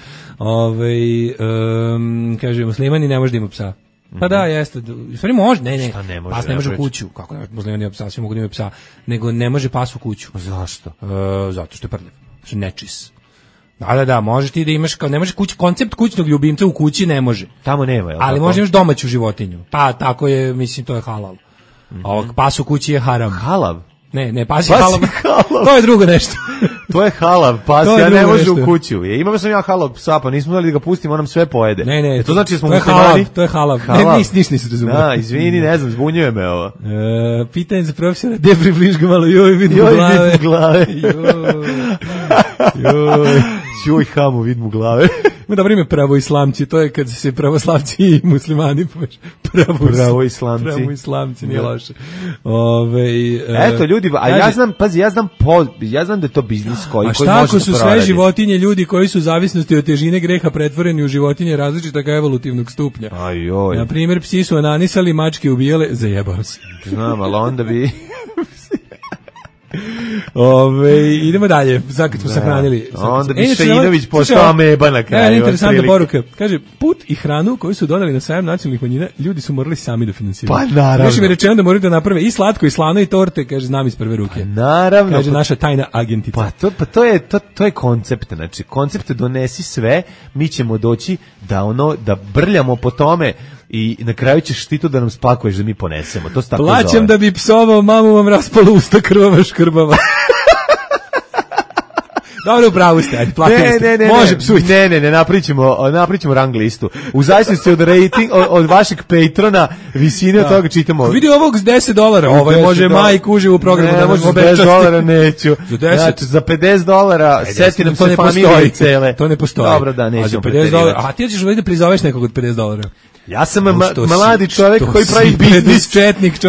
Kaže, muslimani ne može da ima psa. Pa da, jeste. U stvari može, ne. Pas ne može u kuću. Kako ne, muslimani ima psa, svi mogu da imaju psa. Nego ne može pas u kuću. Zašto? Zato što je prljav. Što je nečis. Da, može ti da imaš, ne može koncept kućnog ljubimca u kući ne može. Tamo nema, je li? Ali može imaš domaću životinju. Pa, tako je, mislim, to je halal. Pas u kući je haram. Halav? Ne, pas je halav. To je drugo nešto. To je halav, pas ja ne može u kuću. Imao sam ja halav psa, pa nismo dali da ga pustimo, on nam sve pojede. Ne, to znači da smo muslimani. To je halav. Ne, nisi razumio. Da, izvini, ne znam, zbunjuje me ovo. Pitanje za profesora, gde približ ga malo, joj, vidim glave. Joj, hamu, vidim u glave. Ima dobro ime pravoislamci, to je kad se pravoslavci i muslimani pomeš. Pravoislamci, nije loše. Eto, ljudi, a ja znam da je to biznis koji može da proradi. A šta ako su sve životinje ljudi koji su u zavisnosti od težine greha pretvoreni u životinje različitog evolutivnog stupnja? Ajoj. Na primjer, psi su ananisali, mačke ubijale, zajebao se. Znam, ali onda bi... Idemo dalje, sad kad smo sahranili. Onda bi Šeinović postao ameba na kraju. Interesantna poruka. Kaže, put i hranu koju su donali na sajam nacionalnih manjina, ljudi su morali sami da finansiraju. Pa naravno. Još mi je rečeno da moraju da naprave i slatko i slano i torte, kaže, znam iz prve ruke. Naravno. Kaže, naša tajna agentica. Pa to je koncept, znači, koncept donesi sve, mi ćemo doći da brljamo po tome i na kraju ćeš ti to da nam spakuješ da mi ponesemo. To se tako zove. Plaćam da bi psovao, mamu vam raspalo usta krvava škrbava. Dobro, upravo ste, ajde, platili ste. Može psujte. Ne, napričimo rang listu. U zavisnosti od rating, od vašeg patrona, visine od toga čitamo. Vidi ovog s $10, ovaj može majku uživo u programu. Ne, može $10 neću. Znači, za $50 seti nam se familije cele. To ne postoji. Dobro, da, nećemo $50. A ti ćeš ovdje da prizoveš nekog od $50. Ja sam mladi čovjek koji pravi biznis.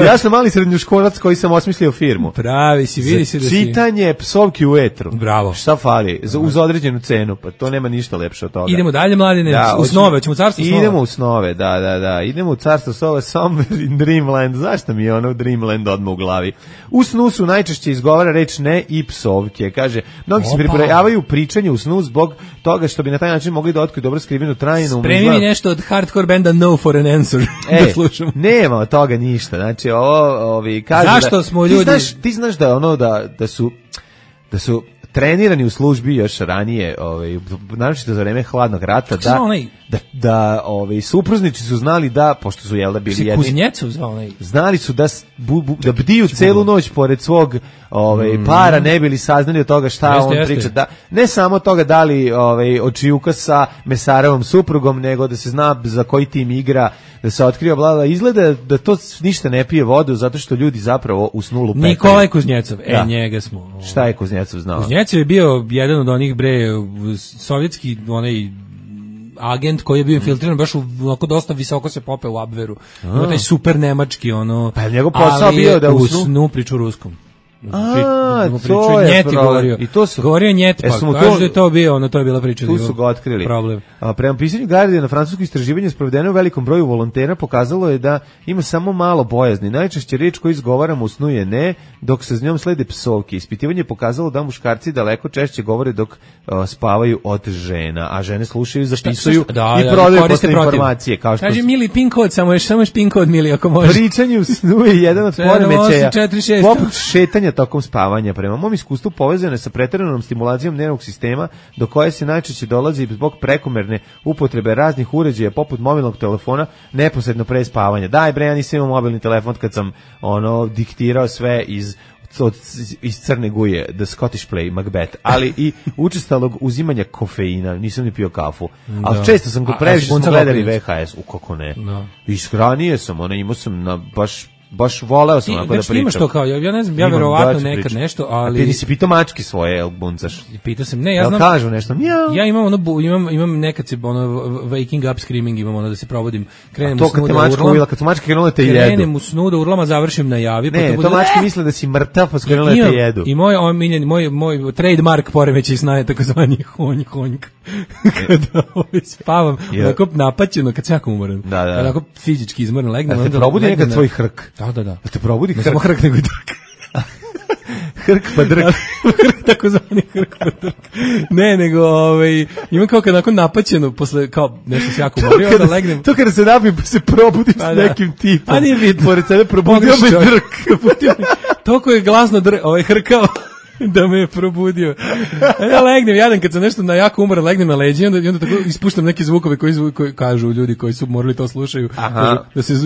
Ja sam mali srednjoškolac koji sam osmislio firmu. Pravi si, vidi se da si. Čitanje psovki u etru. Bravo. Šta fali? Uz određenu cenu, pa to nema ništa lepše od toga. Idemo dalje, mladine, u snove, ćemo u carstvo snova. Idemo u snove, da. Idemo u carstvo snova, Somewhere in Dreamland. Zašto mi je ono Dreamland odmah u glavi? U snu su najčešće izgovara reč ne i psovke. Kaže, mnogi se pribrojavaju pričanje u snu zbog toga što bi na taj način mogli da otkriju dobro skrivenu tajnu. Spremi mi nešto od hardcore benda No for an Answer. Da slušamo. Nema od toga ništa. Znači, ovi kažu zašto smo ljudi... Ti znaš da ono da su trenirani u službi još ranije, naročito za vreme hladnog rata, da supruznici su znali da, pošto su jel da bili jedni, Kuznjecov zvao onaj, znali su da bdiju celu noć pored svog para, ne bili saznali od toga šta on priča, da ne samo toga da li očijuka sa Mesarovom suprugom, nego da se zna za koji tim igra, da se otkriva blada. Izgleda da to ništa ne pije vodu, zato što ljudi zapravo u snu lupetaju. Nikolaj Kuznjecov, njega smo. Šta je Kuznjecov znao? Kuznjecov je bio jedan od onih sovjetski onaj agent koji je bio infiltriran baš onako dosta visoko se popeo u Abveru. Ima taj super nemački pa njegov posao bio da u snu priču ruskom. To je problem. I to su govorio njet, pa kaže da je to bio, to je bila priča. Tu su ga otkrili. Problem. Prema pisanju Guardiana, francusko istraživanje sprovedeno u velikom broju volontera pokazalo je da ima samo malo bojazni. Najčešće reč koju izgovaramo u snu je ne, dok se s njom slede psovke. Ispitivanje je pokazalo da muškarci daleko češće govore dok spavaju od žena, a žene slušaju, zapisuju i prodaju posle informacije. Kaže Mili pin kod, samo još pin kod Mili ako može. Pričanje u snu je jedan od poremećaja. Poput šetanja tokom spavanja. Prema mom iskustvu povezano je sa preteranom stimulacijom nervnog sistema, do koje se najčešće dolazi zbog prekomerne upotrebe raznih uređaja poput mobilnog telefona neposredno pre spavanja. Daj bre, ja nisam imao mobilni telefon kad sam diktirao sve iz Crne Guje, The Scottish Play, Macbeth, ali i učestalog uzimanja kofeina, nisam ni pio kafu. Ali često sam previše smo gledali VHS, kako ne. Ishranije sam, imao sam baš voleo sam ako da pričam. Imaš to kao, ja ne znam, ja verovatno nekad nešto, ali... A ti nisi pitao mački svoje, jel buncaš? Pitao sam, ne, ja znam... kažu nešto, mjau. Ja imam nekad se, waking up screaming, imam da se provodim, krenem u snu da urlam. Kad su mačke krenule te jedu. Krenem u snu da urlam, a završim na javi. Ne, to mačke misle da si mrtav, pa su krenule te jedu. I moj trademark poremećaj sna je takozvani honjk. Kada spavam, onako napaćeno, kad sam jako umoran. Onako fizički izmoran, legnem. Da te probudi nekad tvoj hrk. Da. Da te probudi hrk. Ne samo hrk, nego i drk. Hrk pa drk. Tako zvani hrk pa drk. Ne, nego imam kao kad nakon napaćeno, posle kao nešto se jako umorio, onda legnem. To kada se napijem pa se probudim s nekim tipom. A nije vidno. Pored sebe probudio me drk. Toliko je glasno hrkao da me je probudio. Ja legnem, jadan kad sam nešto na jako umoran, legnem na leđe i onda tako ispuštam neke zvukove koji kažu ljudi koji su morali to slušaju.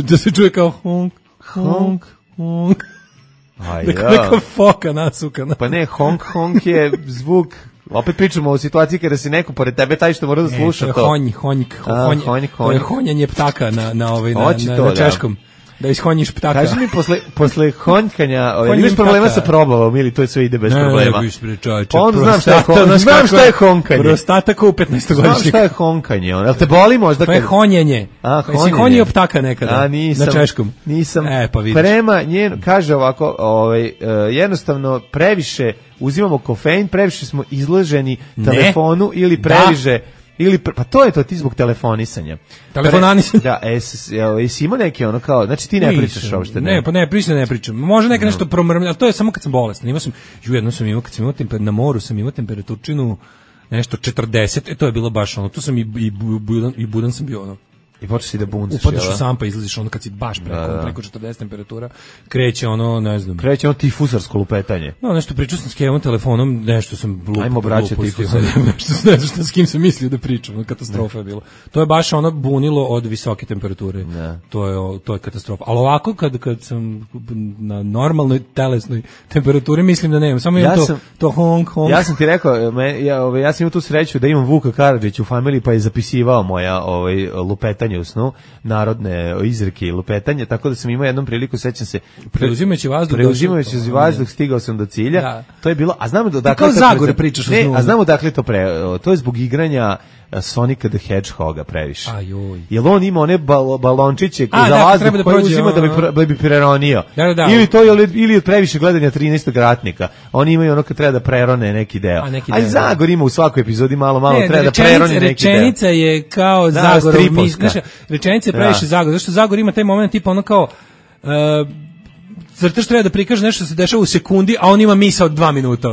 Da se čuje kao honk, honk, honk. Neka foka nasukana. Pa ne, honk, honk je zvuk. Opet pričamo o situaciji kada se neko pored tebe taj što mora da sluša to. Honjk. To je honjanje ptaka na češkom. Da ishonjiš ptaka. Kaži mi, posle honjkanja, imaš problema sa probavom ili to sve ide bez problema? Znam šta je honkanje. Prostata kao u 15-godišnjeg. Znam šta je honkanje. Jel te boli možda? To je honjenje. Si honio ptaka nekada? Na češkom. Nisam. Pa vidiš. Prema njen, kaže ovako, jednostavno previše uzimamo kofein, previše smo izloženi telefonu ili previše... pa to je to, ti zbog telefonisanja. Telefonanisanja. Da, jesi imao neki kao, znači ti ne pričaš uopšte. Ne, pa ne pričam. Može neka nešto promrmlja, ali to je samo kad sam bolestan. Jedno sam imao, kad sam imao na moru, sam imao temperaturčinu nešto 40, to je bilo baš tu sam i budan sam bio I počeš si da buncaš. Upadaš u sampa, izlaziš ono kad si baš preko 40 temperatura, kreće ono, ne znam. Kreće ono tifusarsko lupetanje. No, nešto pričao sam s Kevom telefonom, nešto sam lupo. Ajmo braće tifusari. Ne znam šta s kim sam mislio da pričam, katastrofa je bilo. To je baš ono bunilo od visoke temperature. To je katastrofa. Ali ovako kad sam na normalnoj telesnoj temperaturi mislim da nemam. Samo imam to honk. Ja sam ti rekao, ja sam imao tu sreću da imam Vuka Karadžića u familiji, pa je zapisivao moja lupetanje u snu, narodne izreke i lupetanje, tako da sam imao jednom priliku, sećam se, preuzimajući vazduh stigao sam do cilja. Da. To je bilo, a znamo da kao Zagore pričaš o snu. A znamo dakle to je zbog igranja Sonica the Hedgehoga previše. Jel on ima one balončiće za vazduh koje uzima da bi preronio. Ili od previše gledanja 13. ratnika. Oni imaju ono kad treba da prerone neki deo. A Zagor ima u svakoj epizodi malo treba da preroni neki deo. Rečenica je kao Zagorov rečenica je previše Zagor. Zašto Zagor ima taj moment tipa ono kao crtaš treba da prikaže nešto se dešava u sekundi, a on ima misao od 2 minuta.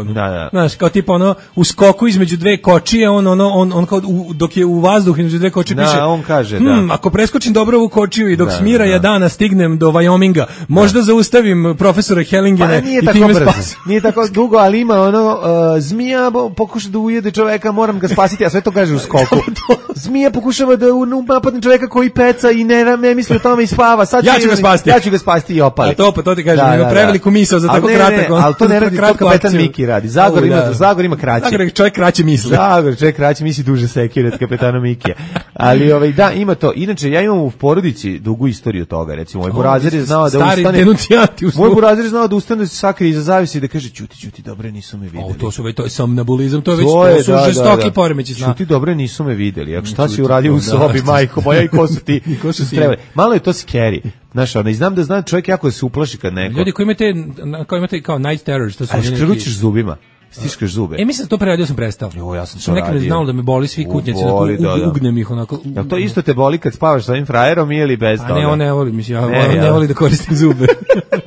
Znaš, kao tipa ono u skoku između dve kočije, on kao dok je u vazduhu između dve kočije piše. On kaže ako preskočim dobro ovu kočiju i dok smira Jadana stignem do Wyominga, možda zaustavim profesora Hellingena i time spasim. Nije tako dugo, ali ima zmija pokuša da ujede čoveka, moram ga spasiti, a sve to kaže u skoku. Zmija pokušava da napadne čoveka koji peca i ne misli o tome i spava. Ja ću ga spasiti i opali. To ti kaže, ima preveliku misao za tako kratak. Ali to ne radi, to kapetan Miki radi. Zagor ima kraće. Zagor čovjek kraće misli. Zagor čovjek kraće misli, duže sekire od kapetana Mikija. Ali da, ima to. Inače, ja imam u porodici dugu istoriju toga. Recimo, moj burazer je znao da ustane. Moj burazer je znao da ustane, sakri iza zavisi i da kaže ćuti, dobre, nisu me videli. To je somnambulizam, to je žestoki poremeći sna. Ćuti, dobre, nisu me videli. Šta si uradio u sobi, majko moja, i ko su ti? Malo je to scary. Znaš, i znam da čovjek jako se uplaši kad neko. Ljudi koji imate kao night terrors, to su neki. Škručiš zubima, stiškaš zube. Mislim da to preradio sam prestao. Ja sam to radio. Nekad znalo da me boli svi kutnjaci, ugnem ih onako. Jel to isto te boli kad spavaš sa ovim frajerom ili bez toga? A ne, on ne voli, mislim, ne voli da koristim zube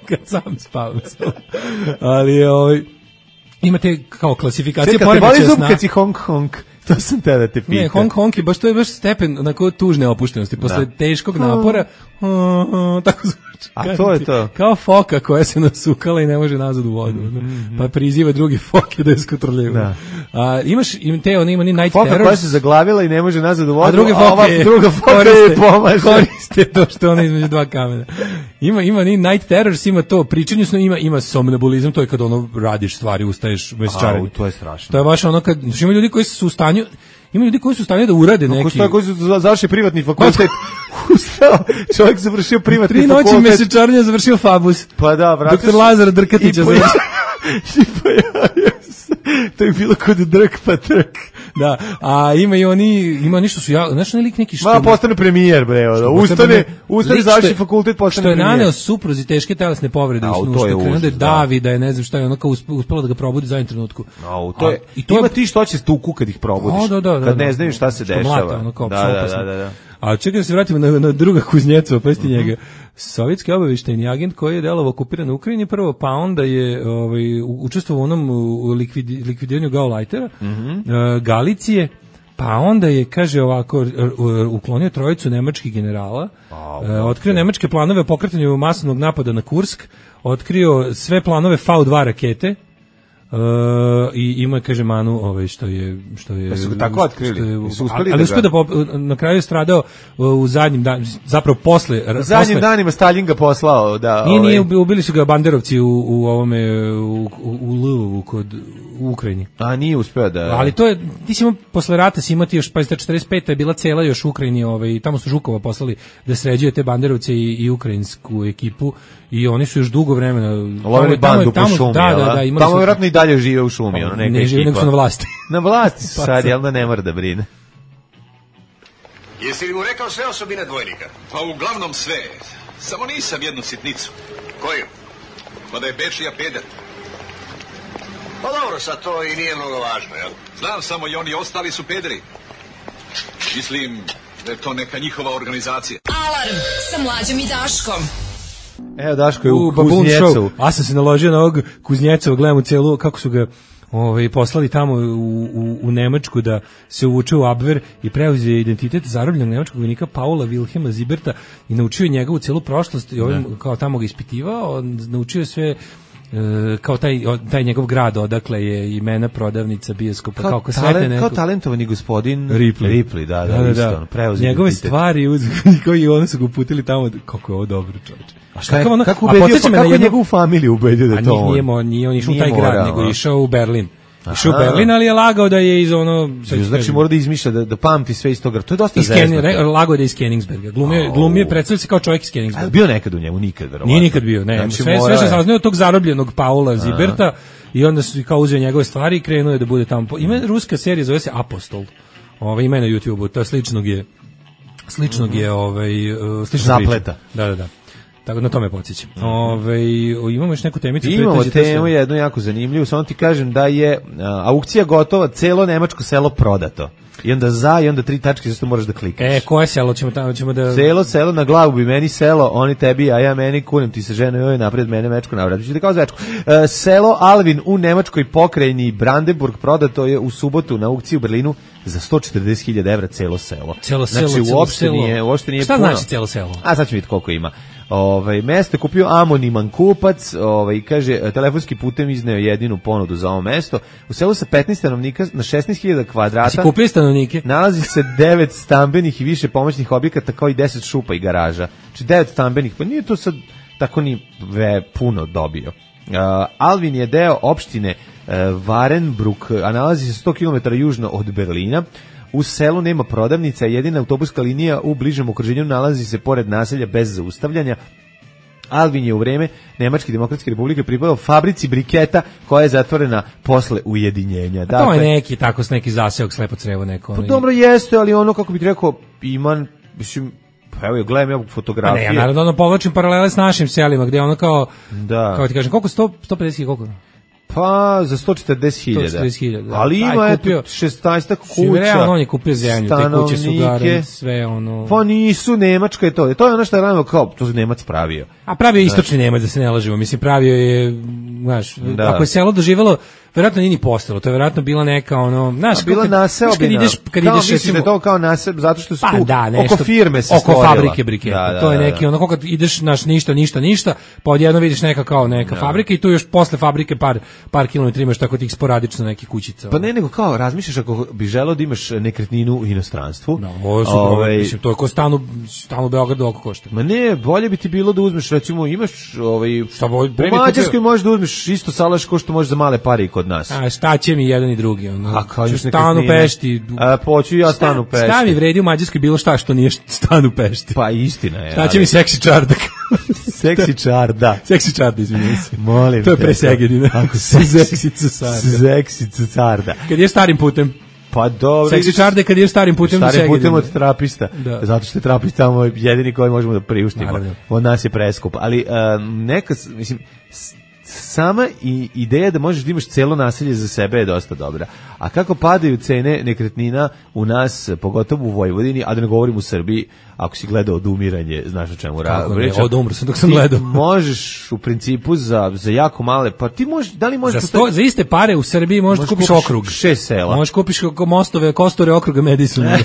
kad sam spavam. Ali imate kao klasifikacije poremećaja sna. Kad te boli zub kad si honk. To sam te da te pita. Ne, honk je to je baš stepen onako tužne opuštenosti. Posle teškog napora, tako zvuči. A to je to. Kao foka koja se nasukala i ne može nazad u vodu. Pa priziva druge foke da je skotrljaju. Ima ni night terror. Foka koja se zaglavila i ne može nazad u vodu, a druga foka je pomaže. Koriste to što ona između dva kamena. Ima ni night terrors, ima to pričanje snu, ima somnambulizam, to je kad radiš stvari, ustaješ bez čaranja. To je strašno. To je baš ono kad ima ljudi koji su u stanju da urade neki. Koji su završili privatni fakultet. Čovjek završio privatni 3 fakultet. 3 noći mesečarnja završio Fabus. Pa da, vratiš. Doktor Lazar Drkatića završio. To je bilo kod drk pa trk. Da, a ima ništa su znaš lik neki što. Ma postane premijer bre, ustane završi fakultet postane premijer. Što je naneo supruzi teške telesne povrede u snu, što krenuo da davi, da je ne znam šta je onako uspela da ga probudi za jednom trenutku. Ima ti što će tuku kad ih probudiš. Kad ne znaju šta se dešava. Da. A čekaj da se vratimo na druga Kuznjecova, pa njega. Sovjetski obavještajni agent koji je delovao okupiran u Ukrajini prvo, pa onda je učestvovao u onom likvidiranju Gauleitera, Galicije, pa onda je, kaže ovako, uklonio 3 nemačkih generala, otkrio nemačke planove o pokretanju masovnog napada na Kursk, otkrio sve planove V2 rakete, i ima, kaže, manu što je su tako otkrili, ali uspio da na kraju je stradao u zadnjim danima, zapravo posle zadnjim danima Stalin ga poslao da nije ubili su ga banderovci u ovome u Lvovu u Ukrajini. A nije uspeo da. Ali to je, ti si imao posle rata si imati još, pa 45. je bila cela još u Ukrajini, tamo su Žukova poslali da sređuje te banderovce i ukrajinsku ekipu i oni su još dugo vremena lovili bandu po šumi. Da, tamo vjerojatno i dalje žive u šumi, neka ekipa. Ne žive, nego su na vlasti. Na vlasti su sad, jel da ne mora da brine. Jesi li mu rekao sve osobine dvojnika? Pa uglavnom sve. Samo nisam jednu sitnicu. Koju? Pa da je Bečija peder. Pa dobro, sad to i nije mnogo važno, jel? Znam, samo i oni ostali su pederi. Mislim da je to neka njihova organizacija. Alarm sa Mlađom i Daškom. Evo Daško je u Kuznjecu. A sam se naložio na ovog Kuznjecova, gledam u celu kako su ga poslali tamo u Nemačku da se uvuče u Abwehr i preuzeo identitet zarobljenog nemačkog vojnika Paula Wilhelma Zieberta i naučio njegovu celu prošlost i kao tamo ga ispitivao, naučio sve kao taj njegov grad odakle je imena prodavnica bioskopa kao talentovani gospodin Ripley, da, preuzeo njegove stvari koji oni su ga uputili tamo, kako je ovo dobro, čoveče. Kako je njegovu familiju ubedio da to on? Nije on išao u taj grad, nego išao u Berlin. Išao u Berlin, ali je lagao da je iz ono... Znači mora da izmišlja, da pamti sve iz toga. To je dosta zezno. Lagao da je iz Königsberga. Glumio je, predstavio se kao čovjek iz Königsberga. Bio nekad u njemu? Nikad, verovatno. Nije nikad bio, ne. Znači, sve što sam znao od tog zarobljenog Paula Zieberta i onda su kao uzeo njegove stvari i krenuo je da bude tamo. Ima ruska serija, zove se Apostol. Ima je na YouTubeu, to je sličnog je zapleta. Da. Tako na tome podsjećam. Imamo još neku temicu. Imamo temu jednu jako zanimljivu, samo ti kažem da je aukcija gotova, celo nemačko selo prodato. I onda i onda 3 tačke, zašto moraš da klikaš. Koje selo ćemo da... Selo, na glavu bi meni selo, oni tebi, a ja meni, kunem ti se ženo joj napred mene mečku navrat. Ćete kao zvečku. Selo Alvin u nemačkoj pokrajini Brandenburg prodato je u subotu na aukciji u Berlinu za 140.000 evra celo selo. Znači uopšte nije šta puno. Znači celo selo? A sad ću vidjeti koliko ima. Mesto je kupio anoniman kupac, kaže telefonski putem izneo jedinu ponudu za ovo mesto. U selu sa 15 stanovnika na 16.000 kvadrata. Si kupio stanovnike? Nalazi se 9 stambenih i više pomoćnih objekata kao i 10 šupa i garaža. Znači 9 stambenih, pa nije to sad tako ni puno dobio. Alvin je deo opštine Warenbrück, a nalazi se 100 km južno od Berlina. U selu nema prodavnica, jedina autobuska linija u bližem okruženju nalazi se pored naselja bez zaustavljanja. Alvin je u vreme Nemačke demokratske republike pripadao fabrici briketa koja je zatvorena posle ujedinjenja. Dakle, to je neki zaseok slepo crevo neko. Pa dobro jeste, ali ono kako bih rekao, mislim, evo gledam ja fotografije. Ja naravno povlačim paralele s našim selima gdje ono kao ti kažem, koliko 150 koliko? Pa za 140.000. Ali ima eto 16 kuća. Realno on je kupio zemlju, te kuće su garen, sve ono. Pa nisu, Nemačka je to. To je ono što je radilo kao, to je Nemac pravio. A pravio je istočni Nemac, da se ne lažemo. Mislim, pravio je, znaš, ako je selo doživjelo, verovatno nije ni postalo, to je verovatno bila neka ono, znaš, bila naseobina. Kad ideš recimo to kao naseb zato što su tu oko firme se stvorila. Oko fabrike briketa. To je neki ono kad ideš naš ništa, pa odjednom vidiš neka fabrika i tu još posle fabrike par kilometara imaš tako tih sporadično nekih kućica. Pa ne, nego kao razmišljaš ako bi želeo da imaš nekretninu u inostranstvu. Mislim to je kao stan u Beogradu oko košta. Ma ne, bolje bi ti bilo da uzmeš recimo imaš u Mađarskoj možeš da uzmeš isto salaš ko što možeš za male pare kod nas. A šta će mi jedan i drugi? Ono, stan u Pešti. Poću ja stan u Pešti. Šta mi vredi u Mađarskoj bilo šta što nije stan u Pešti? Pa istina je. Šta će mi seksi čardak? Seksi čarda. Seksi čarda, izvinjam se. Molim to je presegedina. Ako se seksi carda. Kad je starim putem. Pa dobro. Seksi čarda kad je starim putem. Starim putem od terapista. Zato što je terapist tamo jedini koji možemo da priuštimo. Od nas je preskup. Ali neka, mislim, sama ideja da možeš da imaš celo naselje za sebe je dosta dobra. A kako padaju cene nekretnina u nas, pogotovo u Vojvodini, a da ne govorim u Srbiji, ako si gledao Odumiranje, znaš o čemu pričam. Odumro sam dok sam gledao. Ti možeš u principu za jako male, pa ti možeš, da li možeš... Za iste pare u Srbiji možeš kupiš okrug. 6 sela. Možeš kupiš mostove, kostore okruga Madisona.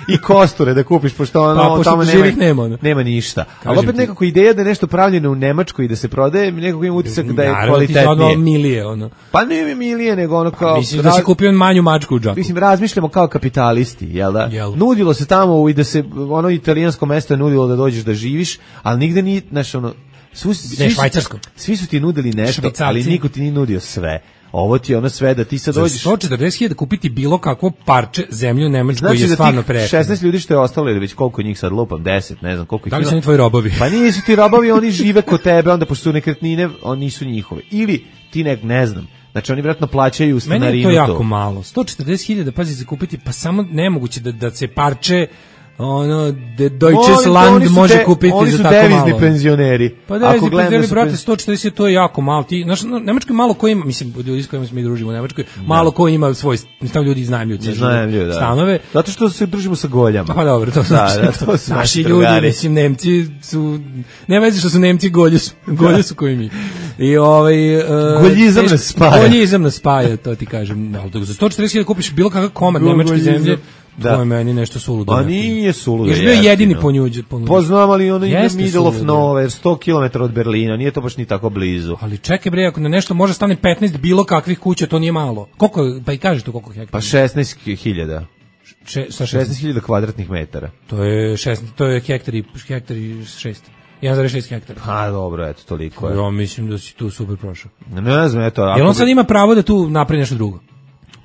I kosture da kupiš, pošto ono tamo nema ništa. Ali opet nekako ideja da je nešto pravljeno u Nemačkoj i da se prodaje, nekako ima utisak da je kvalitetnije. Naravno ti milije, ono. Pa ne milije, nego ono kao... Mislim da si kupio manju mačku u džaku. Mislim, razmišljamo kao kapitalisti, jel da? Nudilo se tamo i da se, ono italijansko mesto je nudilo da dođeš da živiš, ali nigde nije, znaš, ono... Švajcarsko. Svi su ti nudili nešto, ali niko ti nije nudio sve. Ovo ti je ono sve da ti sad dođeš... Za 140.000 kupiti bilo kakvo parče zemlje u Nemačkoj je stvarno prejeftino. Znači 16 ljudi što je ostalo, ili već koliko njih sad lupam, 10, ne znam koliko ih ima. Da li su oni tvoji robovi? Pa nisu ti robovi, oni žive kod tebe, onda pošto su nekretnine, oni nisu njihove. Ili ti ne znam. Znači oni vjerojatno plaćaju stanarinu. Meni je to jako malo. 140.000, pazi, za kupiti, pa samo nemoguće da se parče ono, Deutsches Land može kupiti za tako malo. Oni su devizni penzioneri. Pa devizni penzioneri, brate, 140, to je jako malo. Znaš, Nemačkoj malo ko ima, mislim, ljudi s kojima se mi družimo u Nemačkoj, malo ko ima svoj, tamo ljudi iznajmljuju stanove. Zato što se družimo sa goljama. Pa dobro, to su naši ljudi, mislim, Nemci su, ne vezi što su Nemci, golje su koji mi. I goljizam nas spaja. Goljizam nas spaja, to ti kažem. Za 140.000 kupiš bilo kakav komad nemačke zemlje. Da. To je meni nešto suludo. A nije suludo. Još bio jedini ponuđen. Poznam, ali ono ide middle of nowhere, 100 km od Berlina, nije to baš ni tako blizu. Ali čekaj bre, ako na nešto može stane 15 bilo kakvih kuća, to nije malo. Koliko, pa i kažeš to koliko hektara? Pa 16.000. 16.000 kvadratnih metara. To je hektari 6. 1,6 hektara. Pa dobro, eto, toliko je. Ja mislim da si tu super prošao. Ne znam, eto. Jel on sad ima pravo da tu napravi nešto drugo?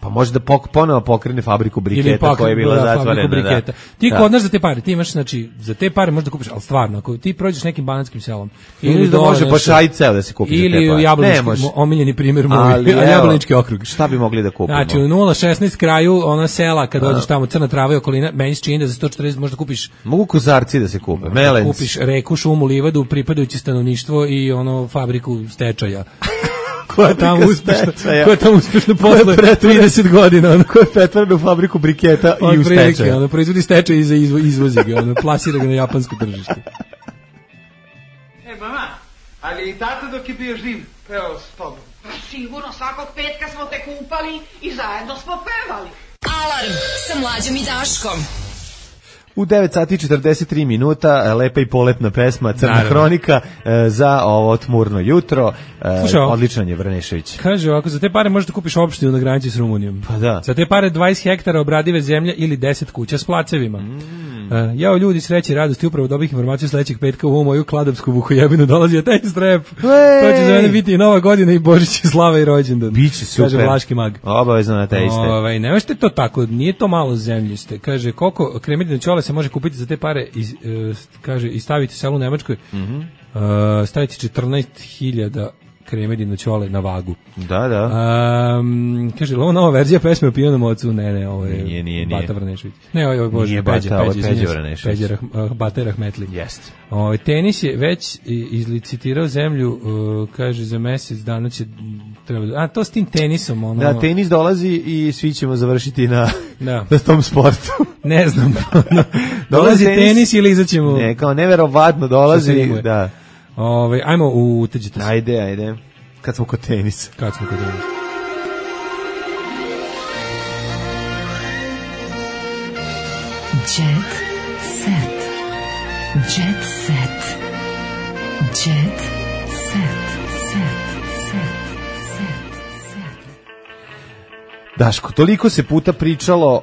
Pa može da ponovo pokrene fabriku briketa koja je bila zatvorena. Ti kod nas za te pare, ti imaš, znači, za te pare možeš da kupiš, ali stvarno, ako ti prođeš nekim banatskim selom, ili da može baš ajceo da se kupi za te pare. Ili u Jablanički, omiljeni primjer moj, Jablanički okrug. Šta bi mogli da kupimo? Znači, u 0,16 kraju, ona sela, kad dođeš tamo, crna trava i okolina, meni se čini da za 140 možda kupiš... Mogu kozarci da se kupe, melenci. Kupiš reku, šumu, livadu, pripadajuće stanovništvo i ono fabriku stečaja. Koja je tamo uspešno posle 30 godina. Koja je pretvorena u fabriku briketa i u stečaju. Proizvodi stečaj i izvozi ga, plasira ga na japansko tržište. Mama, ali i tata dok je bio živ pevao s tobom? Sigurno, svakog petka smo te kupali i zajedno smo pevali. Alarm sa Mlađom i Daškom. U 9 sati 43 minuta, lepa i poletna pesma Crna hronika za ovo tmurno jutro. Odličan je Vrnešević. Kaže ovako, za te pare možete kupiš opštinu na granici s Rumunijom. Pa da. Za te pare 20 hektara obradive zemlje ili 10 kuća s placevima. Jao ljudi, sreće i radosti, upravo dobih informaciju sledećeg petka u ovu moju kladovsku vuhojebinu dolazi taj strep. To će za mene biti i Nova godina i Božić i slava i rođendan. Biće super. Kaže Vlaški mag. Obavezno na te iste. Ne možete to tako, nije to malo zemljište. Kaže, koliko kremidine ćole se može kupiti za te pare i staviti selu u Nemačkoj, staviti 14.000 kremedino ćole na vagu. Da. Kaže, ovo nova verzija pesme o pijanom ocu? Ne, ovo je nije. Bata Vrnešević. Ne, ovo je Bože, nije Bata, ovo je Peđa Vrnešević. Bata Rahmetli. Jest. Tenis je već izlicitirao zemlju, kaže, za mesec dana će treba... to s tim tenisom, ono... Da, tenis dolazi i svi ćemo završiti na tom sportu. Ne znam. Dolazi tenis ili izaćemo... Ne, kao neverovatno dolazi, da. Ajmo uteđite se. Ajde. Kad smo kod tenisa. Jet set. Jet set. Jet set. Daško, toliko se puta pričalo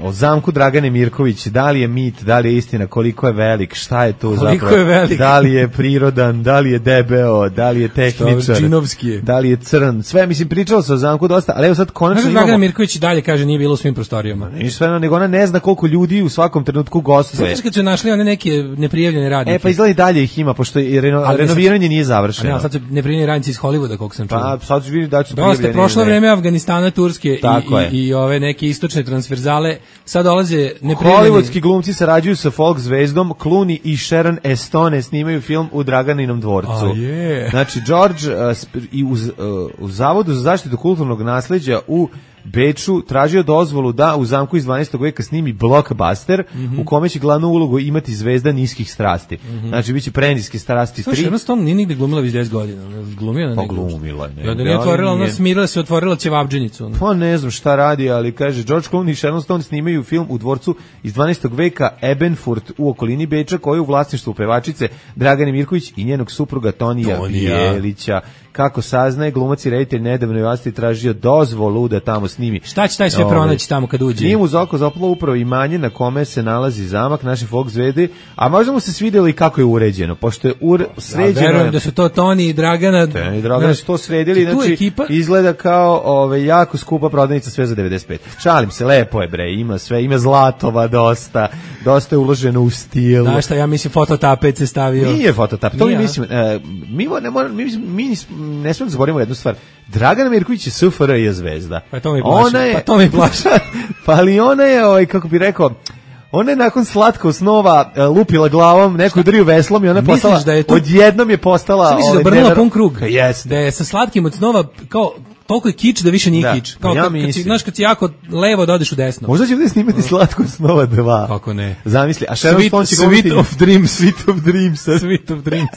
o zamku Dragane Mirković, da li je mit, da li je istina, koliko je velik, šta je to zapravo, da li je prirodan, da li je debeo, da li je tehničar, da li je crn, sve, mislim, pričalo se o zamku dosta, ali evo sad konačno imamo... Dragana Mirković dalje kaže nije bilo u svim prostorijama. Ništa sve, nego ona ne zna koliko ljudi u svakom trenutku gostuje. Znači kad su našli one neke neprijavljene radnike. Pa izgleda i dalje ih ima, pošto renoviranje nije završeno. Sad su neprijavljeni radnici iz Hollywooda, koliko sam čuo. Pa sad ću vidjeti da su prijavljeni. Prošlo vreme Afganistana, Turske i ove neke istočne transverzale, sad dolaze neprijavljeni. Hollywoodski glumci sarađuju sa folk zvezdom, Clooney i Sharon Stone snimaju film u Draganinom dvorcu. Znači, George u Zavodu za zaštitu kulturnog nasleđa u Beču tražio dozvolu da u zamku iz 12. veka snimi blockbuster u kome će glavnu ulogu imati zvezda niskih strasti. Znači, bit će Preniske strasti 3. Sharon Stone nije nigde glumila već 10 godina. Glumila na negdje. Glumila je. Da nije otvorila, ona smirila se, otvorila ćevabdžinicu. Pa ne znam šta radi, ali kaže, George Clooney i Sharon Stone snimaju film u dvorcu iz 12. veka Ebenfurt u okolini Beča, koji je u vlasništvu pevačice Dragane Mirković i njenog supruga Tonija Bijelića. Kako saznaje, glumac i reditelj nedavno je vlasti tražio dozvolu da tamo snimi. Šta će taj sve pronaći tamo kad uđe? Nije mu za oko zapalo upravo imanje na kome se nalazi zamak naše folk zvezde, a možda mu se svidjelo i kako je uređeno, pošto je sređeno. Ja verujem da su to Toni i Dragana. Toni i Dragana su to sredili, znači ekipa izgleda kao jako skupa prodavnica, sve za 95. Šalim se, lepo je bre, ima sve, ima zlatova dosta je uloženo u stil. Znaš šta, ja mislim fototapet se stavio. Nije fototapet, to mi mislim, mi ne smemo da zaboravimo jednu stvar. Dragana Mirković je SFRJ zvezda. Pa to mi plaši. Pa ali ona je, kako bi rekao, ona je nakon slatkog snova lupila glavom, neku udrio veslom i ona je postala, odjednom je postala... Šta misliš da obrnula pun krug? Da je sa slatkim od snova kao toliko je kič da više nije kič. Kao kad si jako levo da odeš u desno. Možda će ovdje snimati Slatko snova 2. Kako ne? Zamisli, a Sharon Stone će Sweet of Dreams. Sweet of Dreams.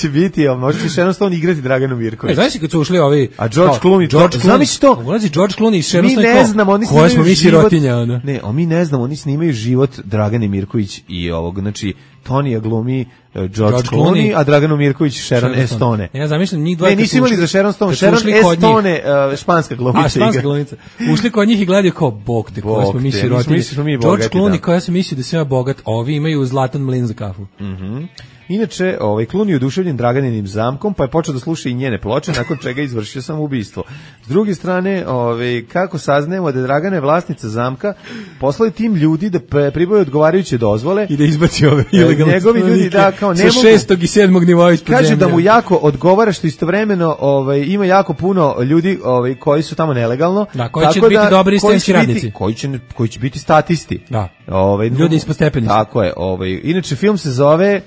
Će biti, možda će Sharon Stone igrati Draganu Mirković. Znaš kad su ušli ovi... A George Clooney, zamisli to. Ulazi George Clooney i Sharon Stone. Mi ne znamo, oni snimaju smo mi sirotinja, ono. Ne, mi ne znamo, oni snimaju život Dragane Mirković i ovog, znači, Tonija glumi George Clooney, a Draganu Mirković Sharon Stone. Ja zamišljam njih dvoje. Ne, nisi imali za Sharon Stone, Sharon Stone, španska glumica. A, španska glumica. Ušli kod njih i gledaju kao, bog te, koji smo mi sirotinje. George Clooney, kao ja sam mislio da sam ja bogat, ovi imaju zlatan mlin za kafu. Inače, Clooney je oduševljen Draganinim zamkom, pa je počeo da sluša i njene ploče, nakon čega je izvršio samoubistvo. S druge strane, kako saznajemo da je Dragana je vlasnica zamka, poslali tim ljudi da pribave odgovarajuće dozvole i da izbaci ove ilegalne njegovi ljudi da kao ne mogu. Sa 6. i 7. nivoa ispod zemlje. Kaže da mu jako odgovara što istovremeno ima jako puno ljudi koji su tamo nelegalno. Da, koji će biti dobri istinski radnici. Koji će biti statisti. Da. Ljudi ispod stepenice. Tako je. Inače, film se zove...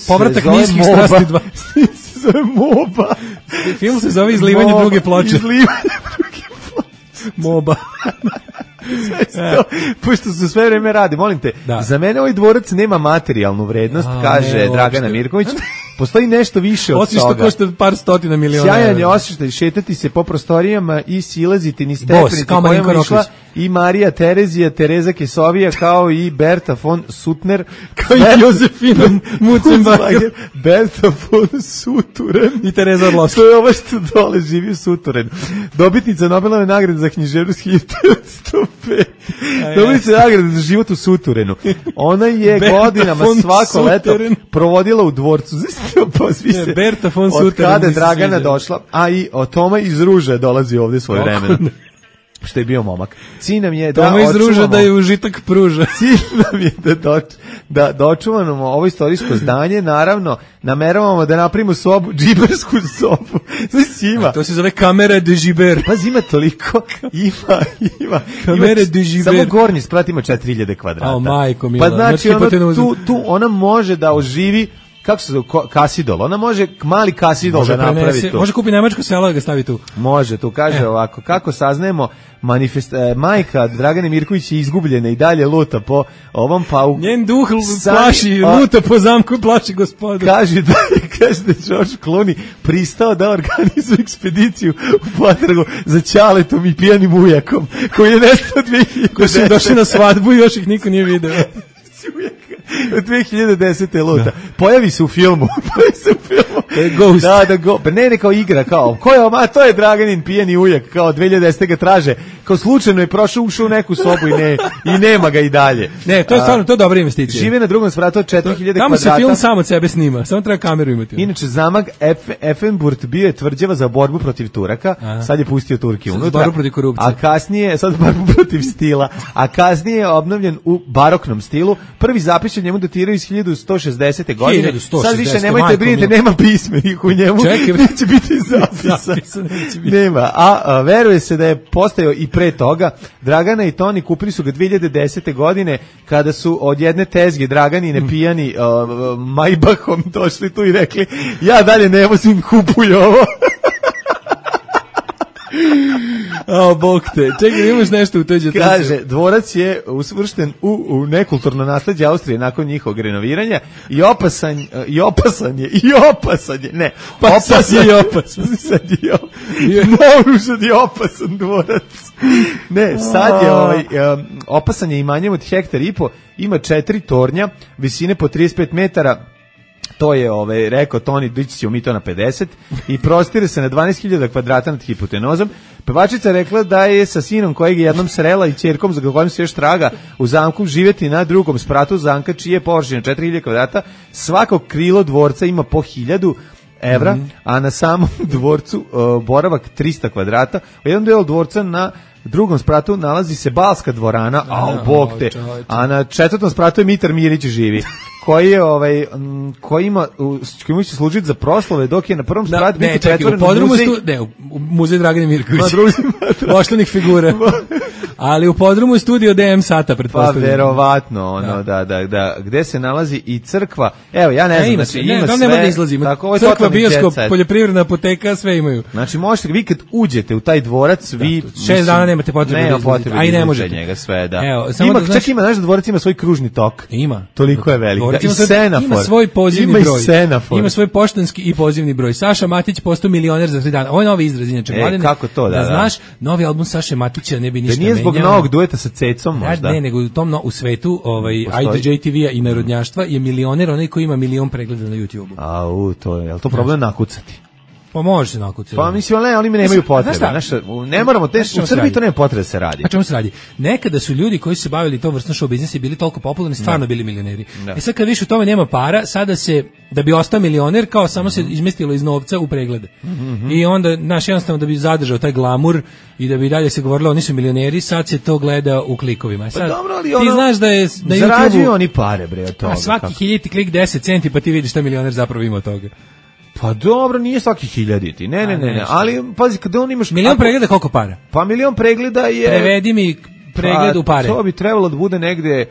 Povratak niskih strasti 2. se zove MOBA. Film se zove Izlivanje druge ploče. MOBA. Pošto se sve vreme radi, molim te, za mene ovaj dvorac nema materijalnu vrednost, kaže Dragana Mirković. Postoji nešto više od toga. Osim što košta par stotina miliona. Sjajan je osjećaj šetati se po prostorijama i silaziti ni stepenice kojima je išla i Marija Terezija, Tereza Kesovija, kao i Berta von Suttner, kao i Josefina Mucenbacher, Berta von Suturen i Tereza Orlovska. To je ovo što dole živi u Suturenu. Dobitnica Nobelove nagrade za književnost 1905. Dobitnica nagrade za život u Suturenu. Ona je godinama svako leto provodila u dvorcu. Berta von Suttner. Od kada je Dragana došla, a i Toma iz Ruže dolazi ovdje svoje vremena. Što je bio momak. Cilj nam je Toma iz Ruže da je užitak pruža. Cilj nam je da dočuvamo ovo istorijsko zdanje, naravno, nameravamo da napravimo sobu, džibersku sobu. Znači to se zove kamera de džiber. Pazi, ima toliko, ima. Kamera de džiber. Samo gornji sprat ima 4000 kvadrata. O, majko mila. Pa znači, tu ona može da oživi, kako se zove, kasidol, ona može mali kasidol da napravi tu. Može kupi nemačko selo da ga stavi tu. Može, tu kaže ovako, kako saznajemo, majka Dragane Mirković je izgubljena i dalje luta po ovom pauku. Njen duh plaši, luta po zamku i plaši gospodu. Kaže da je George Clooney pristao da organizuje ekspediciju u potragu za Ćaletom i pijanim ujakom, koji je nestao 2010. Koji su došli na svadbu i još ih niko nije video. 2010. luta. Pojavi se u filmu. Ghost. Da, pa ne kao igra, kao, ko je oma, to je Draganin pijeni ujak, kao 2010. ga traže, kao slučajno je ušao u neku sobu i nema ga i dalje. Ne, to je stvarno, to je dobra investicija. Žive na drugom spratu od 4000 kvadrata. Tamo se film sam od sebe snima, samo treba kameru imati. Inače, zamak Effenburg bio je tvrđava za borbu protiv Turaka, sad je pustio Turke unutra. Borbu protiv korupcije. A kasnije, sad borbu protiv stila, a kasnije je obnovljen u baroknom stilu. Prvi zapis njemu datiraju iz 1160. godine. Sad više nemojte brinite, nema pismenih u njemu. Neće biti zapisa. Nema. A veruje se da je postojao i pre toga. Dragana i Toni kupili su ga 2010. godine kada su od jedne tezge Draganine pijani Maybachom došli tu i rekli ja dalje ne vozim, kupuj ovo. Bog te. Čekaj, imaš nešto u toj. Kaže, dvorac je usvršten u nekulturno nasleđe Austrije nakon njihovog renoviranja i opasan je. Ne, naoružan je opasan dvorac. Ne, sad je opasan je imanjem od 1,5 hektara, ima 4 tornja, visine po 35 metara. To je, rekao Toni, dići ćemo mi to na 50 i prostire se na 12.000 kvadrata nad hipotenozom. Pevačica rekla da je sa sinom kojeg je jednom srela i ćerkom za kojim se još traga u zamku živjeti na drugom spratu zamka čije je površina 4.000 kvadrata. Svako krilo dvorca ima po 1.000 evra, a na samom dvorcu boravak 300 kvadrata. U jednom delu dvorca na drugom spratu nalazi se balska dvorana, bog te, a na 4. spratu je Mitar Mirić živi. Koji će služiti za proslove, dok je na prvom spratu biti pretvoren u muzej. U muzej Dragane Mirković. Ošlenih figura. Ali u podrumu je studio DM Sata, pretpostavljam. Pa verovatno, ono, da, gde se nalazi i crkva. Evo, ja ne znam, znači ima sve. Nema da izlazi, crkva, bioskop, poljoprivredna apoteka, sve imaju. Znači, možete, vi kad uđete u taj dvorac, vi... 6 dana nemate potrebe da izlazite, a i ne možete. Njega sve, da. Evo, Čak ima, znaš da dvorac ima svoj kružni tok. Ima. Toliko je velik. I semafor. Ima svoj pozivni broj. Ima svoj poštanski i pozivni broj. Saša Matić postao milioner za 3 dana. Ovo je novi izraz, inače. Kako to, da znaš, novi album Saše Matića ne bi ništa menjao. Da nije zbog novog dueta sa Cecom možda. Ne, nego u svetu IDJ TV-a i narodnjaštva je milioner onaj koji ima milion pregleda na YouTube-u. To je, jel to problem nakucati? Pa može se nakucati. Pa mislim, oni mi nemaju potrebe. Ne moramo, u Srbiji to nema potrebe da se radi. A čemu se radi? Nekada su ljudi koji su se bavili tom vrstom show biznisa i bili toliko popularni, stvarno bili milioneri. I sad kad više u tome nema para, sada se, da bi ostao milioner, kao samo se izmestilo iz novca u preglede. I onda, jednostavno da bi zadržao taj glamur i da bi dalje se govorilo oni su milioneri, sad se to gleda u klikovima. Sad, pa dobro, ali ti znaš da je na zarađuju oni pare, bre, od toga. A svaki hiljiti klik 10 centi, pa ti vidiš šta milioner zapravo ima od toga. Pa dobro, nije svaki hiljaditi. Ne. Ali, pazi, kada on imaš... Milion pregleda koliko para? Pa milion pregleda je... Prevedi mi pregled u pare. To bi trebalo da bude negde...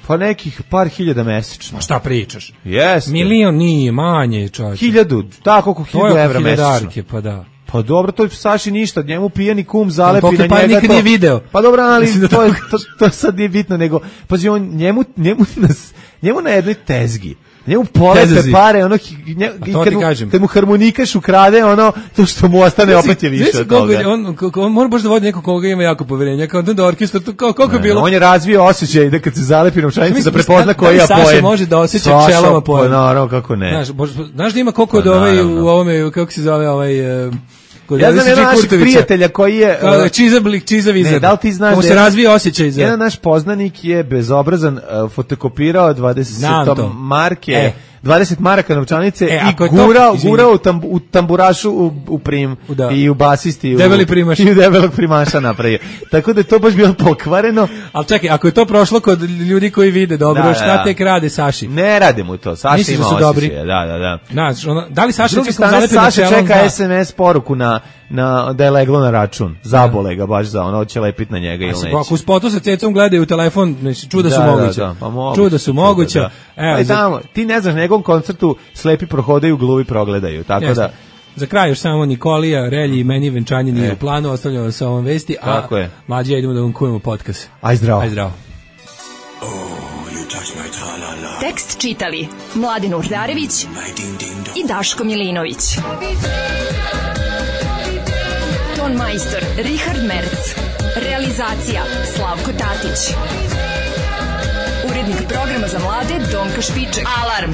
Pa nekih par hiljada mesečno. Šta pričaš? Jeste. Milion nije, manje, čovječe. 1000, tako oko 1000 evra mesečno. Pa da. Pa dobro, to je Saši ništa, njemu pijani kum zalepi na njega. Pa nikad nije video. Pa dobro, ali to sad nije bitno, nego, pazi, on njemu na jednoj tezgi, njemu polete pare, ono, kad mu harmonikaš ukrade, ono, to što mu ostane opet je više od toga. On mora baš da vodi neko koga ima jako poverenja, kao da orkestar, kako je bilo? On je razvio osjećaj da kad se zalepi novčanica da prepozna koji je poen. Saša može da osjeća pčelama poen. Naravno, kako ne. Znaš da ima koliko od u ovome, kako se zove ja znam jedan naših prijatelja koji je... Čiza Vizar. Ne, da li ti znaš da se razvije osjećaj za... Jedan naš poznanik je bezobrazan fotokopirao 20 marke... 20 maraka novčanice i gurao u tamburašu u prim i u basisti debeli primaš. I u debelog primaša napravio. Tako da je to baš bilo pokvareno. Ali čekaj, ako je to prošlo kod ljudi koji vide dobro, šta tek rade Saši? Ne rade mu to. Saša ima osjećaje. Da. Da li Saša čeka SMS poruku da je leglo na račun. Zabole ga baš za ono, hoće lepiti na njega ili neće. Ako u spotu sa Cecom gledaju u telefon, čuda su moguće. Čuda su moguće. Ti ne znaš, njegovom koncertu slepi prohodaju, gluvi progledaju. Tako da... Za kraj još samo Nikolija, Relji i meni venčanje nije u planu, ostavljamo vas sa ovom vesti, a mlađi idemo da vam kujemo podcast. Aj zdravo. Tekst čitali Mladin Urdarević i Daško Milinović. Ton majstor Richard Merc. Realizacija Slavko Tatić. Urednik programa za mlade Donka Špiček. Alarm!